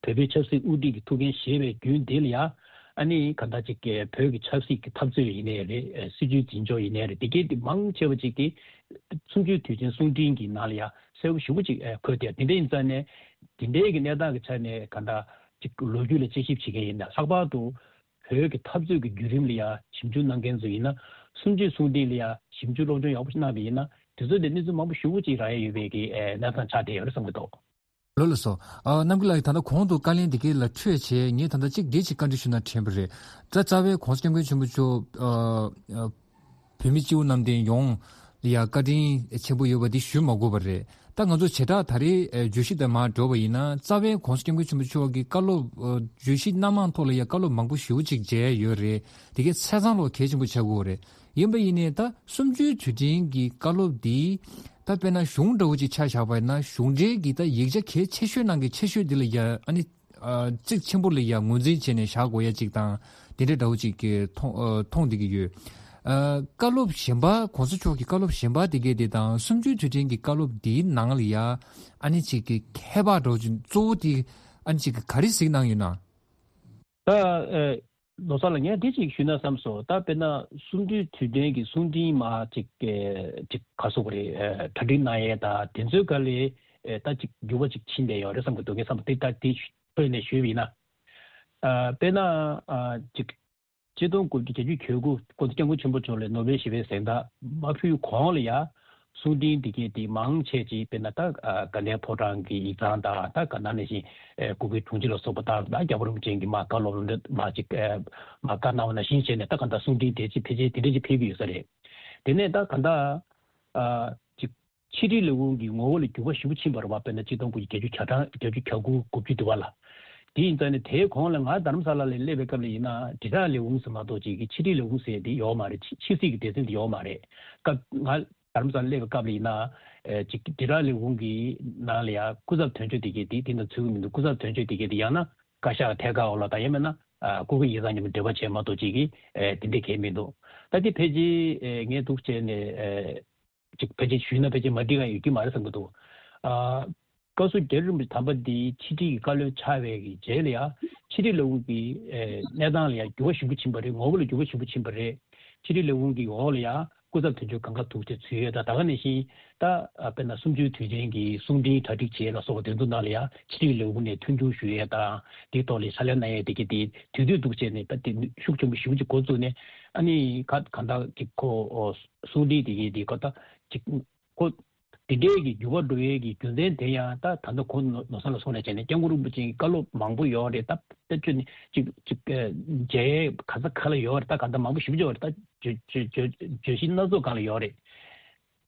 བོད་པའི་ཆབ་སྲིད་དབུ་ཁྲིད་ཀྱི་ཐུགས་འགན་བཞེས་པའི་རྒྱུན་འདི་ལ་ཡ། ཨ་ནི་ག་ད་ཅིག་གི་བོད་ཀྱི་ཆབ་སྲིད་ཀྱི་འཐབ་རྩོད་ཡིན་ནའི་རེད། ཨ་སྲིད་བྱུས་འཛིན་ཕྱོགས་ཡིན་ནའི་རེད། དེ་གའི་དེ་མང་ཆེ་བ་ཅིག་གི་གསུམ་བཅུའི་དུས་ཆེན་གསུང་འཕྲིན་གྱི་ནང་ལ་ཡ་གསལ་པོ་ཞེ་པོ་ཅིག་ཨ་འཁོད་དེ། དེ་འདྲ་ཡིན་ཙང་ནས་དེ་འདྲའི་གི་གནས་སྟངས་ཀྱི་ཆ་ནས་ག་ད་ཅིག་ལོ་རྒྱུས་ལ་དཔྱད་ཞིབ་བྱེད་མཁན་ཡིན་ན། ལྷག་པར་དུ་བོད་ཀྱི་འཐབ་རྩོད་ཀྱི་བརྒྱུད་རིམ་ལ་ཡ་ཞིབ་འཇུག་གནང་མཁན་ཚོ་ཡིན་ན། གསུམ་བཅུའི་གསུང་འཕྲིན་ལ་ཡ་ཞིབ་འཇུག་སློབ་སྦྱོང་ཡག་པོ་ཞིག་གནང་བ་ཡིན་ན། དེ་ཚོ་ལས་གནས་ཚུལ་མང་པོ་ཞེ་པོ་ཅིག་རག་ཡ་ཡོད་པའི་གི་ཨེ་གནས་སྟངས་ཆགས་བསྡད་ཡོད་རེད་བསམ་གྱི་འདུག། ལགས་ལགས་སོ། ཨ་རྣམ་རྒྱལ་ལགས་ཀྱིས་ད་ལྟ་གོང་དུ་བཀའ་ལན་འདི་གའི་ལ་འཕྲོས་བྱས། ངས་ད་ལྟ་གཅིག་འདི་གཅིག་བཀའ་འདྲི་ཞུ་ན་དྲན་པ་རེད། ད་རྩ་བའི་༸གོང་ས་༸སྐྱབས་མགོན་ཆེན་པོ་མཆོག་ཨ་ཨ་བོད་མི་སྤྱི་བོ་གནམ་བསྟན་ཡོངས་ལ་ཡ་བཀའ་དྲིན་ཆེན་པོ་ཡོད་པ་འདི་ཞུ་མ་དགོས་པ་རེད། ད་ང་ཚོ་བྱེ་བྲག་ད་རེས་ཨ་བརྗོད་གཞི་དང་མར་འགྲོ་བ་ཡིན་ན། རྩ་བའི་༸གོང་ས་༸སྐྱབས་མགོན་ཆེན་པོ་མཆོག་གི་བཀའ་སློབ་ཨ་བརྗོད་གཞི་སྣ་མང་ཐོག་ལ་ཡ་བཀའ་སློབ་མང་པོ་ཞེ་པོ་ཅིག་མཇལ་ཡོད་རེད། དེ་གའི་ཆ་ཚང་ལོ་གལ་ཆེན་པོ་ཆགས་ཀྱི་ཡོད་རེད། ཡིན་པ་ཡིན་ནའི་ད་གསུམ་བཅུའི་དུས་དྲན་གྱི་བཀའ་སློབ་འདི་ད་དཔེར་ན་གཞུང་འདྲ་བོ་ཅིག་ཆ་བཞག་པ་ཡིན་ན། གཞུང་འབྲེལ་གྱི་ད་ཡིག་ཆ་གལ་ཆེ་ཤོས་ནང་གི་ཆེ་ཤོས་འདི་ལ་ཡ་ཨ་ནི་ཨ་གཙིགས་ཆེན་པོ་ལ་ཡ་ངོས་འཛིན་བྱས་ནས་བཞག་དགོས་ཡ་ཅིག་དང་། དེ་འདྲ་འདྲ་བོ་ཅིག་གི་མཐོང་ཨ་མཐོང་བསྡད་ཀྱི་ཡོད། ཨ་བཀའ་སློབ་གཞན་པ།༸གོང་ས་མཆོག་གི་བཀའ་སློབ་གཞན་པ་དེ་གའི་དེ་དང་གསུམ་བཅུའི་དུས་དྲན་གྱི་བཀའ་སློབ་འདིའི་ནང་ལ་ཡ་ཨ་ནི་ཅིག་གི་ཁྱད་པར་འདྲ་བོ་ཅིག་གཙོ་བོ་དེ་ཨ་ནི་ཅིག་གི་ག་རེ་གཟིགས་གནང་ཡོད་ན། ད་ཨེ་ལོ་གསར་ལ་ངས་འདི་གཅིག་ཞུས་ན་བསམ་སོང་། ད་དཔེར་ན་གསུམ་བཅུའི་དུས་དྲན་གྱི་གསུང་འཕྲིན་མར་ཅིག་ཨེ་ཅིག་ག་རེ་ཟེར་དགོས་རེད། ཨེ་གྲ་སྒྲིག་གནང་ཡས་དང་དེ་ཚོའི་སྒང་ལ་ཨེ་ད་ཅིག་འགྱུར་བ་ཅིག་ཕྱིན་བསྡད་ཡོད་རེད་བསམ་གྱི་འདུག། ངས་བསམ་པ་དེ་ད་དེ་ཐོག་ནས་ཞུས་པ་ཡིན་ན། ཨ་དཔེར་ན་ཨ་ཅིག་ཆིག་སྟོང་དགུ་བརྒྱ་བརྒྱད་ཅུ་གྱ་དགུ། སྐུ་ཚེ་སྐྱབས་མགོན་ཆེན་པོ་མཆོག་ལ་ནོ་བེལ་ཞི་བའི་གཟེངས་རྟགས་མ་ཕུལ་གོང་ལ་ཡ་གསུང་འཕྲིན་འདི་གའི་དེ་མང་ཆེ་ཅིག་དཔེར་ན་ད་ཨ་དགའ་ལྡན་ཕོ་བྲང་གི་ཡིག་ཚང་དང་། ད་ག་ནང་ནང་བཞིན་ཨེ་གུ་གེ་དྲུང་ཆེ་ལ་སོགས་པ་དང་། ད་རྒྱལ་བ་རིན་པོ་ཆེ་གི་མར་བཀའ་སློབ་ལ་མར་ཅིག་ཨེ་མར་བཀའ་གནང་བ་ནང་བཞིན་བྱས་ནས། ད་ག་ད་གསུང་འཕྲིན་དེ་ཅིག་ཕལ་ཆེར་དེ་འདྲ་ཅིག་ཕེབས་ཀྱི་ཡོད་ས་རེད། དེ་ནས་ད་ག་ད་ཨ་ཅིག་ཕྱི་དྲིལ་ལས་ཁུངས་ཀྱི་ངོ་བོ་ལ་འགྱུར་བ་ཞེ་པོ་ཕྱིན་པ་རེད་བ། དཔེར་ན་ཆིག་སྟོང་དགུ་བརྒྱ་བརྒྱད་ཅུ་གྱ་གྲངས་བརྒྱད་ཅུ་གྱ་དགུ་དགུ་བཅུ་དུ་བ་ལ། དེ་ཡིན་ཙང་ནས་དེའི་གོང་ལ་ང་རྡ་རམ་ས་ལ་ལ་སླེབས་པའི་སྐབས་ལ་ཡིན་ན། དྲིལ་བསྒྲགས་ལས་ཁུངས་ཟེར་མ་གཏོགས་ཅིག་གི་ཕྱི་དྲིལ་ལས་ཁུངས་ཟེར་དེ་ཡོད་མ་རེད། ཕྱི་ཕྱི་སྲིད་ཀྱི་སྡེ་ཚན་དེ་ཡོད་མ་རེད། སྐབས་ང་རྡ་རམ་ས་ལ་སླེབས་པའི་སྐབས་ལ་ཡིན་ན། ཨེ་ཅིག་དྲིལ་བསྒྲགས་ལས་ཁུངས་ཀྱི་ནང་ལ་ཡ་སྐུ་ཚབ་དོན་གཅོད་དེ་གའི་དེ་དེ་ནང་ཚུད་ཀྱི་མི་འདུག། སྐུ་ཚབ་དོན་གཅོད་དེ་གའི་དེ་ཡང་ན་བཀའ་ཤག་ཐད་ཀར་འོག་ལ་དང་། ཡང་མིན་ན་ཨ་སྐུ་སྒེར་ཡིག་ཚང་མཉམ་དུ་འབྲེལ་བ་བྱས་མ་གཏོགས་ཅིག་གི་ཨེ་དེ་འདྲ་གང་ཡང་མི་འདུག། ད་དེ་ཕལ་ཆེར་ཨེ་ངས་འདུག་བྱས་ནས་ཨེ། ཅིག་ཕལ་ཆེར་ཞུས་ན་ཕལ་ཆེར་མ་འགྲིག་ག་ཡོད་ཀྱི་མ་རེད་བསམ་གྱི་འདུག། ཨ། བཀའ་ཟུར་རྒྱ་རི་རིན་པོ་ཆེ་དམ་པ་འདི་ཕྱི་དྲིལ་གྱི་བཀའ་བློན་ཆགས་པའི་གི་རྗེས་ལ་ཡ། ཕྱི་དྲིལ་ལས་ཁུངས་ཀྱི་ཨེ་གནས་སྟངས་ལ་ཡ་འགྱུར་བ་ཞེ་པོ་ཕྱིན་པ་རེད། ངོ་བོ་ལ་འགྱུར་བ་ཞེ་པོ་ཕྱིན་པ་རེད། ཕྱི་དྲིལ་ལས་ཁུངས་ཀྱི་འོག་ལ་ཡ་སྐུ་ཚབ་དོན་གཅོད་སྒང་ག་ཐུག་བྱས་ཚུད་ཡོད། ད་ད་ག་ནང་བཞིན་ད་ཨ་དཔེར་ན་གསུམ་བཅུའི་དུས་དྲན་གྱི་གསུང་འཕྲིན་གྲ་སྒྲིག་བྱེད་ལ་སོགས་པ་དེ་ཚོ་ནང་ལ་ཡ་ཕྱི་དྲིལ་ལས་ཁུངས་ནས་མཐུན་འགྱུར་ཞུ་ཡས་དང་། དེའི་ཐོག་ལ་ཕྱག་ལས་གནང་ཡས་དེ་གི་དེ་དུས་དུས་འདུག་བྱས་ནས། ད་དེ་ཤུགས་ཆེན་པོ་ཞེ་པོ་ཅིག་འགོ་བཙུགས་ནས། ཨ་ནི་ག་གང་ལྟར་གྱི་ཁོ་གསུང་འཕྲིན་དེ་གའི་དེ་ཁོ་ད་ཅིག་ཁོ་དེ་འདྲའི་གི་འགྱུར་བ་འགྲོ་ཡས་ཀྱི་རྒྱུ་མཚན་དེ་ཡང་ད་ད་ལྟ་ཁོང་ནོར་ནོར་བཟང་ལ་གསུངས་ནས་བྱས་ནས། སྐྱབས་མགོན་རིན་པོ་ཆེའི་བཀའ་སློབ་མང་པོ་ཡོད་རེད། ད་དཔེ་བརྗོད་ནས་ཅིག་ཅིག་མཇལ་ཡས་ག་ས་ག་ལ་ཡོད་རེད། ད་ག་ད་མང་པོ་ཞེ་པོ་ཅིག་ཡོད་རེད། ད་བརྗོད་བརྗོད་བརྗོད་བརྗོད་གཞི་སྣ་ཚོགས་སྒང་ལ་ཡོད་རེད།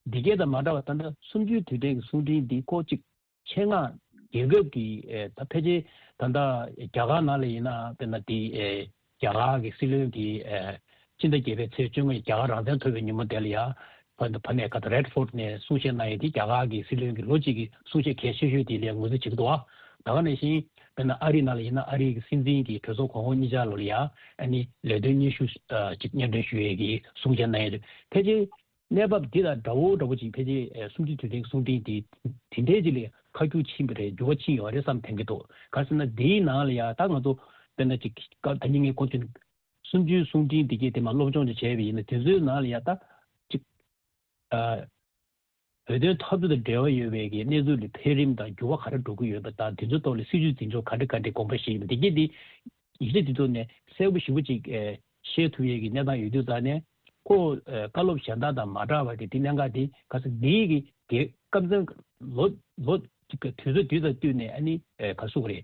འདི་གས་དང་མ་འདྲ་བ། ད་ལྟ་གསུམ་བཅུའི་དུས་དྲན་གྱི་གསུང་འཕྲིན་འདི་ཁོ་ཅིག་ཆེད་མངགས་རྒྱལ་ཁབ་ཀྱི་ཨེ་ད་ཕལ་ཆེར་ད་ལྟ་རྒྱ་གར་ནང་ལ་ཡིན་ན། དཔེར་ན་དེ་ཨེ་རྒྱ་གར་གྱི་སྲིད་བློན་གྱིས་ཨེ་སྤྱི་ཟླ་བརྒྱད་པའི་ཚེས་བཅོ་ལྔ་རྒྱ་གར་རང་བཙན་ཐོབ་པའི་ཉིན་མོ་དེ་ལ་ཡ་ཕ་ཕ་ནས་ག་ད་རེཌ་ཕོར་ཊི་ནས་གསུང་བཤད་གནང་ཡས་དེ་རྒྱ་གར་གྱི་སྲིད་བློན་གྱི་ལོ་གཅིག་གི་གསུང་བཤད་གལ་ཆེ་ཤོས་དེ་ལ་ངོས་འཛིན་བྱེད་ཀྱི་འདུག་ཨ། ད་ག་ནང་བཞིན་དཔེར་ན་ཨ་རི་ནང་ལ་ཡིན་ན། ཨ་རི་གི་སྲིད་འཛིན་གྱིས་གྲོས་ཚོགས་གོང་འོག་གཉིས་ཆ་ལོ་ལ་ཡ་ཨ་ནི་ལས་དོན་སྙན་ཞུ་ཨ་ཅིག་སྙན་སྒྲོན་ཞུ་ཡས་ཀྱི་གསུང་བཤད་གནང་ཡས་དེ་ཕལ་ཆེར། གནས་བབ་འདི་དང་འདྲ་བོ་འདྲ་བོ་ཅིག་ཕལ་ཆེར་ཨེ་གསུམ་བཅུའི་དུས་དྲན་གྱི་གསུང་འཕྲིན་འདི་དེ་འདྲའི་ཅིག་ལ་ཁ་རྒྱུན་ཕྱིན་པ་རེད། འགྱུར་བ་ཕྱིན་ཡོད་རེད་བསམ་དྲན་གྱི་འདུག། ག་རེ་ཟེར་ན་འདིའི་ནང་ལ་ཡ་ད་ང་ཚོ་ དཔེར་ན་ཅིག་སྐབས་ད་ནི་ངས་གོང་དུ་གསུམ་བཅུའི་གསུང་འཕྲིན་འདི་གས་དེ་མ་སློབ་སྦྱོང་ཅིག་བྱས་པ་ཡིན་ན། དེ་ཚོའི་ནང་ལ་ཡ་ད་ཅིག་ཨ་བོད་དོན་འཐབ་རྩོད་དང་འབྲེལ་བ་ཡོད་པའི་གི་གནས་ཚུལ་ལ་འཕེལ་རིམ་དང་འགྱུར་བ་ག་རེ་འགྲོ་གི་ཡོད་པ་དང་། དེ་ཚོའི་ཐོག་ལ་སྲིད་བྱུས་འཛིན་སྐྱོང་ག་འདྲ་ག་འདྲ་དགོངས་པ་བཞེས་ཡོད་པ་འདི་གས་དེ་ཡིག་ཆ་དེ་ཚོ་ནས་གསལ་པོ་ཞེ་པོ་ཅིག་ཨེ་ཤེས་ཐུབ་ཡས་ཀྱི་གནས་སྟངས་ཡོད་དུས་ཙང་ནས། ཁོ་ཨེ་བཀའ་སློབ་གཞན་དག་དང་མ་འདྲ་བ་དེ་དེ་གནད་འགག་དེ་ག་ས་འདིའི་གི་གེ་སྐབས་འཛིན་ལོ་ལོ་གཅིག་གི་དུས་ཚོད་དུས་དང་བསྟུན་ནས་ཨ་ནི་ཨེ་ག་སུ་ག་རེད།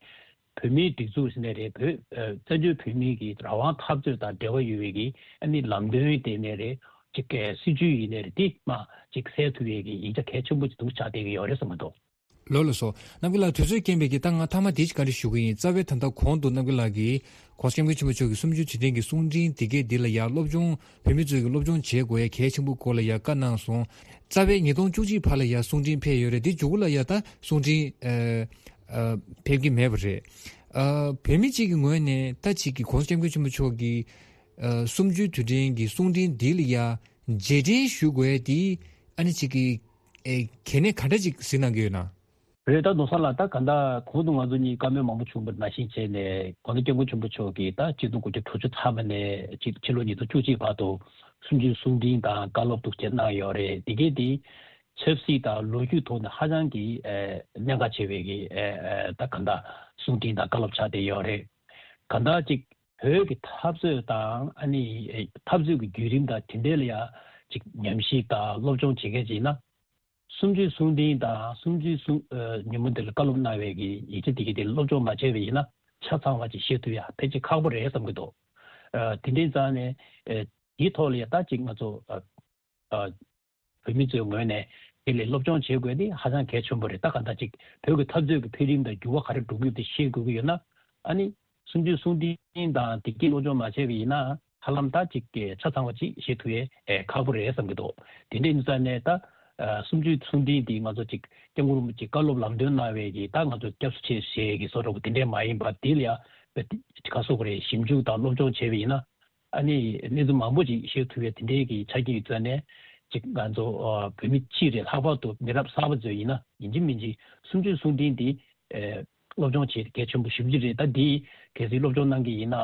བོད་མིའི་སྒྲིག་འཛུགས་ཟེར་ནས་རེད། བོད་ཨེ་བཙན་བྱོལ་བོད་མིའི་གི་རང་དབང་འཐབ་རྩོད་དང་འབྲེལ་བ་ཡོད་པའི་གི་ཨ་ནི་ལམ་སྟོན་དེ་ནས་རེད། གཅིག་གི་སྲིད་བྱུས་ཡིན་ནས་རེད། དེ་མ་གཅིག་གསལ་ཐུབ་ཡས་ཀྱི་ཡིག་ཆ་གལ་ཆེན་པོ་ཅིག་འདུག་ཆགས་བསྡད་ཀྱི་ཡོད་རེད་བསམ་གྱི་འདུག། ལགས་ལགས་སོ། རྣམ་རྒྱལ་ལགས་དུས་ཚོད་རྐྱེན་པས་ཀྱིས་ད་ང་མཐའ་མ་དེ་ཅིག་བཀའ་འདྲི་ཞུ་གི་ཡིན། རྩ་བའི་ད་ལྟ་གོང་དུ་རྣམ་རྒྱལ་ལགས་ཀྱིས་༸གོང་ས་༸སྐྱབས་མགོན་ཆེན་པོ་མཆོག་གི་གསུམ་བཅུའི་དུས་དྲན་གྱི་གསུང་འཕྲིན་འདི་གས་འདི་ལ་ཡ་སློབ་སྦྱོང་བོད་མི་ཚོས་ཀྱི་སློབ་སྦྱོང་བྱེད་དགོས་ཡ་གལ་ཆེན་པོའི་སྐོར་ལ་ཡ་བཀའ་གནང་སོང་། རྩ་བའི་ཉིས་སྟོང་བཅུ་གཅིག་བར་ལ་ཡ་གསུང་འཕྲིན་ཕེབས་ཡོད་རེད། འདི་མཇུག་ལ་ཡ་ད་གསུང་འཕྲིན་ཨ་ཨ་ཕེབས་ཀྱི་མེད་པ་རེད། ཨ་བོད་མི་གཅིག་གི་ངོས་ནས་ད་ཅིག་གི་༸གོང་ས་༸སྐྱབས་མགོན་ཆེན་པོ་མཆོག་གི་ཨ་གསུམ་བཅུའི་དུས་དྲན་གྱི་གསུང་འཕྲིན་འདི་ལ་ཡ་རྗེས་དྲན་ཞུ་དགོས་ཡ་འདི་ཨ་ནི་ཅིག་གི་ཨེ་གལ་གནད་ག་འདྲ་ཅིག་གཟིགས་གནང་གི་ཡོད་ན། རེད། ད་ནོར་བཟང་ལགས། ད་ག་ད་གོང་དུ་ང་ཚོ་གཉིས་བཀའ་མོལ་མང་པོ་བྱུང་བ་ནང་བཞིན་བྱས་ནས།༸གོང་ས་༸སྐྱབས་མགོན་ཆེན་པོ་མཆོག་གིས་ད་གཅིག་སྟོང་དགུ་བརྒྱ་དྲུག་ཅུ་ཐམ་པ་ནས་ཅིག་ཕྱི་ལོ་ཉིས་སྟོང་བཅུ་གཅིག་བར་དུ་གསུམ་བཅུའི་གསུང་འཕྲིན་དང་བཀའ་སློབ་ཐུགས་ཆེ་གནང་ཡོད་རེད། དེ་གས་དེ་ཆབ་སྲིད་དང་ལོ་རྒྱུས་ཐོག་ནས་ཧ་ཅང་གི་ཨེ་གནད་འགག་ཆེ་བའི་གི་ཨེ་ཨེ་ད་ག་ད་གསུང་འཕྲིན་དང་བཀའ་སློབ་ཆགས་བསྡད་ཡོད་རེད། ག་ད་ཅིག་བོད་ཀྱི་འཐབ་རྩོད་དང་ཨ་ནི་ཨེ་འཐབ་རྩོད་ཀྱི་བརྒྱུད་རིམ་དང་དེ་འབྲེལ་ལ་ཡ་ཅིག་ཉམས་ཞིབ་དང་སློབ་སྦྱོང་བྱེད་མཁན་ཅིག་ཡིན་ན། གསུམ་བཅུའི་གསུང་འཕྲིན་དང་གསུམ་བཅུའི་གསུང་ཨ་ཉིན་མོ་འདིར་བཀའ་སློབ་གནང་བའི་གི་ཡིག་ཆ་དེ་གི་དེ་སློབ་སྦྱོང་མ་བྱས་པ་ཡིན་ན་ཆ་ཚང་བ་ཅིག་ཤེས་ཐུབ་ཡ་ཕལ་ཆེར་ཁག་པོ་རེད་བསམ་གི་འདུག། ཨ་དེ་འདྲའི་ཙང་ནས་ཨ་དེའི་ཐོག་ལ་ཡ་ད་ཅིག་ང་ཚོ་ཨ་ཨ་བོད་མི་ཚོའི་ངོས་ནས་དེ་ལས་སློབ་སྦྱོང་བྱེད་དགོས་དེ་ཧ་ཅང་གལ་ཆེན་པོ་རེད། ད་ག་ད་ཅིག་བོད་ཀྱི་འཐབ་རྩོད་ཀྱི་འཕེལ་རིམ་དང་འགྱུར་བ་ག་རེ་འགྲོ་གི་ཡོད་དེ་ཤེས་དགོས་ཀྱི་ཡོད་ན། ཨ་ནི་གསུམ་བཅུའི་གསུང་འཕྲིན་དང་དེ་གི་སློབ་སྦྱོང་མ་བྱས་པ་ཡིན་ན། ཧ་ལམ་ད་ཅིག་གི་ཆ་ཚང་བ་ཅིག་ཤེས་ཐུབ་ཡས་ཨེ་ཁག་པོ་རེད་བསམ་གྱི་འདུག། དེ་འདྲའི་ཡིན་ཙང་ནས་ད་ཨ་གསུམ་བཅུའི་གསུང་འཕྲིན་འདི་ང་ཚོ་ཅིག་སྐྱབས་མགོན་རིན་པོ་ཆེ་བཀའ་སློབ་ལམ་སྟོན་གནང་བའི་གི་ད་ང་ཚོ་སྐྱབས་སུ་མཆི་ཞེས་ཀྱི་བཟོ་འདྲ་པོ་དེ་འདྲས་མ་ཡིན་པར། དེ་ལ་ཡ་ག་སོགས་རེ་ཞིབ་འཇུག་དང་སློབ་སྦྱོང་བྱས་པ་ཡིན་ན། ཨ་ནི་གནས་ཚུལ་མང་པོ་ཅིག་ཤེས་ཐུབ་ཡས་དེ་འདྲའི་གི་ཆ་རྐྱེན་ཡོད་ཙང་ནས། ཅིག་ང་ཚོ་ཨ་བོད་མི་སྤྱི་རེད། ལྷག་པར་དུ་མི་རབས་གསར་པ་ཚོ་ཡིན་ན་ཡིན་གཅིག་མིན་གཅིག་གསུམ་བཅུའི་གསུང་འཕྲིན་འདི་ཨེ་སློབ་སྦྱོང་བྱེད་གལ་ཆེན་པོ་ཞེ་པོ་ཅིག་རེད། ད་འདི་གལ་སྲིད་སློབ་སྦྱོང་གནང་གི་ཡིན་ན།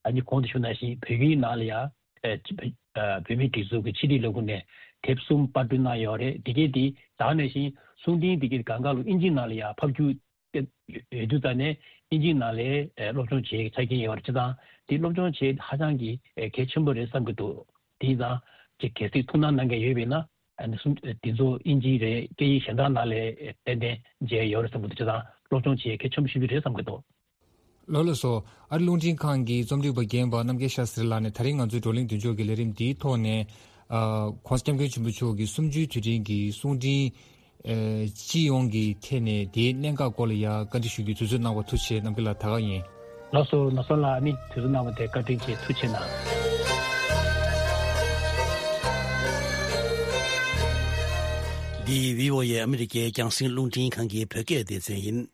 ཨ་ནི་གོང་དུ་ཞུས་ནང་བཞིན་བོད་ཡིག་ནང་ལ་ཡ་ཨེ་ཅི་བོད་ཨ་བོད་མིའི་སྒྲིག་འཛུགས་ཀྱི་ཕྱི་དྲིལ་ལས་ཁུངས་ནས་དེབ་གསུམ་པར་སྐྲུན་གནང་ཡོད་རེད། འདི་གས་འདི་ད་ག་ནང་བཞིན་གསུང་འཕྲིན་འདི་གས་སྒང་ག་ལ་དབྱིན་ཇིའི་ནང་ལ་ཡ་ཕབ་སྒྱུར་ཡོད་དུས་ཙང་ནས་དབྱིན་ཇིའི་ནང་ལ་ཨེ་སློབ་སྦྱོང་བྱེད་ཆ་རྐྱེན་ཡོད་རེད། བྱས་ཙང་དེ་སློབ་སྦྱོང་བྱེད་ཧ་ཅང་གི་ཨེ་གལ་ཆེན་པོ་རེད་བསམ་གྱི་འདུག། དེ་ཙང་ཅིག་གལ་སྲིད་ཐུགས་སྣང་གནང་མཁན་ཡོད་པ་ཡིན་ན། ཨ་ནི་གསུམ་དེ་ཚོ་དབྱིན་ཇི་རེད། སྐད་ཡིག་གཞན་དག་ནང་ལ་ཨེ་ཏན་ཏན་མཇལ་ཡོད་རེད་བསམ་གྱི་འདུག། བྱས་ཙང་སློབ་སྦྱོང་བྱེད་གལ་ཆེན་པོ་ཞེ་པོ་རེད་བསམ་གྱི་འདུག། ལགས་ལགས་སོ། ཨ་རི་རླུང་འཕྲིན་ཁང་གི་རྩོམ་སྒྲིག་པ་རྒན་པ་རྣམ་རྒྱལ་ཤཱ་སི་རི་ལགས་ནས་ད་རིང་ང་ཚོའི་བགྲོ་གླེང་མདུན་ལྕོག་གི་ལས་རིམ་འདིའི་ཐོག་ནས། ཨ་༸གོང་ས་༸སྐྱབས་མགོན་ཆེན་པོ་མཆོག་གི་གསུམ་བཅུའི་དུས་དྲན་གྱི་གསུང་འཕྲིན་ཨ་སྤྱི་ཡོངས་ཀྱི་ཐད་ནས་དེའི་གནད་འགག་སྐོར་ལ་ཡ་བཀའ་འདྲི་ཞུ་རྒྱུའི་དུས་ཚོད་གནང་བར་ཐུགས་རྗེ་ཆེ། རྣམ་རྒྱལ་ལགས་ད་ག་ཡིན། ལགས་སོ། ནོར་བཟང་ལགས། ཨ་ནི་དུས་ཚོད་གནང་བ་དེ་བཀའ་དྲིན་ཆེ། ཐུགས་རྗེ་གནང་། འདི་བྷི་ཨོ་ཨེ་ཨ་མི་རི་ཀའི་རྒྱང་སྲིང་རླུང་འཕྲིན་ཁང་གི་བོད་སྐད་སྡེ་ཚན་ཡིན།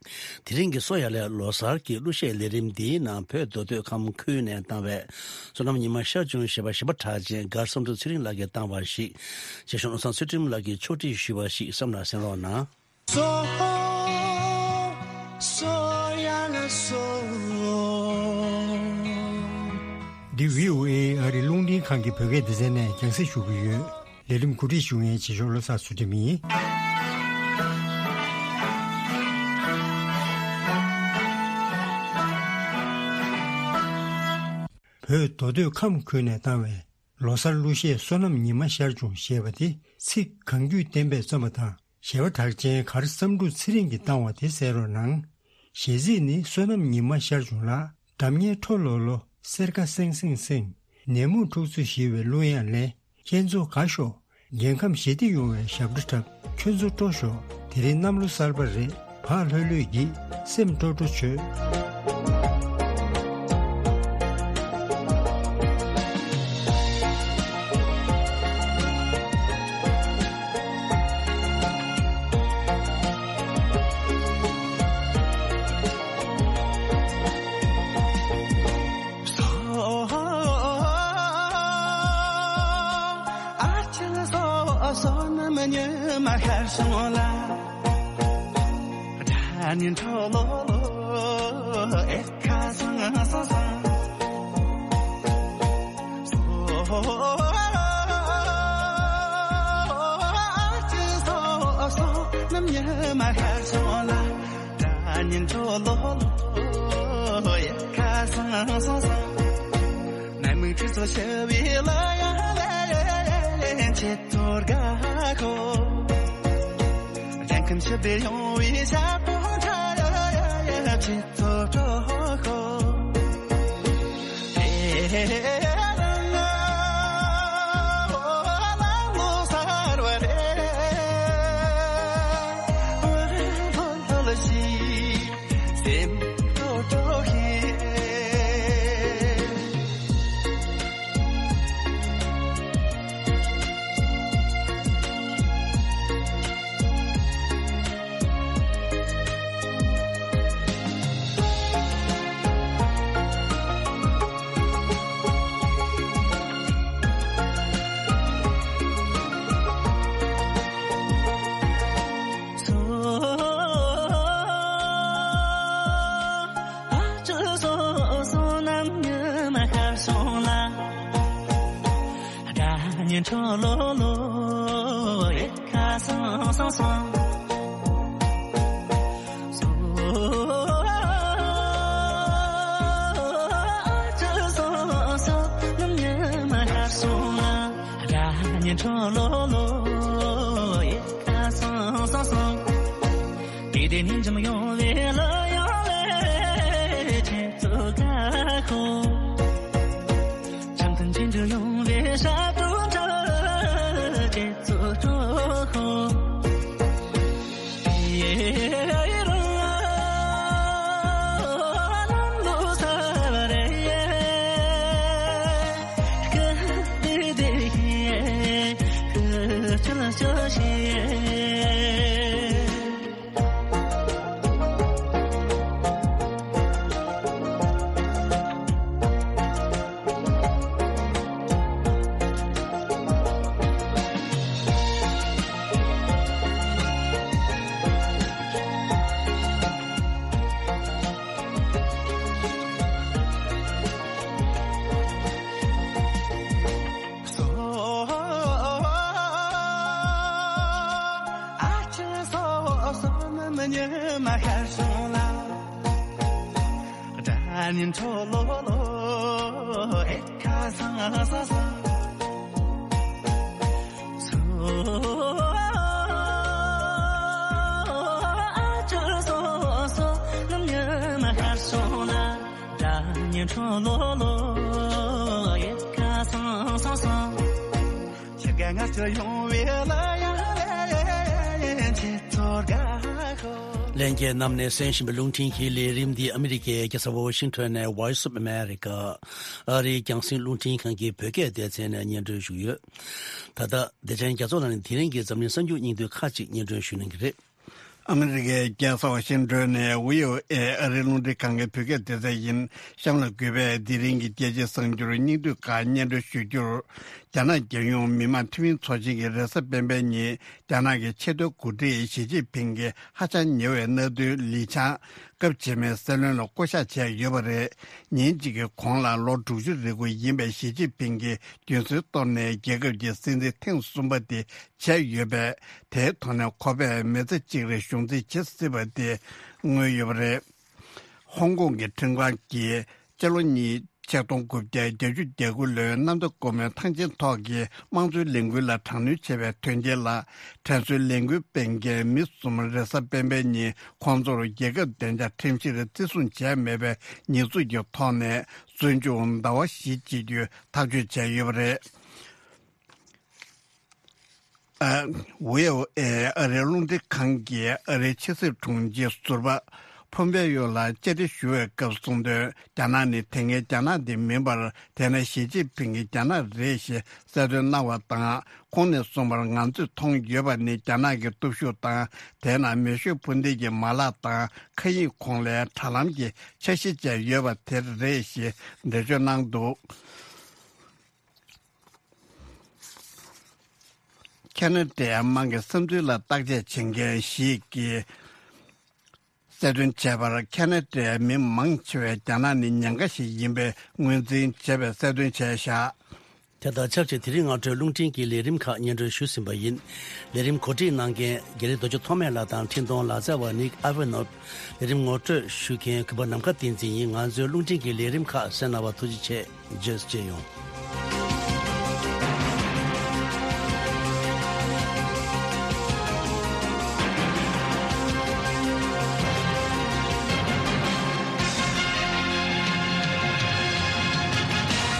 དེ་རིང་གི་སོ་ཡ་ལས་ལོ་གསར་གྱི་གླུ་གཞས་ལས་རིམ་འདིའི་ནང་བོད་མདོ་སྟོད་ཁམས་ཁུལ་ནས་བཏང་བའི་བསོད་ནམས་ཉི་མ་ཤར་བྱུང་ཞེས་པ་གཞས་པ་གྲགས་ཅན་མགར་བསམ་གྲུབ་ཚེ་རིང་ལགས་ཀྱིས་བཏང་བ་ཞིག། རྗེ་གཞུང་བློ་བཟང་ཚུལ་ཁྲིམས་ལགས་ཀྱིས་ཕྱོགས་སྒྲིག་ཞུས་པ་ཞིག་བསམ་ལ་གསན་རོགས་གནང་། སོ་སོ་ཡ་ལ་སོ། འདི་བྷི་ཨོ་ཨེ་ཨ་རི་རླུང་འཕྲིན་ཁང་གི་བོད་སྐད་སྡེ་ཚན་ནས་རྒྱང་སྲིང་ཞུ་གི་ཡོད། ལས་རིམ་གོ་སྒྲིག་ཞུ་མཁན་རྗེ་གཞུང་བློ་བཟང་ཚུལ་ཁྲིམས་ཡིན། བོད་མདོ་སྟོད་ཁམས་ཁུལ་ནས་བཏང་བའི་ལོ་གསར་གླུ་གཞས་བསོད་ནམས་ཉི་མ་ཤར་བྱུང་ཞེས་པ་དེ་ཚིག་གང་རྒྱུད་བསྟན་པས་བརྩམས་པ་དང་། གཞས་པ་གྲགས་ཅན་མགར་བསམ་འགྲུབ་ཚེ་རིང་གིས་བཏང་བ་དེ་གསན་རོགས་གནང་། གཞས་ཚིག་ནི། བསོད་ནམས་ཉི་མ་ཤར་བྱུང་ལ། སྒྲ་སྙན་འཕྲོ་ལོ་ལོ། སེར་ཀ་སེང་སེང་སེང་། ནད་མུག་འཁྲུག་རྩོད་ཞི་བའི་གླུ་དབྱངས་ལེན། ཁྱེད་ཚོ་དགའ་ཤོག། རྒྱལ་ཁམས་ཞི་བདེ་ཡོང་བའི་ཞབས་བྲོ་འཁྲབ། ཁྱོད་ཚོ་སྤྲོ་ཤོག། དེ་རིང་གནམ་ལོ་གསར་པ་རེད། བག་ལྷོད་ལྷོད་ཀྱིས་སེམས་སྤྲོ་སྤྲོ་བྱོས། ལྷན་རྒྱས་རྣམས་ནས་གསན་བཞིན་པའི་རླུང་འཕྲིན་གྱི་ལས་རིམ་འདི་ཨ་མི་རི་ཀའི་རྒྱལ་ས་ཝ་ཤིང་ཊོན་ནས་Voice of America ཨ་རིའི་རྒྱང་སྲིང་རླུང་འཕྲིན་ཁང་གི་བོད་སྐད་སྡེ་ཚན་ནས་སྙན་སྒྲོན་ཞུས་ཡོད། ད་ལྟ་བདེ་ཆེན་རྒྱ་མཚོ་ལགས་ནས་དེ་རིང་གི་འཛམ་གླིང་གསར་འགྱུར་སྙིང་བསྡུས་ཁག་ཅིག་སྙན་སྒྲོན་ཞུ་གནང་གི་རེད། ཨ་མི་རི་ཀའི་རྒྱལ་ས་ཝ་ཤིང་ཊོན་ནས་བྷི་ཨོ་ཨེ་ཨ་རིའི་རླུང་འཕྲིན་ཁང་གི་བོད་སྐད་སྡེ་ཚན་ཡིན། གཤམ་ལ་གུས་པས་དེ་རིང་གི་རྒྱལ་སྤྱིའི་གསར་འགྱུར་སྙིང་བསྡུས་ཁག་སྙན་སྒྲོན་ཞུ་རྒྱུར། རྒྱ་ནག་རྒྱལ་ཡོངས་མི་དམངས་འཐུས་མི་ཚོགས་ཆེན་གྱིས་རེས་གཟའ་སྤེན་པའི་ཉིན་རྒྱ་ནག་གི་ཆེས་མཐོའི་འགོ་ཁྲིད་ཞི་ཅིན་ཕིང་གི་ཧ་ཅང་ཉེ་བའི་མནའ་མཐུན་ལི་ཆང་སྐབས་རྗེས་མའི་སྲིད་བློན་ལ་བསྐོ་གཞག་བྱས་ཡོད་པ་རེད། ཉིན་གཅིག་གི་གོང་ལ་ལོ་དྲུག་ཅུ་རེ་དགུ་ཡིན་པའི་ཞི་ཅིན་ཕིང་གིས་རྒྱུན་སྲོལ་གཏོར་ནས་རྒྱལ་ཁབ་ཀྱི་སྲིད་འཛིན་ཐེངས་གསུམ་པ་དེ་བྱས་ཡོད་པས། དེའི་ཐོག་ནས་ཁོ་པས་མི་ཚེ་གཅིག་རིང་གཞུང་འཛིན་བྱེད་སྲིད་པ་དེ་མངོན་ཡོད་པ་རེད། ཧོང་ཀོང་གི་ཁྲིམས་ཁང་གིས་སྤྱི་ལོ་གཉིས་ཆིག་སྟོང་དགུ་བརྒྱ་བརྒྱད་ཅུ་གྱ་དགུ་ལོའི་གནམ་བདེ་སྒོ་མོའི་ཐང་ཆེན་ཐོག་གི་དམངས་གཙོའི་ལས་འགུལ་ལ་དྲག་གནོན་བྱས་པའི་དོན་རྐྱེན་ལ། དྲན་གསོའི་ལས་འགུལ་སྤེལ་མཁན་མི་གསུམ་རེས་གཟའ་སྤེན་པའི་ཉིན་ཁོང་ཚོར་རྒྱལ་ཁབ་བདེ་འཇགས་ཁྲིམས་གཞིར་བརྩི་སྲུང་བྱས་མེད་པའི་ཉེས་འཛུགས་ཀྱི་ཐོག་ནས་བཙོན་འཇུག་ཟླ་བ་བཞི་བྱེད་རྒྱུའི་ཐག་གཅོད་བྱས་ཡོད་པ་རེད། ཨ། ཝི་ཨོ་ཨེ་ཨ་རིའི་རླུང་འཕྲིན་ཁང་གིས་ཨ་རིའི་ཕྱི་སྲིད་དྲུང་ཆེ་ཟུར་པ་ཕོམ་པེ་ཡོ་ལ་བཅར་འདྲི་ཞུ་བའི་སྐབས་གསུངས་དོན། རྒྱ་ནག་ནི་དེ་སྔའི་རྒྱ་ནག་དེ་མིན་པར། དེ་ནས་ཞི་ཅིན་ཕིང་གིས་རྒྱ་ནག་རེད་ཞེས་གསལ་སྟོན་གནང་བ་དང་། ཁོང་ནས་གསུངས་པར། ང་ཚོས་མཐོང་ཡོད་པ་ནི་རྒྱ་ནག་གི་སྟོབས་ཤུགས་དང་། དེས་ན་མེ་ཤུགས་འཕུར་མདེལ་གྱི་མ་ལག་དང་། མཁའ་དབྱིངས་གོང་ལའི་དྲ་ལམ་གྱི་འཆར་གཞི་བཅས་ཡོད་པ་དེ་རེད་ཞེས་འགྲེལ་བརྗོད་གནང་འདུག་ཁ་ན་ཌའི་དམངས་ཀྱི་བསམ་ཚུལ་ལ་བརྟག་དཔྱད་བྱེད་མཁན་ཞིག་གིས། གསལ་སྟོན་བྱས་པར་ཁ་ན་ཌའི་མི་མང་ཆེ་བས་རྒྱ་ནག་ནི་ཉེན་ཁ་ཞིག་ཡིན་པའི་ངོས་འཛིན་བྱས་པའི་གསལ་སྟོན་བྱས་བཞག་དེ་དང་ཆབས་ཅིག་དེ་རིང་སྔ་དྲོའི་རླུང་འཕྲིན་གྱི་ལས་རིམ་ཁག་སྙན་སྒྲོན་ཞུས་ཟིན་པ་ཡིན། ལས་རིམ་གོ་སྒྲིག་གནང་མཁན་རྒན་ལགས་རྡོ་རྗེ་ཐོགས་མེད་ལགས་དང་འཕྲིན་གཏོང་ལག་རྩལ་བ་ནིག་ཨ་ཝེ་ནོབ། ལས་རིམ་ངོ་སྤྲོད་ཞུ་མཁན་གུས་པ་ནམ་མཁའ་བསྟན་འཛིན་ཡིན། ང་ཚོའི་རླུང་འཕྲིན་གྱི་ལས་རིམ་ཁག་གསན་གནང་བར་ཐུགས་རྗེ་ཆེ། རྗེས་སུ་མཇལ་ཡོང་།